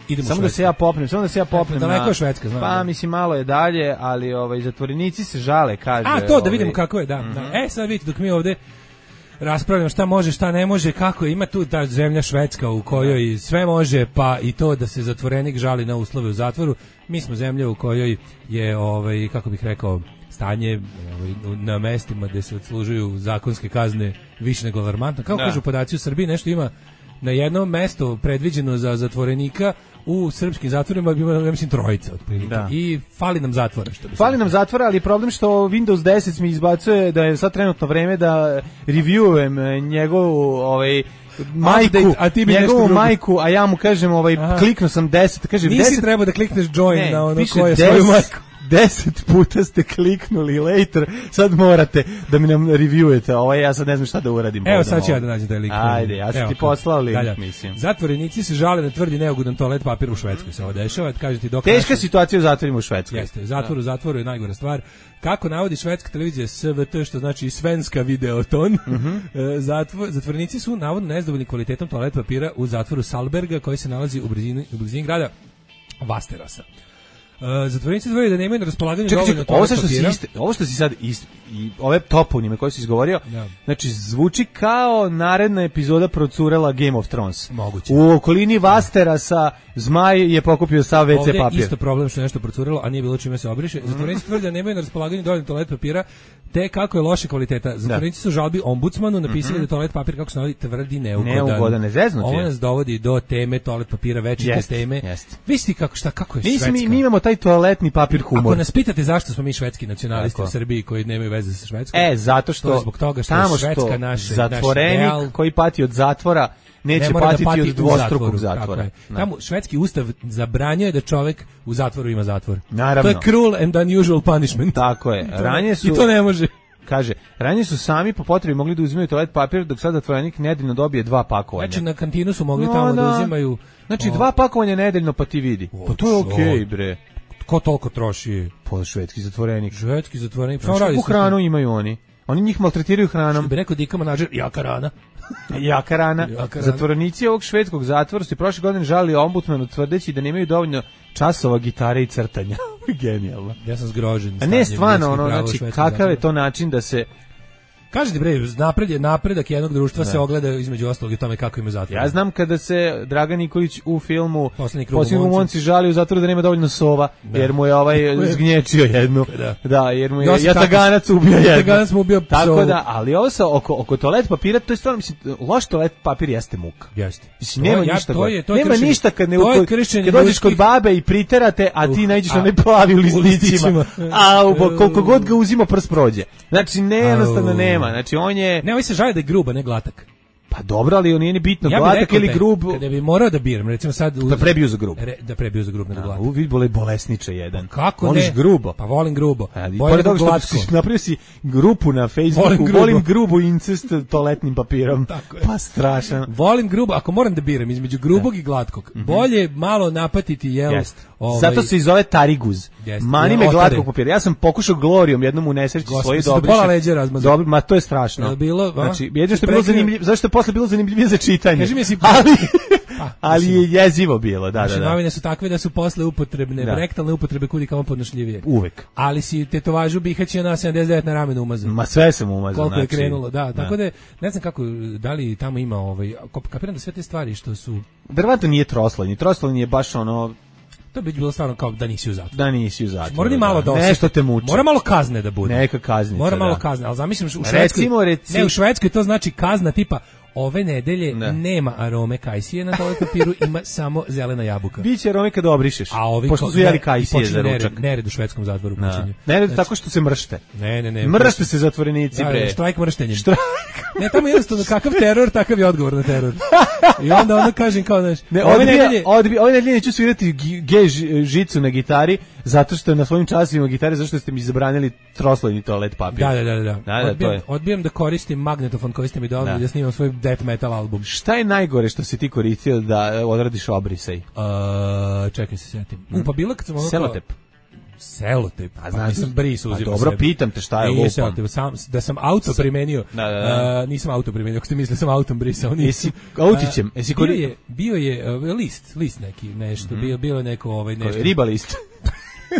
Idemo samo da se ja popnem, samo da se ja popnem. Daleko je Švedska, znam. Pa da. Mislim malo je dalje, ali ovaj zatvorenici se žale, kaže. A to da ovaj, vidimo kako je, da. Mm-hmm. da. E sad vidite dok mi ovde raspravljamo šta može, šta ne može, kako je. Ima tu ta zemlja Švedska u kojoj sve može, pa i to da se zatvorenik žali na uslove u zatvoru. Mi smo zemlja u kojoj je ovaj kako bih rekao stanje ovaj, na mestima gde se odslužuju zakonske kazne više nego alarmantno. Kako da. Kažu podaci u Srbiji, nešto ima na jednom mesto predviđeno za zatvorenika u srpskim zatvorima bi imalo, ja mislim, trojica otprilike. Da. I fali nam zatvora. Što bi fali nam zatvora, ali problem što Windows deset mi izbacuje da je sad trenutno vreme da reviewujem njegovu ovaj majku, a ti njegovu majku, a ja mu kažem ovaj kliknuo sam deset, kaže nisi deset trebao da klikneš join ne, na ono koje svoju majku. Deset puta ste kliknuli later, sad morate da mi nam reviewujete, ovo ja sad ne znam šta da uradim. Evo sad ću ja da nađem taj link. Ajde, ja sam ti poslao link, da, da. mislim. Zatvorenici se žale na tvrdi neugodan toalet papir u Švedskoj, se ovo dešava, kaže ti dok teška naša... situacija u zatvorima u Švedskoj. Jeste, zatvor u zatvoru je najgora stvar. Kako navodi švedska televizija S V T, što znači Svenska videoton, mm-hmm. Zatvor, zatvorenici su navodno nezadovoljni kvalitetom toalet papira u zatvoru Salberga koji se nalazi u blizini, u blizini grada Vasterasa. Uh, zatvorenici tvrde da nemaju na raspolaganju dovoljno toalet papira. Iste, ovo što si sad ist, i ove toponime koje si izgovorio, ja. Znači zvuči kao naredna epizoda procurela Game of Thrones. Moguće. U okolini Vasterasa Zmaj je pokupio sav ve ce papir. Ovdje isto problem što je nešto procurelo, a nije bilo čime se obriše. Zatvorenici tvrde da nemaju na raspolaganju dovoljno toalet papira, te kako je loša kvaliteta. Zatvorenici su žalbi ombudsmanu napisali mm-hmm. da toalet papir, kako se navodi, tvrdi neugodan. Neugodan, nezeznuti. Ovo nas dovodi do teme toalet papira, večite jest, teme. Jest. Visti kako, šta, kako je mi, Švedska. Mi, mi imamo taj toaletni papir humor. Ako nas pitate zašto smo mi švedski nacionalisti tako. U Srbiji koji nemaju veze sa Švedskom. E, zato što, to zbog toga što je Švedska naše, zatvorenik naš ideal, koji pati od zatvora neće ne patiti da pati od dvostrukog zatvora. Tamo švedski ustav zabranjuje da čovjek u zatvoru ima zatvor. Naravno. To je cruel and unusual punishment. Tako je. Ranije su, i to ne može. Kaže, ranije su sami po potrebi mogli da uzimaju toalet papir, dok sad zatvorenik nedeljno dobije dva pakovanja. Znači na kantinu su mogli no, tamo da, da uzimaju. Znači o. dva pakovanja nedeljno pa ti vidi. O, pa to je okej, okay, bre. Ko toliko troši? Pa švedski zatvorenik. Švedski zatvorenik. Znači, kakvu hranu imaju oni? Oni njih maltretiraju hranom. Što bi rekao Dika Manađer, jaka rana. Jaka rana. Jaka rana. Zatvorenici ovog švedskog zatvora su prošle godine žalili ombudsmanu tvrdeći da nemaju dovoljno časova gitare i crtanja. Genijalno. Ja sam zgrožen. A ne stvarno, ono, znači, kakav je to način da se Kažete bre, napred je napredak jednog društva da. se ogleda između ostalog i tome kako ima zatvor. Ja znam kada se Dragan Nikolić u filmu Poslednji krug u Monci žali u zatvoru da nema dovoljno sova, da. jer mu je ovaj zgnječio jednu. Da, da jer mu je jataganac ubio jednu. Jataganac mu ubio psovu. Tako da, ali ovo sa oko, oko toalet papira, to je stvarno, mislim, loš toalet papir jeste muka. Jeste. Mislim, nema ja, ništa to je, to je nema kršenje, ništa kad, ne, kad dođeš ljudskih... kod babe i priterate, a ti naiđeš na ne plavi u listićima. A koliko god ga uzima prst prođe. Znači, ne, jednostavno nema. Znači, on je... Ne, ovaj se žali da je gruba, ne glatak. Pa dobro, ali on nije ni bitno, ja glatak ili grub. Kada bi morao da biram, recimo sad... Da prebiju za grub. Re, da prebiju za grub, nego glatak. U, vid bole bolesniče jedan. Kako Voliš ne? grubo? Pa volim grubo. Bolje nego glatko. Napravio si grupu na Facebooku, volim, grubo. volim grubu incest toaletnim papirom. Pa strašan. Volim grubo, ako moram da biram između grubog da. i glatkog, mm -hmm. bolje malo napatiti, jel? Yes. Ovaj... Zato se i zove tariguz. Yes. Mani me glatkog papira. Ja sam pokušao Glorijom jednom u nesreći svoje dobriše. Pola leđa razmazao. Dobro, ma to je strašno. Je bilo, znači, jedino što je bilo zanimljivo, zašto je posle bilo zanimljivije za čitanje. Kaži mi si ali pa, ali je jezivo bilo, da, da, da. Novine su takve da su posle upotrebne, da. rektalne upotrebe kudi kamo podnošljivije. Uvek. Ali si tetovažu bihaćija na sedamdeset devet na ramenu umazao. Ma sve sam umazao. Koliko znači, je krenulo, da. Tako da, ne znam kako, da li tamo ima ovaj, kapiram da sve te stvari što su... Verovatno nije troslojni, troslojni je baš ono... To bi bilo stvarno kao da nisi u zatvoru. Da nisi u zatvoru. Mora ni malo da nešto te muči. Mora malo kazne da bude. Neka kaznica. Mora malo da. kazne, al zamislim u Švedskoj. Recimo, recimo. Ne, u Švedskoj to znači kazna tipa ove nedelje ne. nema arome kajsije na toalet papiru, ima samo zelena jabuka. Biće arome kad obrišeš. A ovi pošto su jeli kajsije za ručak. Nered, nered u švedskom zatvoru počinje. Nered znači, tako što se mršte. Ne, ne, ne. Mršte se zatvorenici, da, bre. Štrajk mrštenjem. Štrajk. Ne, tamo jednostavno kakav teror, takav je odgovor na teror. I onda onda kažem kao, znaš, ne, ove nedelje, odbi, ove nedelje neću svirati G žicu na gitari, zato što na svojim časovima gitare, zato što ste mi zabranili troslojni toalet papir. Da, da, da, da. da, da odbijam, to je. odbijam da koristim magnetofon koji ste mi dali da. da snimam svoj death metal album. Šta je najgore što si ti koristio da odradiš obrisaj? Uh, čekaj se setim. Mm. U, pa bilo kad sam... Selotep. Selotep. A znači sam bris uzimao. Dobro, pitam te šta je lupam. Selotep, sam, da sam auto primenio. Da, da, da. Uh, nisam auto primenio, ako ste mislili sam autom brisao. Jesi autićem? Jesi bio je, bio je uh, list, list neki, nešto, mm. bio, bilo neko ovaj, nešto. Riba list.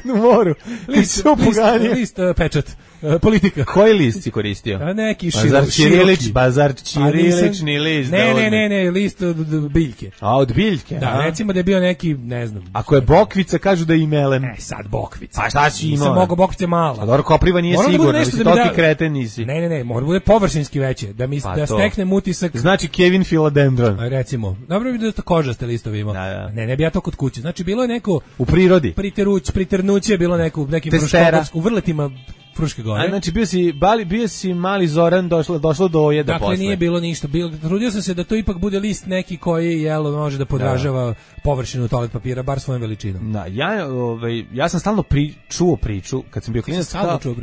Na moru. List, list, list uh, pečat. Uh, politika. Koji list si koristio? A neki bazar Ćirilić, široki. Bazar Ćirilični list. Ne, ne, ne, ne, list od, od biljke. A od biljke? Da, a? recimo da je bio neki, ne znam. Ako je bokvica, kažu da je i melem. Ne, sad bokvica. Pa šta si imao? Nisam mogao bokvice malo. A dobro, kopriva nije moram sigurno, da mislim, da toki da... kreten nisi. Ne, ne, ne, mora bude površinski veće, da, mi, pa da steknem utisak. Znači Kevin Philodendron. A recimo, dobro bi da to kožaste listovi imao. Da, da. Ne, ne bi ja to kod kuće. Znači, bilo je neko... U prirodi. Priteruć, priternuće, bilo neko, nekim fruškogorsku, u vrletima Fruške gore. A znači bio si bali bio si mali Zoran, došlo došlo do ojeda dakle, posle. Dakle nije bilo ništa. Bilo trudio sam se da to ipak bude list neki koji jelo može da podražava da. površinu toalet papira bar svojom veličinom. Da, ja ovaj ja sam stalno pri, čuo priču kad sam bio klinac.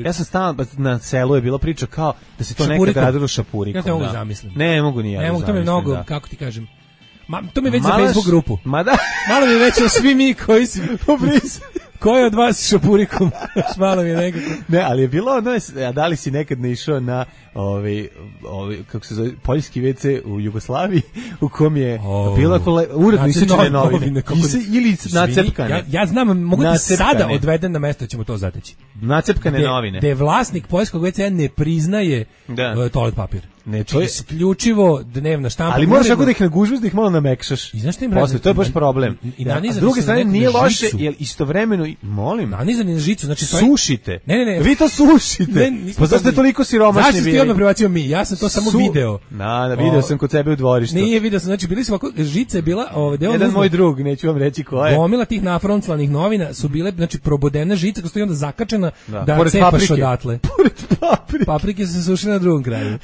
Ja sam stalno na selu je bila priča kao da se to šapurikom. nekad radilo šapurikom. Ja ne mogu da. zamislim. Ne, mogu ni ja. Ne mogu, to mi mnogo, da. kako ti kažem. Ma, to mi već Malaš, za Facebook grupu. Ma da. Malo mi već svi mi koji su Ko je od vas šapurikom? Malo mi je nekako. Ne, ali je bilo ono, a da li si nekad ne išao na ovaj, ovaj, kako se zove, poljski ve ce u Jugoslaviji, u kom je oh, bilo kole, uredno isečene novine. Ise, ili nacepkane. Ja, ja znam, mogu ti sada odveden na mesto, ćemo to zateći. Nacepkane de, novine. De vlasnik poljskog ve ce ne priznaje da. toalet papir. Ne, to je isključivo dnevna štampa. Ali moraš ako da ih nagužvaš, da ih malo namekšaš. I znaš šta im posle, to je baš problem. I na, a s druge strane nije loše, jer istovremeno, molim, nanizani na žicu, znači sušite. Ne, ne, ne. Vi to sušite. Ne, pa zašto je toliko siromašni bili? Zašto ti odmah prebacio mi? Ja sam to samo Su... video. Na, na video sam kod sebe u dvorištu. Nije video sam, znači bili su ovako, žica je bila, ovaj deo. Jedan moj drug, neću vam reći ko je. Gomila tih nafronclanih novina su bile, znači probodena žica, koja stoji onda zakačena da, da cepaš odatle. Pored paprike. Paprike se sušile na drugom kraju.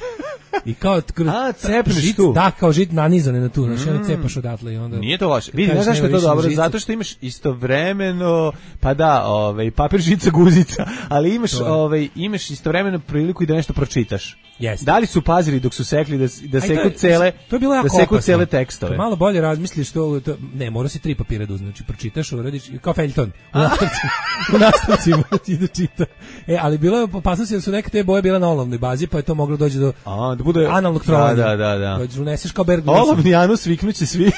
I kao a cepneš žit, tu. Da, kao žit nanizane na tu, znači mm. cepaš odatle i onda. Nije to loše. Vidi, znaš zašto je to dobro? Žicu. Zato što imaš istovremeno, pa da, ovaj papir, žica, guzica, ali imaš ovaj imaš istovremeno priliku i da nešto pročitaš. Yes. Da li su pazili dok su sekli da da seku cele, to je bilo jako da seku opasno. cele tekstove. Kad malo bolje razmisliš to, to ne, mora se tri papira da uzmeš, znači pročitaš, uradiš kao feljton. U nastavcima, u nastavcima ti da čita. E, ali bilo je opasnost da su neke te boje bile na olovnoj bazi, pa je to moglo doći do a, da bude analnog trovanja. Da, da, da. Dođeš, uneseš kao Berg. Olovni anus viknuće svi.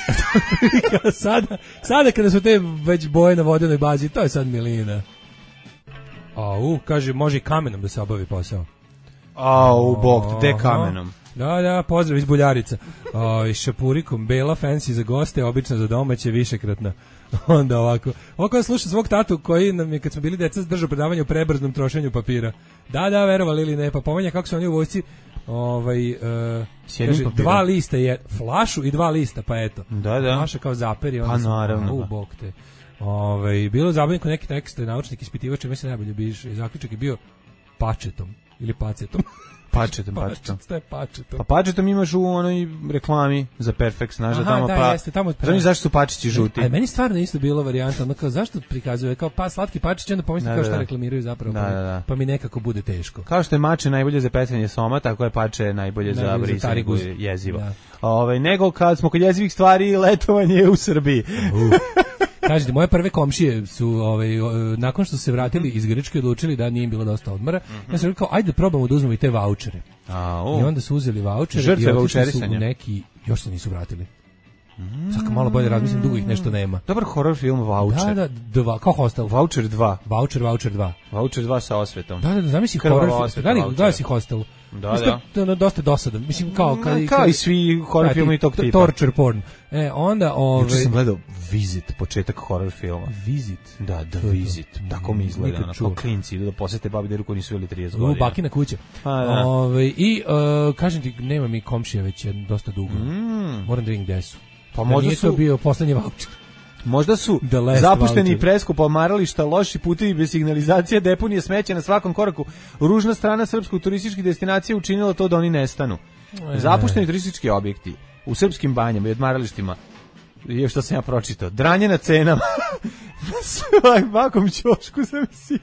sada, sada kada su te već boje na vodenoj bazi, to je sad milina. A, u, kaže, može i kamenom da se obavi posao. A, u bok, te kamenom. Da, da, pozdrav iz Buljarica. O, iz Šapurikom, bela, fancy za goste, obično za domaće, višekratna. Onda ovako. Ovako slušam svog tatu koji nam je, kad smo bili deca, držao predavanje o prebrznom trošenju papira. Da, da, verovali ili ne, pa pomenja kako su oni u vojsci ovaj, uh, kaže, dva lista je, flašu i dva lista, pa eto. Da, da. Flaša kao zaperi. Pa naravno. U bok te. Ovaj, bilo zabavno kod neki tekst, naučnik ispitivač, mislim najbolje biš, i zaključak je bio pačetom ili pacetom. Pačetom, pačetom. Šta je pačetom? Pa pačetom imaš u onoj reklami za Perfect, znaš da tamo da, pa... Jeste, tamo... Znaš zašto su pačići žuti? A meni stvarno isto bilo varijanta, ono kao zašto prikazuje kao pa slatki pačić, onda pomislim da, kao da, šta da. reklamiraju zapravo, da, pa, da, da. pa mi nekako bude teško. Kao što je mače najbolje za pecanje soma, tako je pače najbolje, najbolje za brisanje jezivo. Da. Ove, nego kad smo kod jezivih stvari, letovanje u Srbiji. Uh. Kažete, moje prve komšije su ovaj, nakon što su se vratili iz Grčke odlučili da nije im bilo dosta odmora. Mm-hmm. Ja sam rekao, ajde probamo da uzmemo i te vaučere. A, I onda su uzeli vaučere Žrtve i otišli su vaučerisanja. u neki, još se nisu vratili. Mm. Sako malo bolje razmislim, dugo ih nešto nema. Dobar horror film Voucher. Da, da, dva, kao Hostel. Voucher dva. Voucher, Voucher dva. Voucher dva sa osvetom. Da, da, da, zamisli horror film. Da li, da li si Hostel? Da, Mislim, da. To dosta dosadan. Mislim, kao... Kad, kao kad, i svi horror filmi tog tipa. Torture porn. E, onda... Ove... Juče sam gledao Visit, početak horror filma. Visit? Da, The Visit. Tako mi izgleda. Ono, kao klinci idu da posete babi deru koji nisu bili trideset godina. U bakina kuća. A, da. Ove, I, uh, kažem ti, nema mi komšija već dosta dugo. Mm. Moram da vidim gde su. Pa možda nije su... to bio poslednji voucher. Možda su zapušteni i preskupa odmarališta, loši putevi bez signalizacije, deponije smeća na svakom koraku. Ružna strana srpskog turističkih destinacija učinila to da oni nestanu. E. Zapušteni turistički objekti u srpskim banjama i odmaralištima, je što sam ja pročitao, dranje na cenama. Na svakom ćošku zamisli.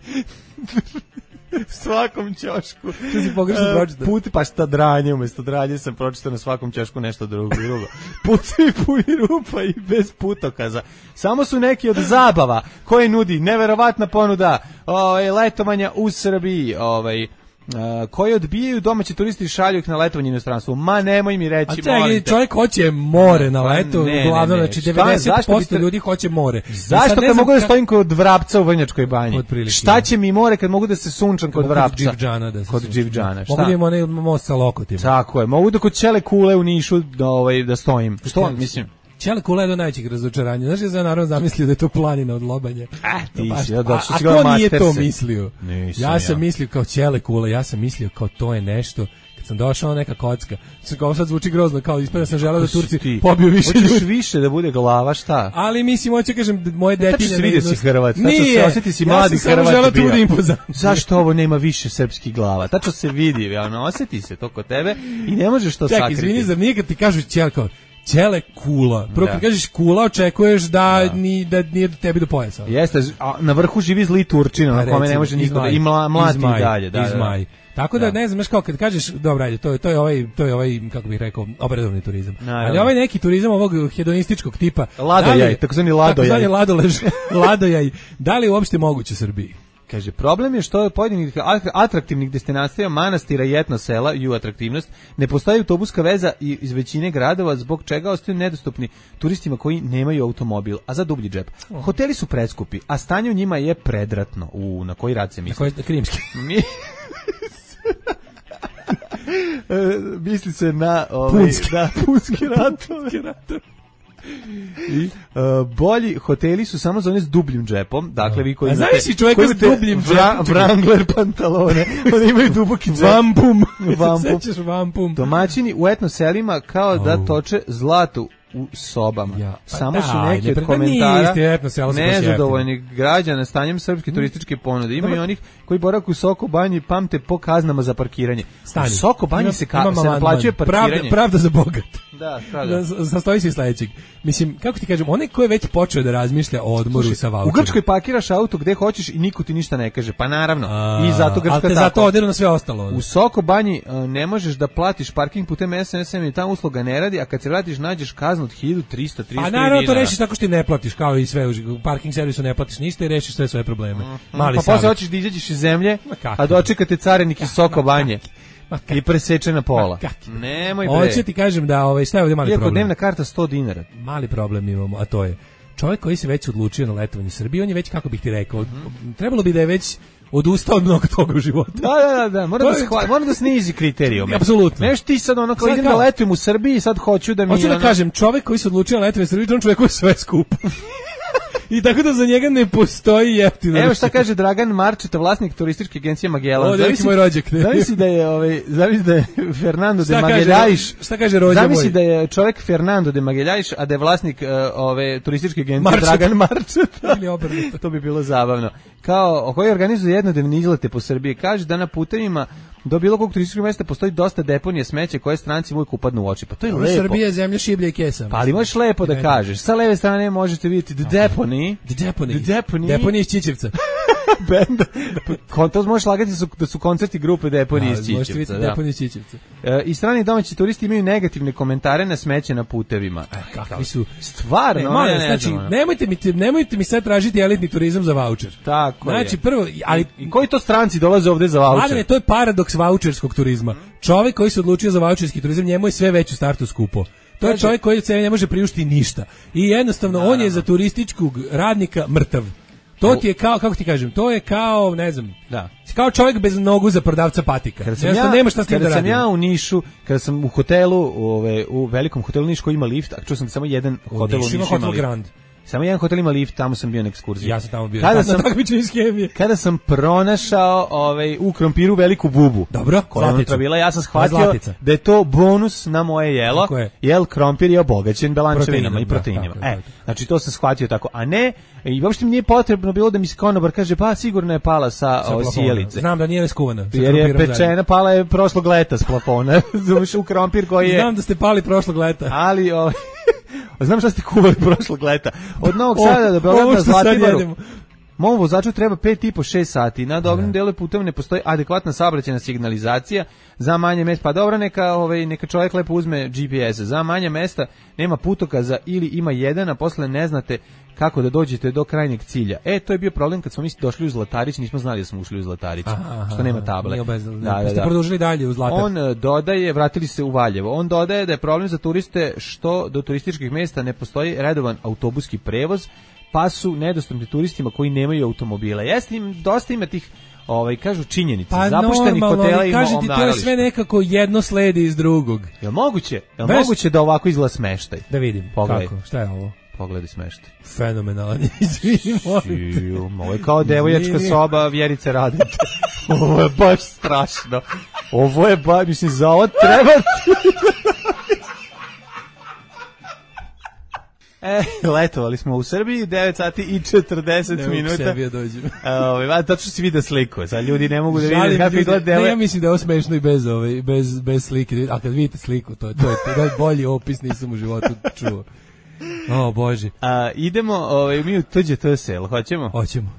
svakom ćošku. Što si pogrešno pročitao? Put, pa šta dranje, umjesto dranje sam pročitao na svakom ćošku nešto drugo. drugo. Putevi puni rupa i bez putokaza. Samo su neki od zabava koje nudi neverovatna ponuda ovaj, letovanja u Srbiji, ovaj, Uh, koji odbijaju domaći turisti i šalju ih na letovanje u inostranstvu. Ma nemoj mi reći, a čekaj, čovjek hoće more na leto, ne, uglavnom, ne, ne. znači devedeset posto te... ljudi hoće more. Zašto kad mogu da stojim kod Vrapca u Vrnjačkoj banji? Šta će mi more kad mogu da se sunčam kod Vrapca? Kod Dživđana. Da kod Dživđana. Mogu da imam onaj most sa lokotima. Tako je, mogu da kod Ćele Kule u Nišu da, ovaj, da stojim. Što on, mislim... Ćele Kule je do najvećih razočaranja. Znaš, ja sam naravno zamislio da je to planina od lobanja. A, ti si, da, a, a to nije to mislio. Ja sam ja. mislio kao Ćele Kule, ja sam mislio kao to je nešto. Kad sam došao neka kocka, kao sad zvuči grozno, kao ispada sam želeo da Turci ti? pobiju više ljudi. Hoćeš više da bude glava, šta? Ali mislim, hoću kažem, moje detinje... Tačno se vidio si Hrvat, tačno se osjeti si mladi Hrvat. Ja sam samo želeo da bude impozantno. Zašto ovo nema više srpskih glava? Tačno se vidi, ono, osjeti se to kod tebe i ne možeš to sakriti. Čekaj, izvini, zar nije kad ti kažu Ćele kao Ćele Kula. Prvo kad kažeš Kula, očekuješ da, da. Ni, da nije do tebi do pojasa. Jeste, a na vrhu živi zli Turčina, na kome ne može niko da i mlati i dalje. Da, izmaj. Tako da, da ne znam, znaš kao kad kažeš, dobro, ajde, to je, to je ovaj, to je ovaj, kako bih rekao, obredovni turizam. Naravno. Ali ovaj neki turizam ovog hedonističkog tipa. Ladojaj, takozvani ladojaj. Takozvani ladolež, ladojaj. Da li je uopšte moguće u Srbiji? Kaže, problem je što je pojedinih atraktivnih destinacija, manastira i etno sela i u atraktivnost, ne postoji autobuska veza iz većine gradova, zbog čega ostaju nedostupni turistima koji nemaju automobil, a za dublji džep. Oh. Hoteli su preskupi, a stanje u njima je predratno. U, na koji rad se misli? Na koji, krimski. Mi... misli se na... Ovaj, punski. Da, punski ratove. I, uh, bolji hoteli su samo za one s dubljim džepom, dakle vi koji a znaš si čovjeka s dubljim vra, džepom Wrangler pantalone, oni imaju duboki džep. Vampum. Vampum. Vampum. Domaćini u etno selima kao oh. da toče zlato u sobama. Ja, pa samo da, su neki ne, od komentara nezadovoljnih građana stanjem srpske turističke ponude. Ima i onih koji boravak u Soko banji i pamte po kaznama za parkiranje. Stani. U Soko banji se, ka, se naplaćuje parkiranje. Pravda, pravda za bogat. Da, pravda. Sastoji se iz sledećeg. Mislim, kako ti kažem, onaj ko je već počeo da razmišlja o odmoru Slušaj, sa vaučerom. U Grčkoj parkiraš auto gde hoćeš i niko ti ništa ne kaže. Pa naravno. A, I zato Grčka tako. Ali te zato odiru na sve ostalo. U Soko banji uh, ne možeš da platiš parking putem es em es-a i ta usluga ne radi, a kad se vratiš nađeš kaznu od hiljadu trista A naravno to rešiš tako što ti ne platiš, kao i sve u parking servisu ne platiš ništa i rešiš sve svoje probleme. Mm, Mali pa posle hoćeš da izađeš iz zemlje, a dočekate carinik iz Soko banje. I presečena pola. Nemoj bre. Hoće ti kažem da ovaj šta je ovdje mali Iako problem. dnevna karta sto dinara. Mali problem imamo, a to je čovjek koji se već odlučio na letovanje u Srbiji, on je već, kako bih ti rekao, mm-hmm. trebalo bi da je već odustao od mnogo toga u životu. Da, da, da, da. Mora da, shva, mora da snizi kriterijume. Apsolutno. Neš ti sad ono kao sad idem kao, da letujem u Srbiji, sad hoću da mi... Hoću da ono... kažem, čovek koji se odlučio na letovanje u Srbiji, on čovek koji sve skupo. I tako da za njega ne postoji jeftino. Evo šta kaže Dragan Marčeta, vlasnik turističke agencije Magellan. O, zavisi moj rođak. Zavisi da je, ovaj, zavisi da je Fernando de Magalhães. Šta kaže rođak moj? Zavisi da je čovjek Fernando de Magalhães, a da je vlasnik uh, ove turističke agencije Marčeta. Dragan Marčeta. Ili obrnuto. To bi bilo zabavno. Kao, koji organizuje jednodnevne izlete po Srbiji, kaže da na putevima do bilo kog turističkog mesta postoji dosta deponije smeća koje stranci uvijek upadnu u oči. Pa to je Ovo lepo. Srbija je zemlja šiblja i kesa. Pa ali možeš lepo da kažeš. Sa leve strane možete vidjeti The Deponey. The Deponey. The Deponey. Deponey iz Čičevca. Benda. To možeš lagati su, da su koncerti grupe Deponey iz Čičevca. Možete vidjeti da. Deponey iz Čičevca. E, I strani domaći turisti imaju negativne komentare na smeće na putevima. E, kakvi su? Stvarno, ne, molim, ne, ne znači, znam, nemojte mi, nemojte mi sad tražiti elitni turizam za vaučer. Tako znači, je. prvo, ali... I, i koji to stranci dolaze ovde za vaučer? Mladene, to je paradoks vaučerskog turizma. Čovjek koji se odlučio za vaučerski turizam, njemu je sve već u startu skupo. To je čovjek koji se ne može priuštiti ništa. I jednostavno, da, on je za turističkog radnika mrtav. To ti je kao, kako ti kažem, to je kao, ne znam, da. Kao čovjek bez nogu za prodavca patika. Kada sam, ja, nema šta s tim kada da sam ja u Nišu, kada sam u hotelu, ove, u velikom hotelu Niš koji ima lift, a čuo sam samo jedan hotel u Nišu ima Hotel lift. Grand. Samo jedan hotel ima lift, tamo sam bio na ekskurziji. Ja sam tamo bio. Kada na sam takmičenju iz hemije. Kada sam pronašao ovaj u krompiru veliku bubu. Dobro, koja je unutra bila, ja sam shvatio da je to bonus na moje jelo. Jel krompir je obogaćen belančevinama i proteinima. E, znači to sam shvatio tako, a ne i uopšte mi nije potrebno bilo da mi se konobar kaže pa sigurno je pala sa sijalice. Znam da nije skuvana. Jer je pečena, pala je prošlog leta s plafona. Zuš u krompir koji je. Znam da ste pali prošlog leta. Ali o znam šta ste kuvali prošlog leta. Od Novog Sada do Beograda Zlatiboru. Mom vozaču treba pet i po šest sati. Na dobrim delu puteva ne postoji adekvatna saobraćajna signalizacija za manje mesta. Pa dobro, neka, ovaj, neka čovjek lepo uzme G P S. Za manje mesta nema putokaza ili ima jedan, a posle ne znate kako da dođete do krajnjeg cilja. E, to je bio problem kad smo mi došli u Zlatarić, nismo znali da smo ušli u Zlatarić, aha, što nema table. Da, da, da. Ste produžili dalje u Zlatar. On dodaje, vratili se u Valjevo, on dodaje da je problem za turiste što do turističkih mesta ne postoji redovan autobuski prevoz, pa su nedostupni turistima koji nemaju automobile. Jeste im, dosta ima tih, ovaj, kažu činjenice, pa zapuštenih hotela i kažete, to je sve nekako jedno sledi iz drugog. Jel moguće? Jel Veš... moguće da ovako izgleda smeštaj? Da vidim, pogledaj. Kako, šta je ovo? Pogledaj smeštaj. Fenomenalan, izvini, molim te. Ovo je kao devojačka soba Vjerice Radete. Ovo je baš strašno. Ovo je baš, mislim, za ovo treba... E, letovali smo u Srbiji, devet sati i četrdeset ne minuta. Ne mogu sebi dođem. Ove, tačno si vidio sliku, sad ljudi ne mogu da vide kako izgleda deve. Ne, ja mislim da je ovo smešno i bez, ove, bez, bez slike, a kad vidite sliku, to, to je to je bolji opis nisam u životu čuo. O, Bože. A, idemo ove, mi u tuđe T S L, hoćemo? Hoćemo.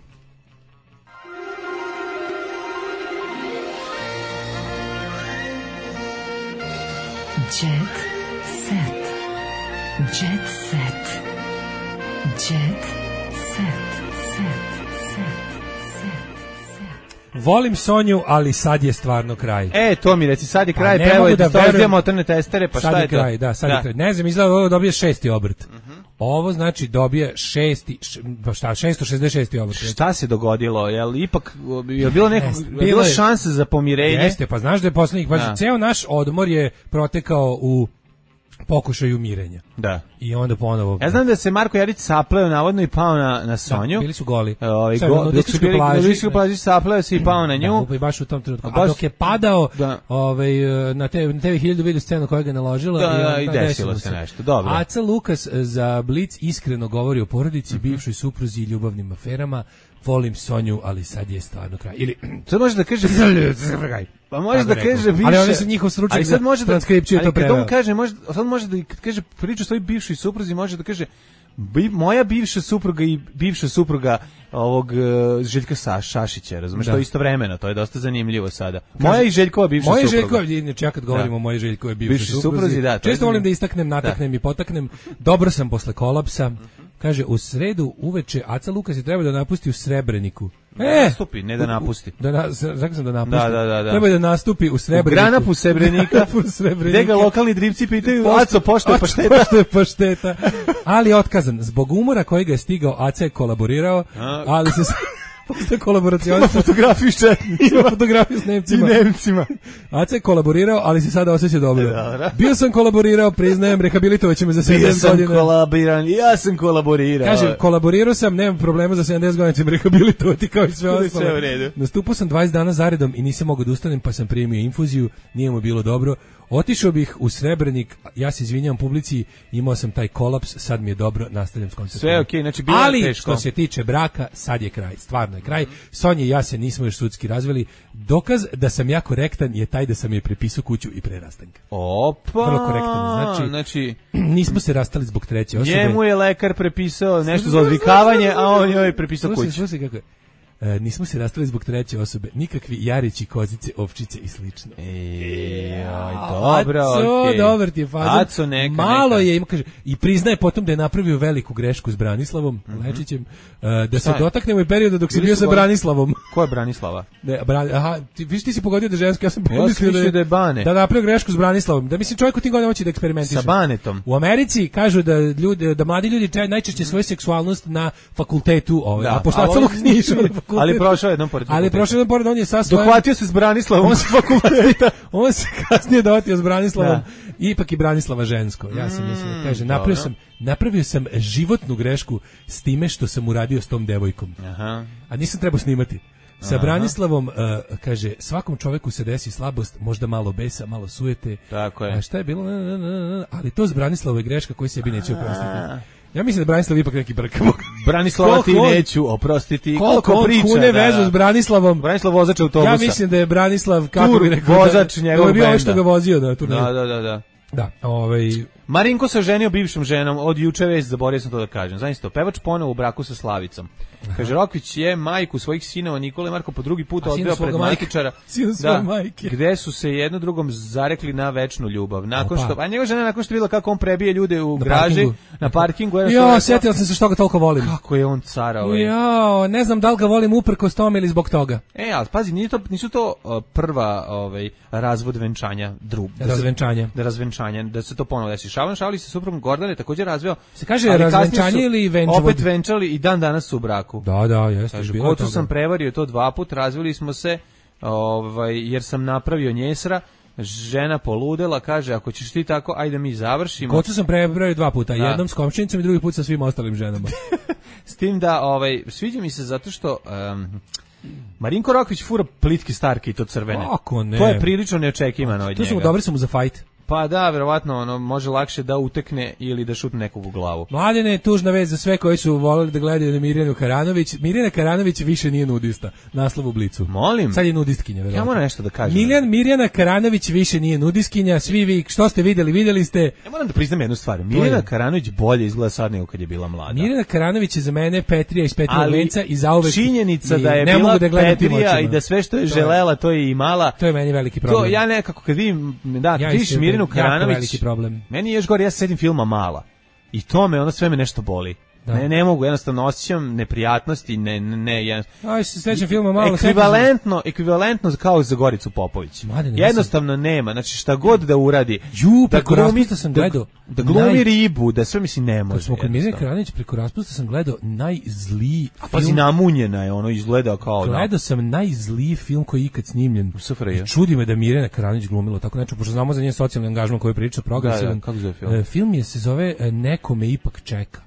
Jet set. Jet set. Jet set. Set. Set. Set. Volim Sonju, ali sad je stvarno kraj. E, to mi reci, sad je kraj, pa evo je da stoje motorne testere, pa šta je, je to? Kraj, da, sad da. je kraj. Ne znam, izgleda ovo dobije šesti obrt. Uh-huh. Ovo znači dobije šesti, pa šta, šesto šezdeset šesti obrt. Šta se dogodilo? Jel ipak, je bilo neko, je bilo šanse za pomirenje? Jeste, pa znaš da je poslednjih, pa da. Ceo naš odmor je protekao u pokušaju mirenja. Da. I onda ponovo... Ja znam da se Marko Jarić sapleo navodno i pao na, na Sonju. Da, bili su goli. Ovaj go, dok su bili na Luiskoj plaži, sapleo se i pao na nju. Da, i baš u tom trenutku. A dok je padao da. ovaj, na te na T V hiljadu vidio scenu koja ga je naložila. Da, i, i desilo se nešto. Dobro. Aca Lukas za Blic iskreno govori o porodici, mm-hmm. bivšoj supruzi i ljubavnim aferama. Volim Sonju, ali sad je stvarno kraj. Ili sad može da kaže pa može da kaže bivše, ali oni su njihov stručnjak za transkripciju to preveo. Ali kaže, može, sad može da kad kaže priču o svojoj bivšoj supruzi, može da kaže bi, moja bivša supruga i bivša supruga ovog uh, Željka Sa, Šašića, razumeš, to je istovremeno, to je dosta zanimljivo sada. Moja kaže, i Željkova bivša moja supruga. Moja Željkova, inače ja kad govorimo o mojoj Željkovoj bivšoj bivši supruzi, supruzi da, često volim da istaknem, nataknem da. i potaknem. Dobro sam posle kolapsa. Kaže, u sredu uveče Aca Lukas je treba da napusti u Srebreniku. Da e, nastupi, ne da napusti. Da, na, rekao sam da napusti. Da, da, da, da. Treba da nastupi u Srebreniku. U Granapu Srebrenika, gde ga lokalni dripci pitaju, Aco, pošto je pašteta? Pošto je pašteta. Ali otkazan. Zbog umora koji ga je stigao, Aca je kolaborirao, ali se... Postoje kolaboracija. Ima fotografiju s četnicima. Ima fotografiju s Nemcima. I Nemcima. Aca je kolaborirao, ali se sada osjeća dobro. Dobro. Bio sam kolaborirao, priznajem, rehabilitovaće me za sedamdeset godina. Bio sam kolaborirao, ja sam kolaborirao. Kaže, kolaborirao sam, nemam problema za sedamdeset godina, ću me rehabilitovati kao i sve ostalo. Sve u redu. Nastupao sam dvadeset dana zaredom i nisam mogao da ustanem, pa sam primio infuziju, nije mu bilo dobro. Otišao bih u Srebrnik, ja se izvinjavam publici, imao sam taj kolaps, sad mi je dobro, nastavljam s koncertom. Sve okej, okay, znači bilo je ali, teško. što se tiče braka, sad je kraj, stvarno je kraj. Sonja i ja se nismo još sudski razveli. Dokaz da sam ja korektan je taj da sam je prepisao kuću i pre rastanka. Opa! Vrlo korektan, znači, znači nismo se rastali zbog treće osobe. Njemu je lekar prepisao nešto za odvikavanje, a on joj je prepisao kuću. Slušaj, slušaj kako je. E, nismo se rastali zbog treće osobe, nikakvi jarići, kozice, ovčice i slično. Ej, aj, dobro, okej. Okay. Dobar ti je fazan. Aco, neka, malo neka. je, ima, kaže, i priznaje potom da je napravio veliku grešku s Branislavom, mm-hmm. Lečićem, uh, da se dotaknemo i perioda dok si bio sa Branislavom. Ko je Branislava? Ne, Bran, aha, ti, viš ti si pogodio da je žensko, ja sam pomislio ja da, da je Bane. Da napravio grešku s Branislavom. Da mislim čovjek u tim godinama hoće da eksperimentiše. Sa Banetom. U Americi kažu da ljudi, da mladi ljudi čaj, najčešće svoju seksualnost na fakultetu, ovaj, da, a pošto Aca Lukas nije išao na fakultet. Ali prošao jednom pored. Ali prošao jednom pored, on je sa svojom... Dohvatio se s Branislavom on se fakulteta. On se kasnije dohvatio s Branislavom. Da. Ipak i Branislava žensko. Ja sam mislim, kaže, napravio sam, napravio sam životnu grešku s time što sam uradio s tom devojkom. Aha. A nisam trebao snimati. Sa Aha. Branislavom, uh, kaže, svakom čoveku se desi slabost, možda malo besa, malo sujete. Tako je. A šta je bilo? Ali to s Branislavom je greška koju sebi neće oprostiti. Ja mislim da Branislav ipak neki brk. Branislava ti neću oprostiti. Koliko on priča, kune da, vezu s Branislavom. Branislav vozač autobusa. Ja mislim da je Branislav, kako Tur, bi rekao, vozač njegov da, da je bio benda. što ga vozio na turneju. Da, da, da, da. Da, ovaj... Marinko se oženio bivšom ženom, od juče već, zaboravio sam to da kažem. Znači to, pevač ponovo u braku sa Slavicom. Kaže, Rokvić je majku svojih sinova Nikole i Marko po drugi put odveo pred matičara. Da, gde su se jedno drugom zarekli na večnu ljubav. Nakon što, a njegova žena nakon što videla kako on prebije ljude u na graži, parkingu. na parkingu. Jo, setio sam se što ga toliko volim. Kako je on cara ovaj. Jo, ne znam da li ga volim uprkos tome ili zbog toga. E, ali pazi, nije to, nisu to uh, prva ovaj, razvod venčanja drug. Da razvenčanje. Da razvenčanje, da se to ponovo desi. Šaban Šavlić se suprugom Gordane takođe razveo. Se kaže razvenčanje ili venčavod? Opet venčali i dan danas su u braku. Da, da, jeste. Kaže, kocu sam prevario to dva put, razveli smo se, ovaj, jer sam napravio njesra, žena poludela, kaže, ako ćeš ti tako, ajde mi završimo. Kocu sam prevario dva puta, da. Jednom s komšinicom i drugi put sa svim ostalim ženama. S tim da, ovaj, sviđa mi se zato što... Um, Marinko Rokvić fura plitke starke i to crvene. Kako ne? To je prilično neočekivano od njega. Tu smo dobri smo za fight. Pa da, verovatno, ono, može lakše da utekne ili da šutne nekog u glavu. Mladene je tužna vez za sve koji su voleli da gledaju na Mirjanu Karanović. Mirjana Karanović više nije nudista. Naslov u Blicu. Molim? Sad je nudistkinja, verovatno. Ja moram nešto da kažem. Miljan, Mirjana Karanović više nije nudistkinja. Svi vi, što ste videli, videli ste. Ja moram da priznam jednu stvar. Mirjana Karanović bolje izgleda sad nego kad je bila mlada. Mirjana Karanović je za mene Petrija iz Petrijog venca i zauvek. Činjenica da je bila da Petrija i da sve što je to želela, je, to je imala. To je meni veliki problem. To ja nekako kad vidim, da, ja vidiš Mirjanu Karanović, problem. Meni je još gore, ja se sedim filma Mala. I to me, ono sve me nešto boli. Da. Ne, ne mogu, jednostavno osjećam neprijatnosti, ne, ne, ne, jednostavno. Aj, se sećam filma Malo. Ekvivalentno, ekvivalentno kao za Goricu Popović. Mladine, jednostavno sam... nema, znači šta god da uradi. Ju, da preko raspusta sam gledao. Da, da glumi naj... ribu, da sve mislim ne može. Kad smo kod Mirjane Karanović, preko raspusta sam gledao najzliji A pazi, film... namunjena je, ono izgleda kao... Gledao da. sam najzliji film koji je ikad snimljen. U S F R J. Čudi me da Mirjana Karanović glumila tako nešto, pošto znamo za njen socijalni angažman koji priča progresivan. Da, da, kako zove film? Film je se zove Neko me ipak čeka.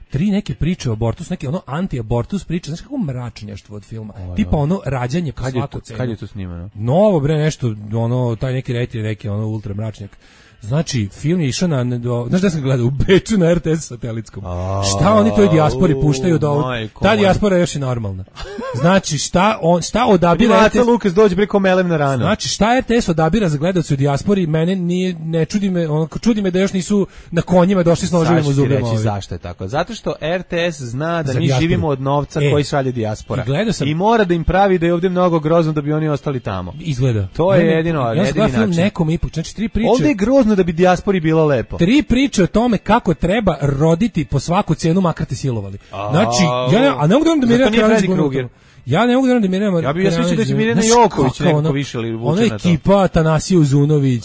Tri neke priče o abortus, neke ono anti-abortus priče, znaš kako mračnjaštvo od filma. Ovo, tipa ono rađanje po svaku cenu. Kad je to snimano? Novo bre nešto, ono taj neki rejting, neki ono ultra mračnjak. Znači, film je išao na, do, znaš da sam gledao, u Beču na R T S satelitskom. A, šta oni toj dijaspori puštaju da ovo, ta dijaspora je još i normalna. Znači, šta, on, šta odabira R T S... Lukas dođe preko melem na ranu. Znači, šta R T S odabira za gledalce u dijaspori, mene nije, ne čudi me, ono, čudi me da još nisu na konjima došli s noživima u zubima. Saš ti reći zašto je tako? Zato što R T S zna da za mi dijasporu. Živimo od novca e, koji šalje dijaspora. I, sam, I mora da im pravi da je ovdje mnogo grozno da bi oni ostali tamo. Izgleda. To je jedino, ja jedini način. Nekom ipak, znači tri priče. Ovdje je grozno da bi dijaspori bilo lepo. Tri priče o tome kako treba roditi po svaku cenu, makar te silovali. Znači, ja, a ne mogu da vam da Mirjana Karanović glumi. Ja ne mogu da da Mirjana Ja bih ja smislio da će Mirjana Joković nekako više ili vuče ona na to. ekipa Tanasije Uzunović,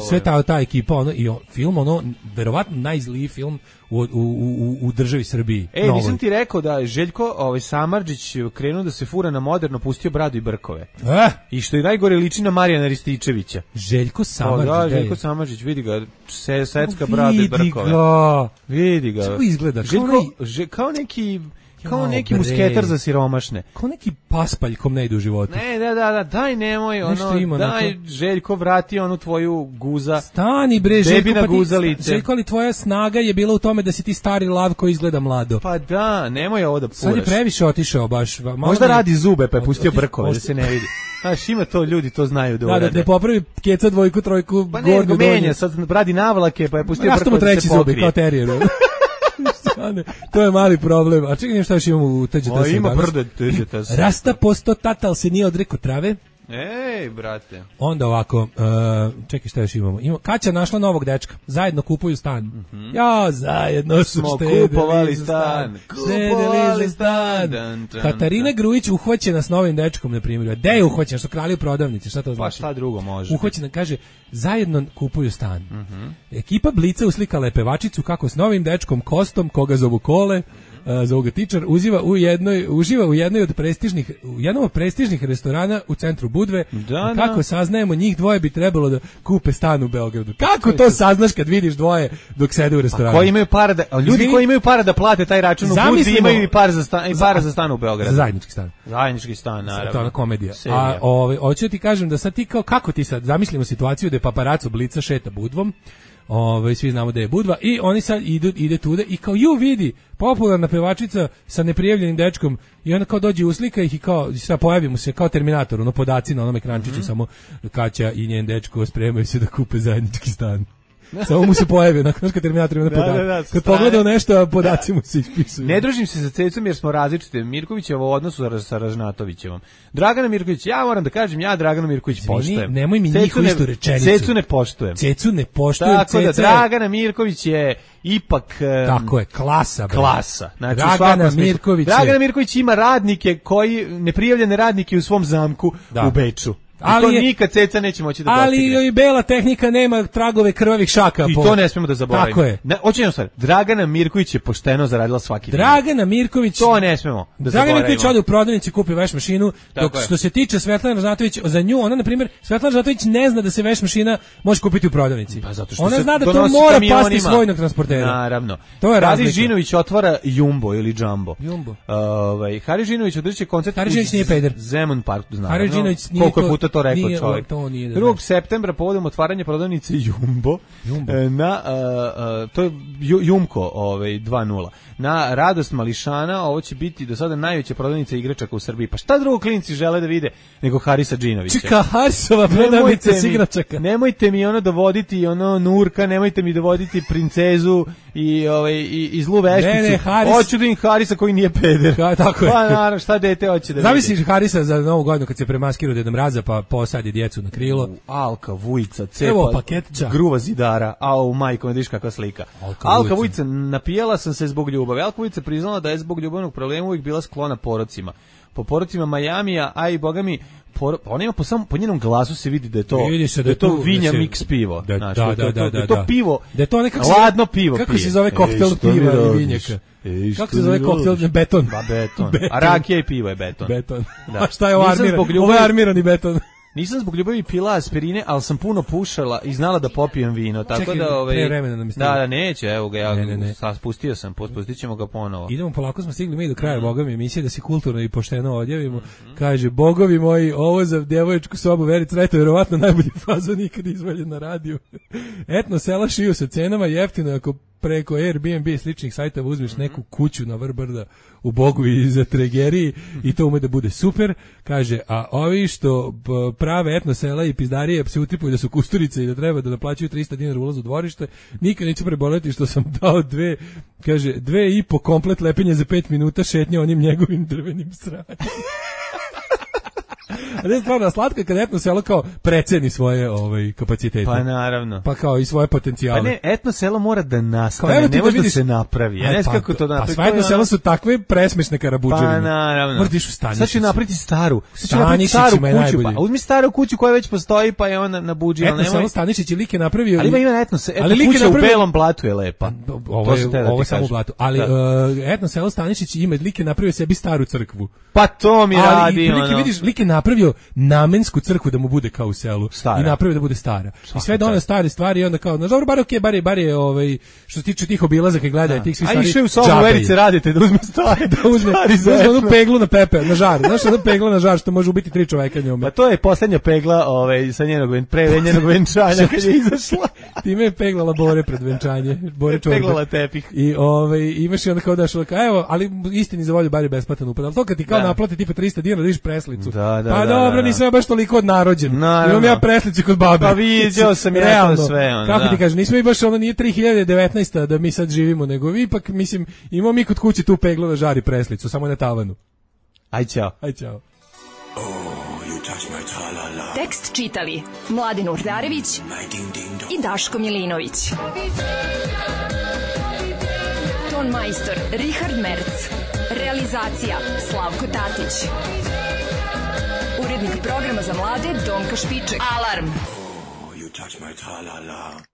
sve ta ta ekipa, ono i on, film ono verovatno najzliji film u u u u državi Srbiji. E, novoj. Nisam ti rekao da Željko ovaj Samardžić krenuo da se fura na moderno, pustio bradu i brkove. Eh? I što je najgore liči na Marijana Rističevića. Željko Samardžić. O, da, Željko Samardžić, vidi ga, se secka bradu i brkove. Ga. Vidi ga. Kako izgleda? Željko, kao, ne... že, kao neki kao neki musketar za siromašne. Kao neki paspalj kom ne ide u životu. Ne, da, da, da, daj nemoj, ono, ima, daj onako... Željko vrati onu tvoju guza. Stani bre, Željko, pa guzalice. Željko, ali tvoja snaga je bila u tome da si ti stari lav koji izgleda mlado. Pa da, nemoj ovo da furaš. Sad je previše otišao baš. Možda ne... radi zube, pa je pustio brkove, da se ne vidi. Znaš, ima to, ljudi to znaju da urade. Da, da ne popravi keca dvojku, trojku, pa ne, gornju, menja, sad radi navlake, pa je pustio brkove da se pokrije. Kao terijer. To je mali problem. A čekaj, šta još imamo u T Ž T S? O, ima brdo T Ž T S. Rasta posto tatal se nije odrekao trave. Ej, brate. Onda ovako, uh, čekaj šta još imamo. Imamo Kaća našla novog dečka. Zajedno kupuju stan. Mm-hmm. Ja, zajedno su smo štedeli kupovali stan. Kupovali stan. Dan, dan, Katarina dan. Grujić uhvaćena s novim dečkom, na primjer. Gde je uhvaćena? Što krali u prodavnici? Šta to znači? Pa šta drugo može? Uhvaćena, kaže, zajedno kupuju stan. Mm-hmm. Ekipa Blica uslikala je pevačicu kako s novim dečkom Kostom, koga zovu Kole, Uh, za ovoga tičar, uživa u jednoj, uživa u jednoj od prestižnih, u jednom od prestižnih restorana u centru Budve. Da, kako da. saznajemo, njih dvoje bi trebalo da kupe stan u Beogradu. Kako to saznaš kad vidiš dvoje dok sede u restoranu? A koji imaju para da, ljudi Zvi... koji imaju para da plate taj račun u Budvi imaju i para za stan, i para za stan u Beogradu. Za zajednički stan. Zajednički stan, naravno. To je ona komedija. Serija. A ovaj hoću ti kažem da sad ti kao kako ti sad zamislimo situaciju da je paparaco Blica šeta Budvom. Ove, svi znamo da je Budva i oni sad idu, ide tude i kao ju vidi popularna pevačica sa neprijavljenim dečkom i ona kao dođe uslika ih i kao sad pojavi mu se kao Terminator, ono podaci na onom ekrančiću, mm-hmm. samo Kaća i njen dečko spremaju se da kupe zajednički stan. Samo mu se pojavi, nakon kad Terminator ima podaci. Da, da, da, kad pogledao nešto, podaci mu se ispisuju. Ne družim se sa Cecom jer smo različite. Mirkovićevo u odnosu sa Ražnatovićevom. Dragana Mirković, ja moram da kažem, ja Draganu Mirković Zvini, poštujem. Nemoj mi njih u istu rečenicu. Cecu ne poštujem. Cecu ne poštujem. Tako Ceca da, Dragana Mirković je ipak... Um, tako je, klasa. Bre. Klasa. Znači, Dragana Mirković je... Dragana Mirković ima radnike koji, neprijavljene radnike u svom zamku da. u Beču. Ali to je, nikad Ceca neće moći da ali dostigne. Ali i bela tehnika nema tragove krvavih šaka. I po... to ne smemo da zaboravimo. Tako je. Ne, hoćemo stvar, Dragana Mirković je pošteno zaradila svaki dan. Dragana Mirković... To ne smemo da Dragana zaboravimo. Dragana Mirković ode u prodavnici, kupi veš mašinu, dok što se tiče Svetlana Ražnatović, za nju, ona, na primjer, Svetlana Ražnatović ne zna da se veš mašina može kupiti u prodavnici. Pa zato što ona se zna da to mora kamionima. Pasti svojnog transportera. Naravno. To je Hari Žinović otvara Jumbo ili Jumbo. Jumbo. Ovaj Hari Žinović održće koncert Hari Žinović nije peder. Zemun Parku, znam. Hari Žinović nije koliko puta to rekao čovjek. drugog septembra povodom otvaranja prodavnice Jumbo, Jumbo. na uh, uh, to je Jumko ovaj dva nula. Na radost mališana, ovo će biti do sada najveća prodavnica igračaka u Srbiji. Pa šta drugo klinci žele da vide nego Harisa Džinovića? Čeka Harisova prodavnica s igračaka. Nemojte mi ono dovoditi ono Nurka, nemojte mi dovoditi princezu i ovaj i, i zlu vešticu. Ne, ne, Haris... Hoću da im Harisa koji nije peder. Ka, tako je. Pa naravno, šta dete hoće da vidi? Zamisliš Harisa za Novu godinu kad se premaskirao Deda Mraza pa posadi djecu na krilo. U, Alka Vujica, cepa, gruva zidara, a u majko, vidiš kakva slika. Alka, Alka Vujica, napijala sam se zbog ljubavi. Alka Vujica priznala da je zbog ljubavnog problema uvijek bila sklona porocima. Po porocima Majamija, a i bogami por, ona ima po samom po njenom glasu se vidi da je to vidi se da je to vinja da mix pivo, da, znači da, da, da, da, da, to da. pivo, da je to nekako ladno pivo. Kako pije. se zove koktel Ej, piva i vinjaka? Ej, kako se zove koktel beton? Ba beton. beton. A rakija i pivo je beton. Beton. Da. A šta je ovo armirani? Ovo je armirani beton. Nisam zbog ljubavi pila aspirine, ali sam puno pušala i znala da popijem vino, tako Čekaj, da ovaj da, da, da neće, evo ga ja ne, ne, ne. Sad spustio sam, pustit ga ponovo. Idemo polako, smo stigli mi do kraja, mm. Boga mi emisije da se kulturno i pošteno odjavimo. Mm-hmm. Kaže, bogovi moji, ovo za djevoječku sobu Verica Rajta verovatno najbolji fazon nikad izvaljen na radiju. Etno sela šiju sa cenama jeftino ako preko Airbnb i sličnih sajtova uzmeš neku kuću na vrh brda u Bogu i za Tregeriji i to ume da bude super. Kaže, a ovi što prave etno sela i pizdarije se utipuju da su kusturice i da treba da naplaćuju trista dinara ulaz u dvorište, nikad neću preboleti što sam dao dve, kaže, dve i po komplet lepenje za pet minuta šetnje onim njegovim drvenim sranjem. A ne stvarno, slatko je kad etno selo kao preceni svoje ovaj, kapacitete. Pa naravno. Pa kao i svoje potencijale. Pa ne, etno selo mora da nastane, ne da može da vidiš, se napravi. Ja ne znam kako to da napravi. Pa sva etno selo su takve presmešne karabuđevine. Pa naravno. Mora da iš u Stanišić. Sad ću napraviti staru. Stanišić ima najbolje. Pa uzmi staru kuću koja već postoji, pa je ona na buđi. Etno selo Stanišić je lik je napravio. Ali ima ima etno se, etno kuća u Belom Blatu je lepa. Ovo je, ovo je samo u Blatu. Ali uh, etno selo Stanišić ima lik je napravio sebi staru crkvu. Pa to mi radi. Ali i prilike vidiš, lik je napravio namensku crkvu da mu bude kao u selu. Stara. I napravio da bude stara. Svaka I sve doneo stare stvari i onda kao, na dobro, bar okej, okay, bar je, bar je ovaj, što se tiče tih obilazaka i gledanja tih svih stvari. A išao u sobu Verice radite da uzme stvari. Da uzme, da uzme onu peglu na pepe, na žar. Znaš, onu pegla na žar što može ubiti tri čoveka njome. Pa to je poslednja pegla ovaj, sa njenog, pre njenog venčanja kad je izašla. Time je peglala Bore pred venčanje. Bore čorbe. Peglala tepih. I ovaj, imaš i onda kao daš, evo, ali istini za volju bar je besplatan upad. Ali to kad ti kao naplati tipa trista dinara da vidiš preslicu. Da, da, pa da, dobro, da, nisam ja baš toliko odnarođen. Naravno. Imam ja preslicu kod babe. Pa vidio sam ja to sve. On, kako da. ti kažem, nismo i baš ono nije tri hiljade devetnaesta da mi sad živimo, nego vi ipak, mislim, imamo mi kod kuće tu peglu na žari preslicu, samo na tavanu. Aj čao. Aj čao. Oh, you touch my tra-la-la. Tekst čitali Mladin Urdarević i Daško Milinović. Ton majstor Richard Merc. Realizacija Slavko Tatić. Urednik programa za mlade Donka Špiček. Alarm! Oh, you touch my tra-la-la.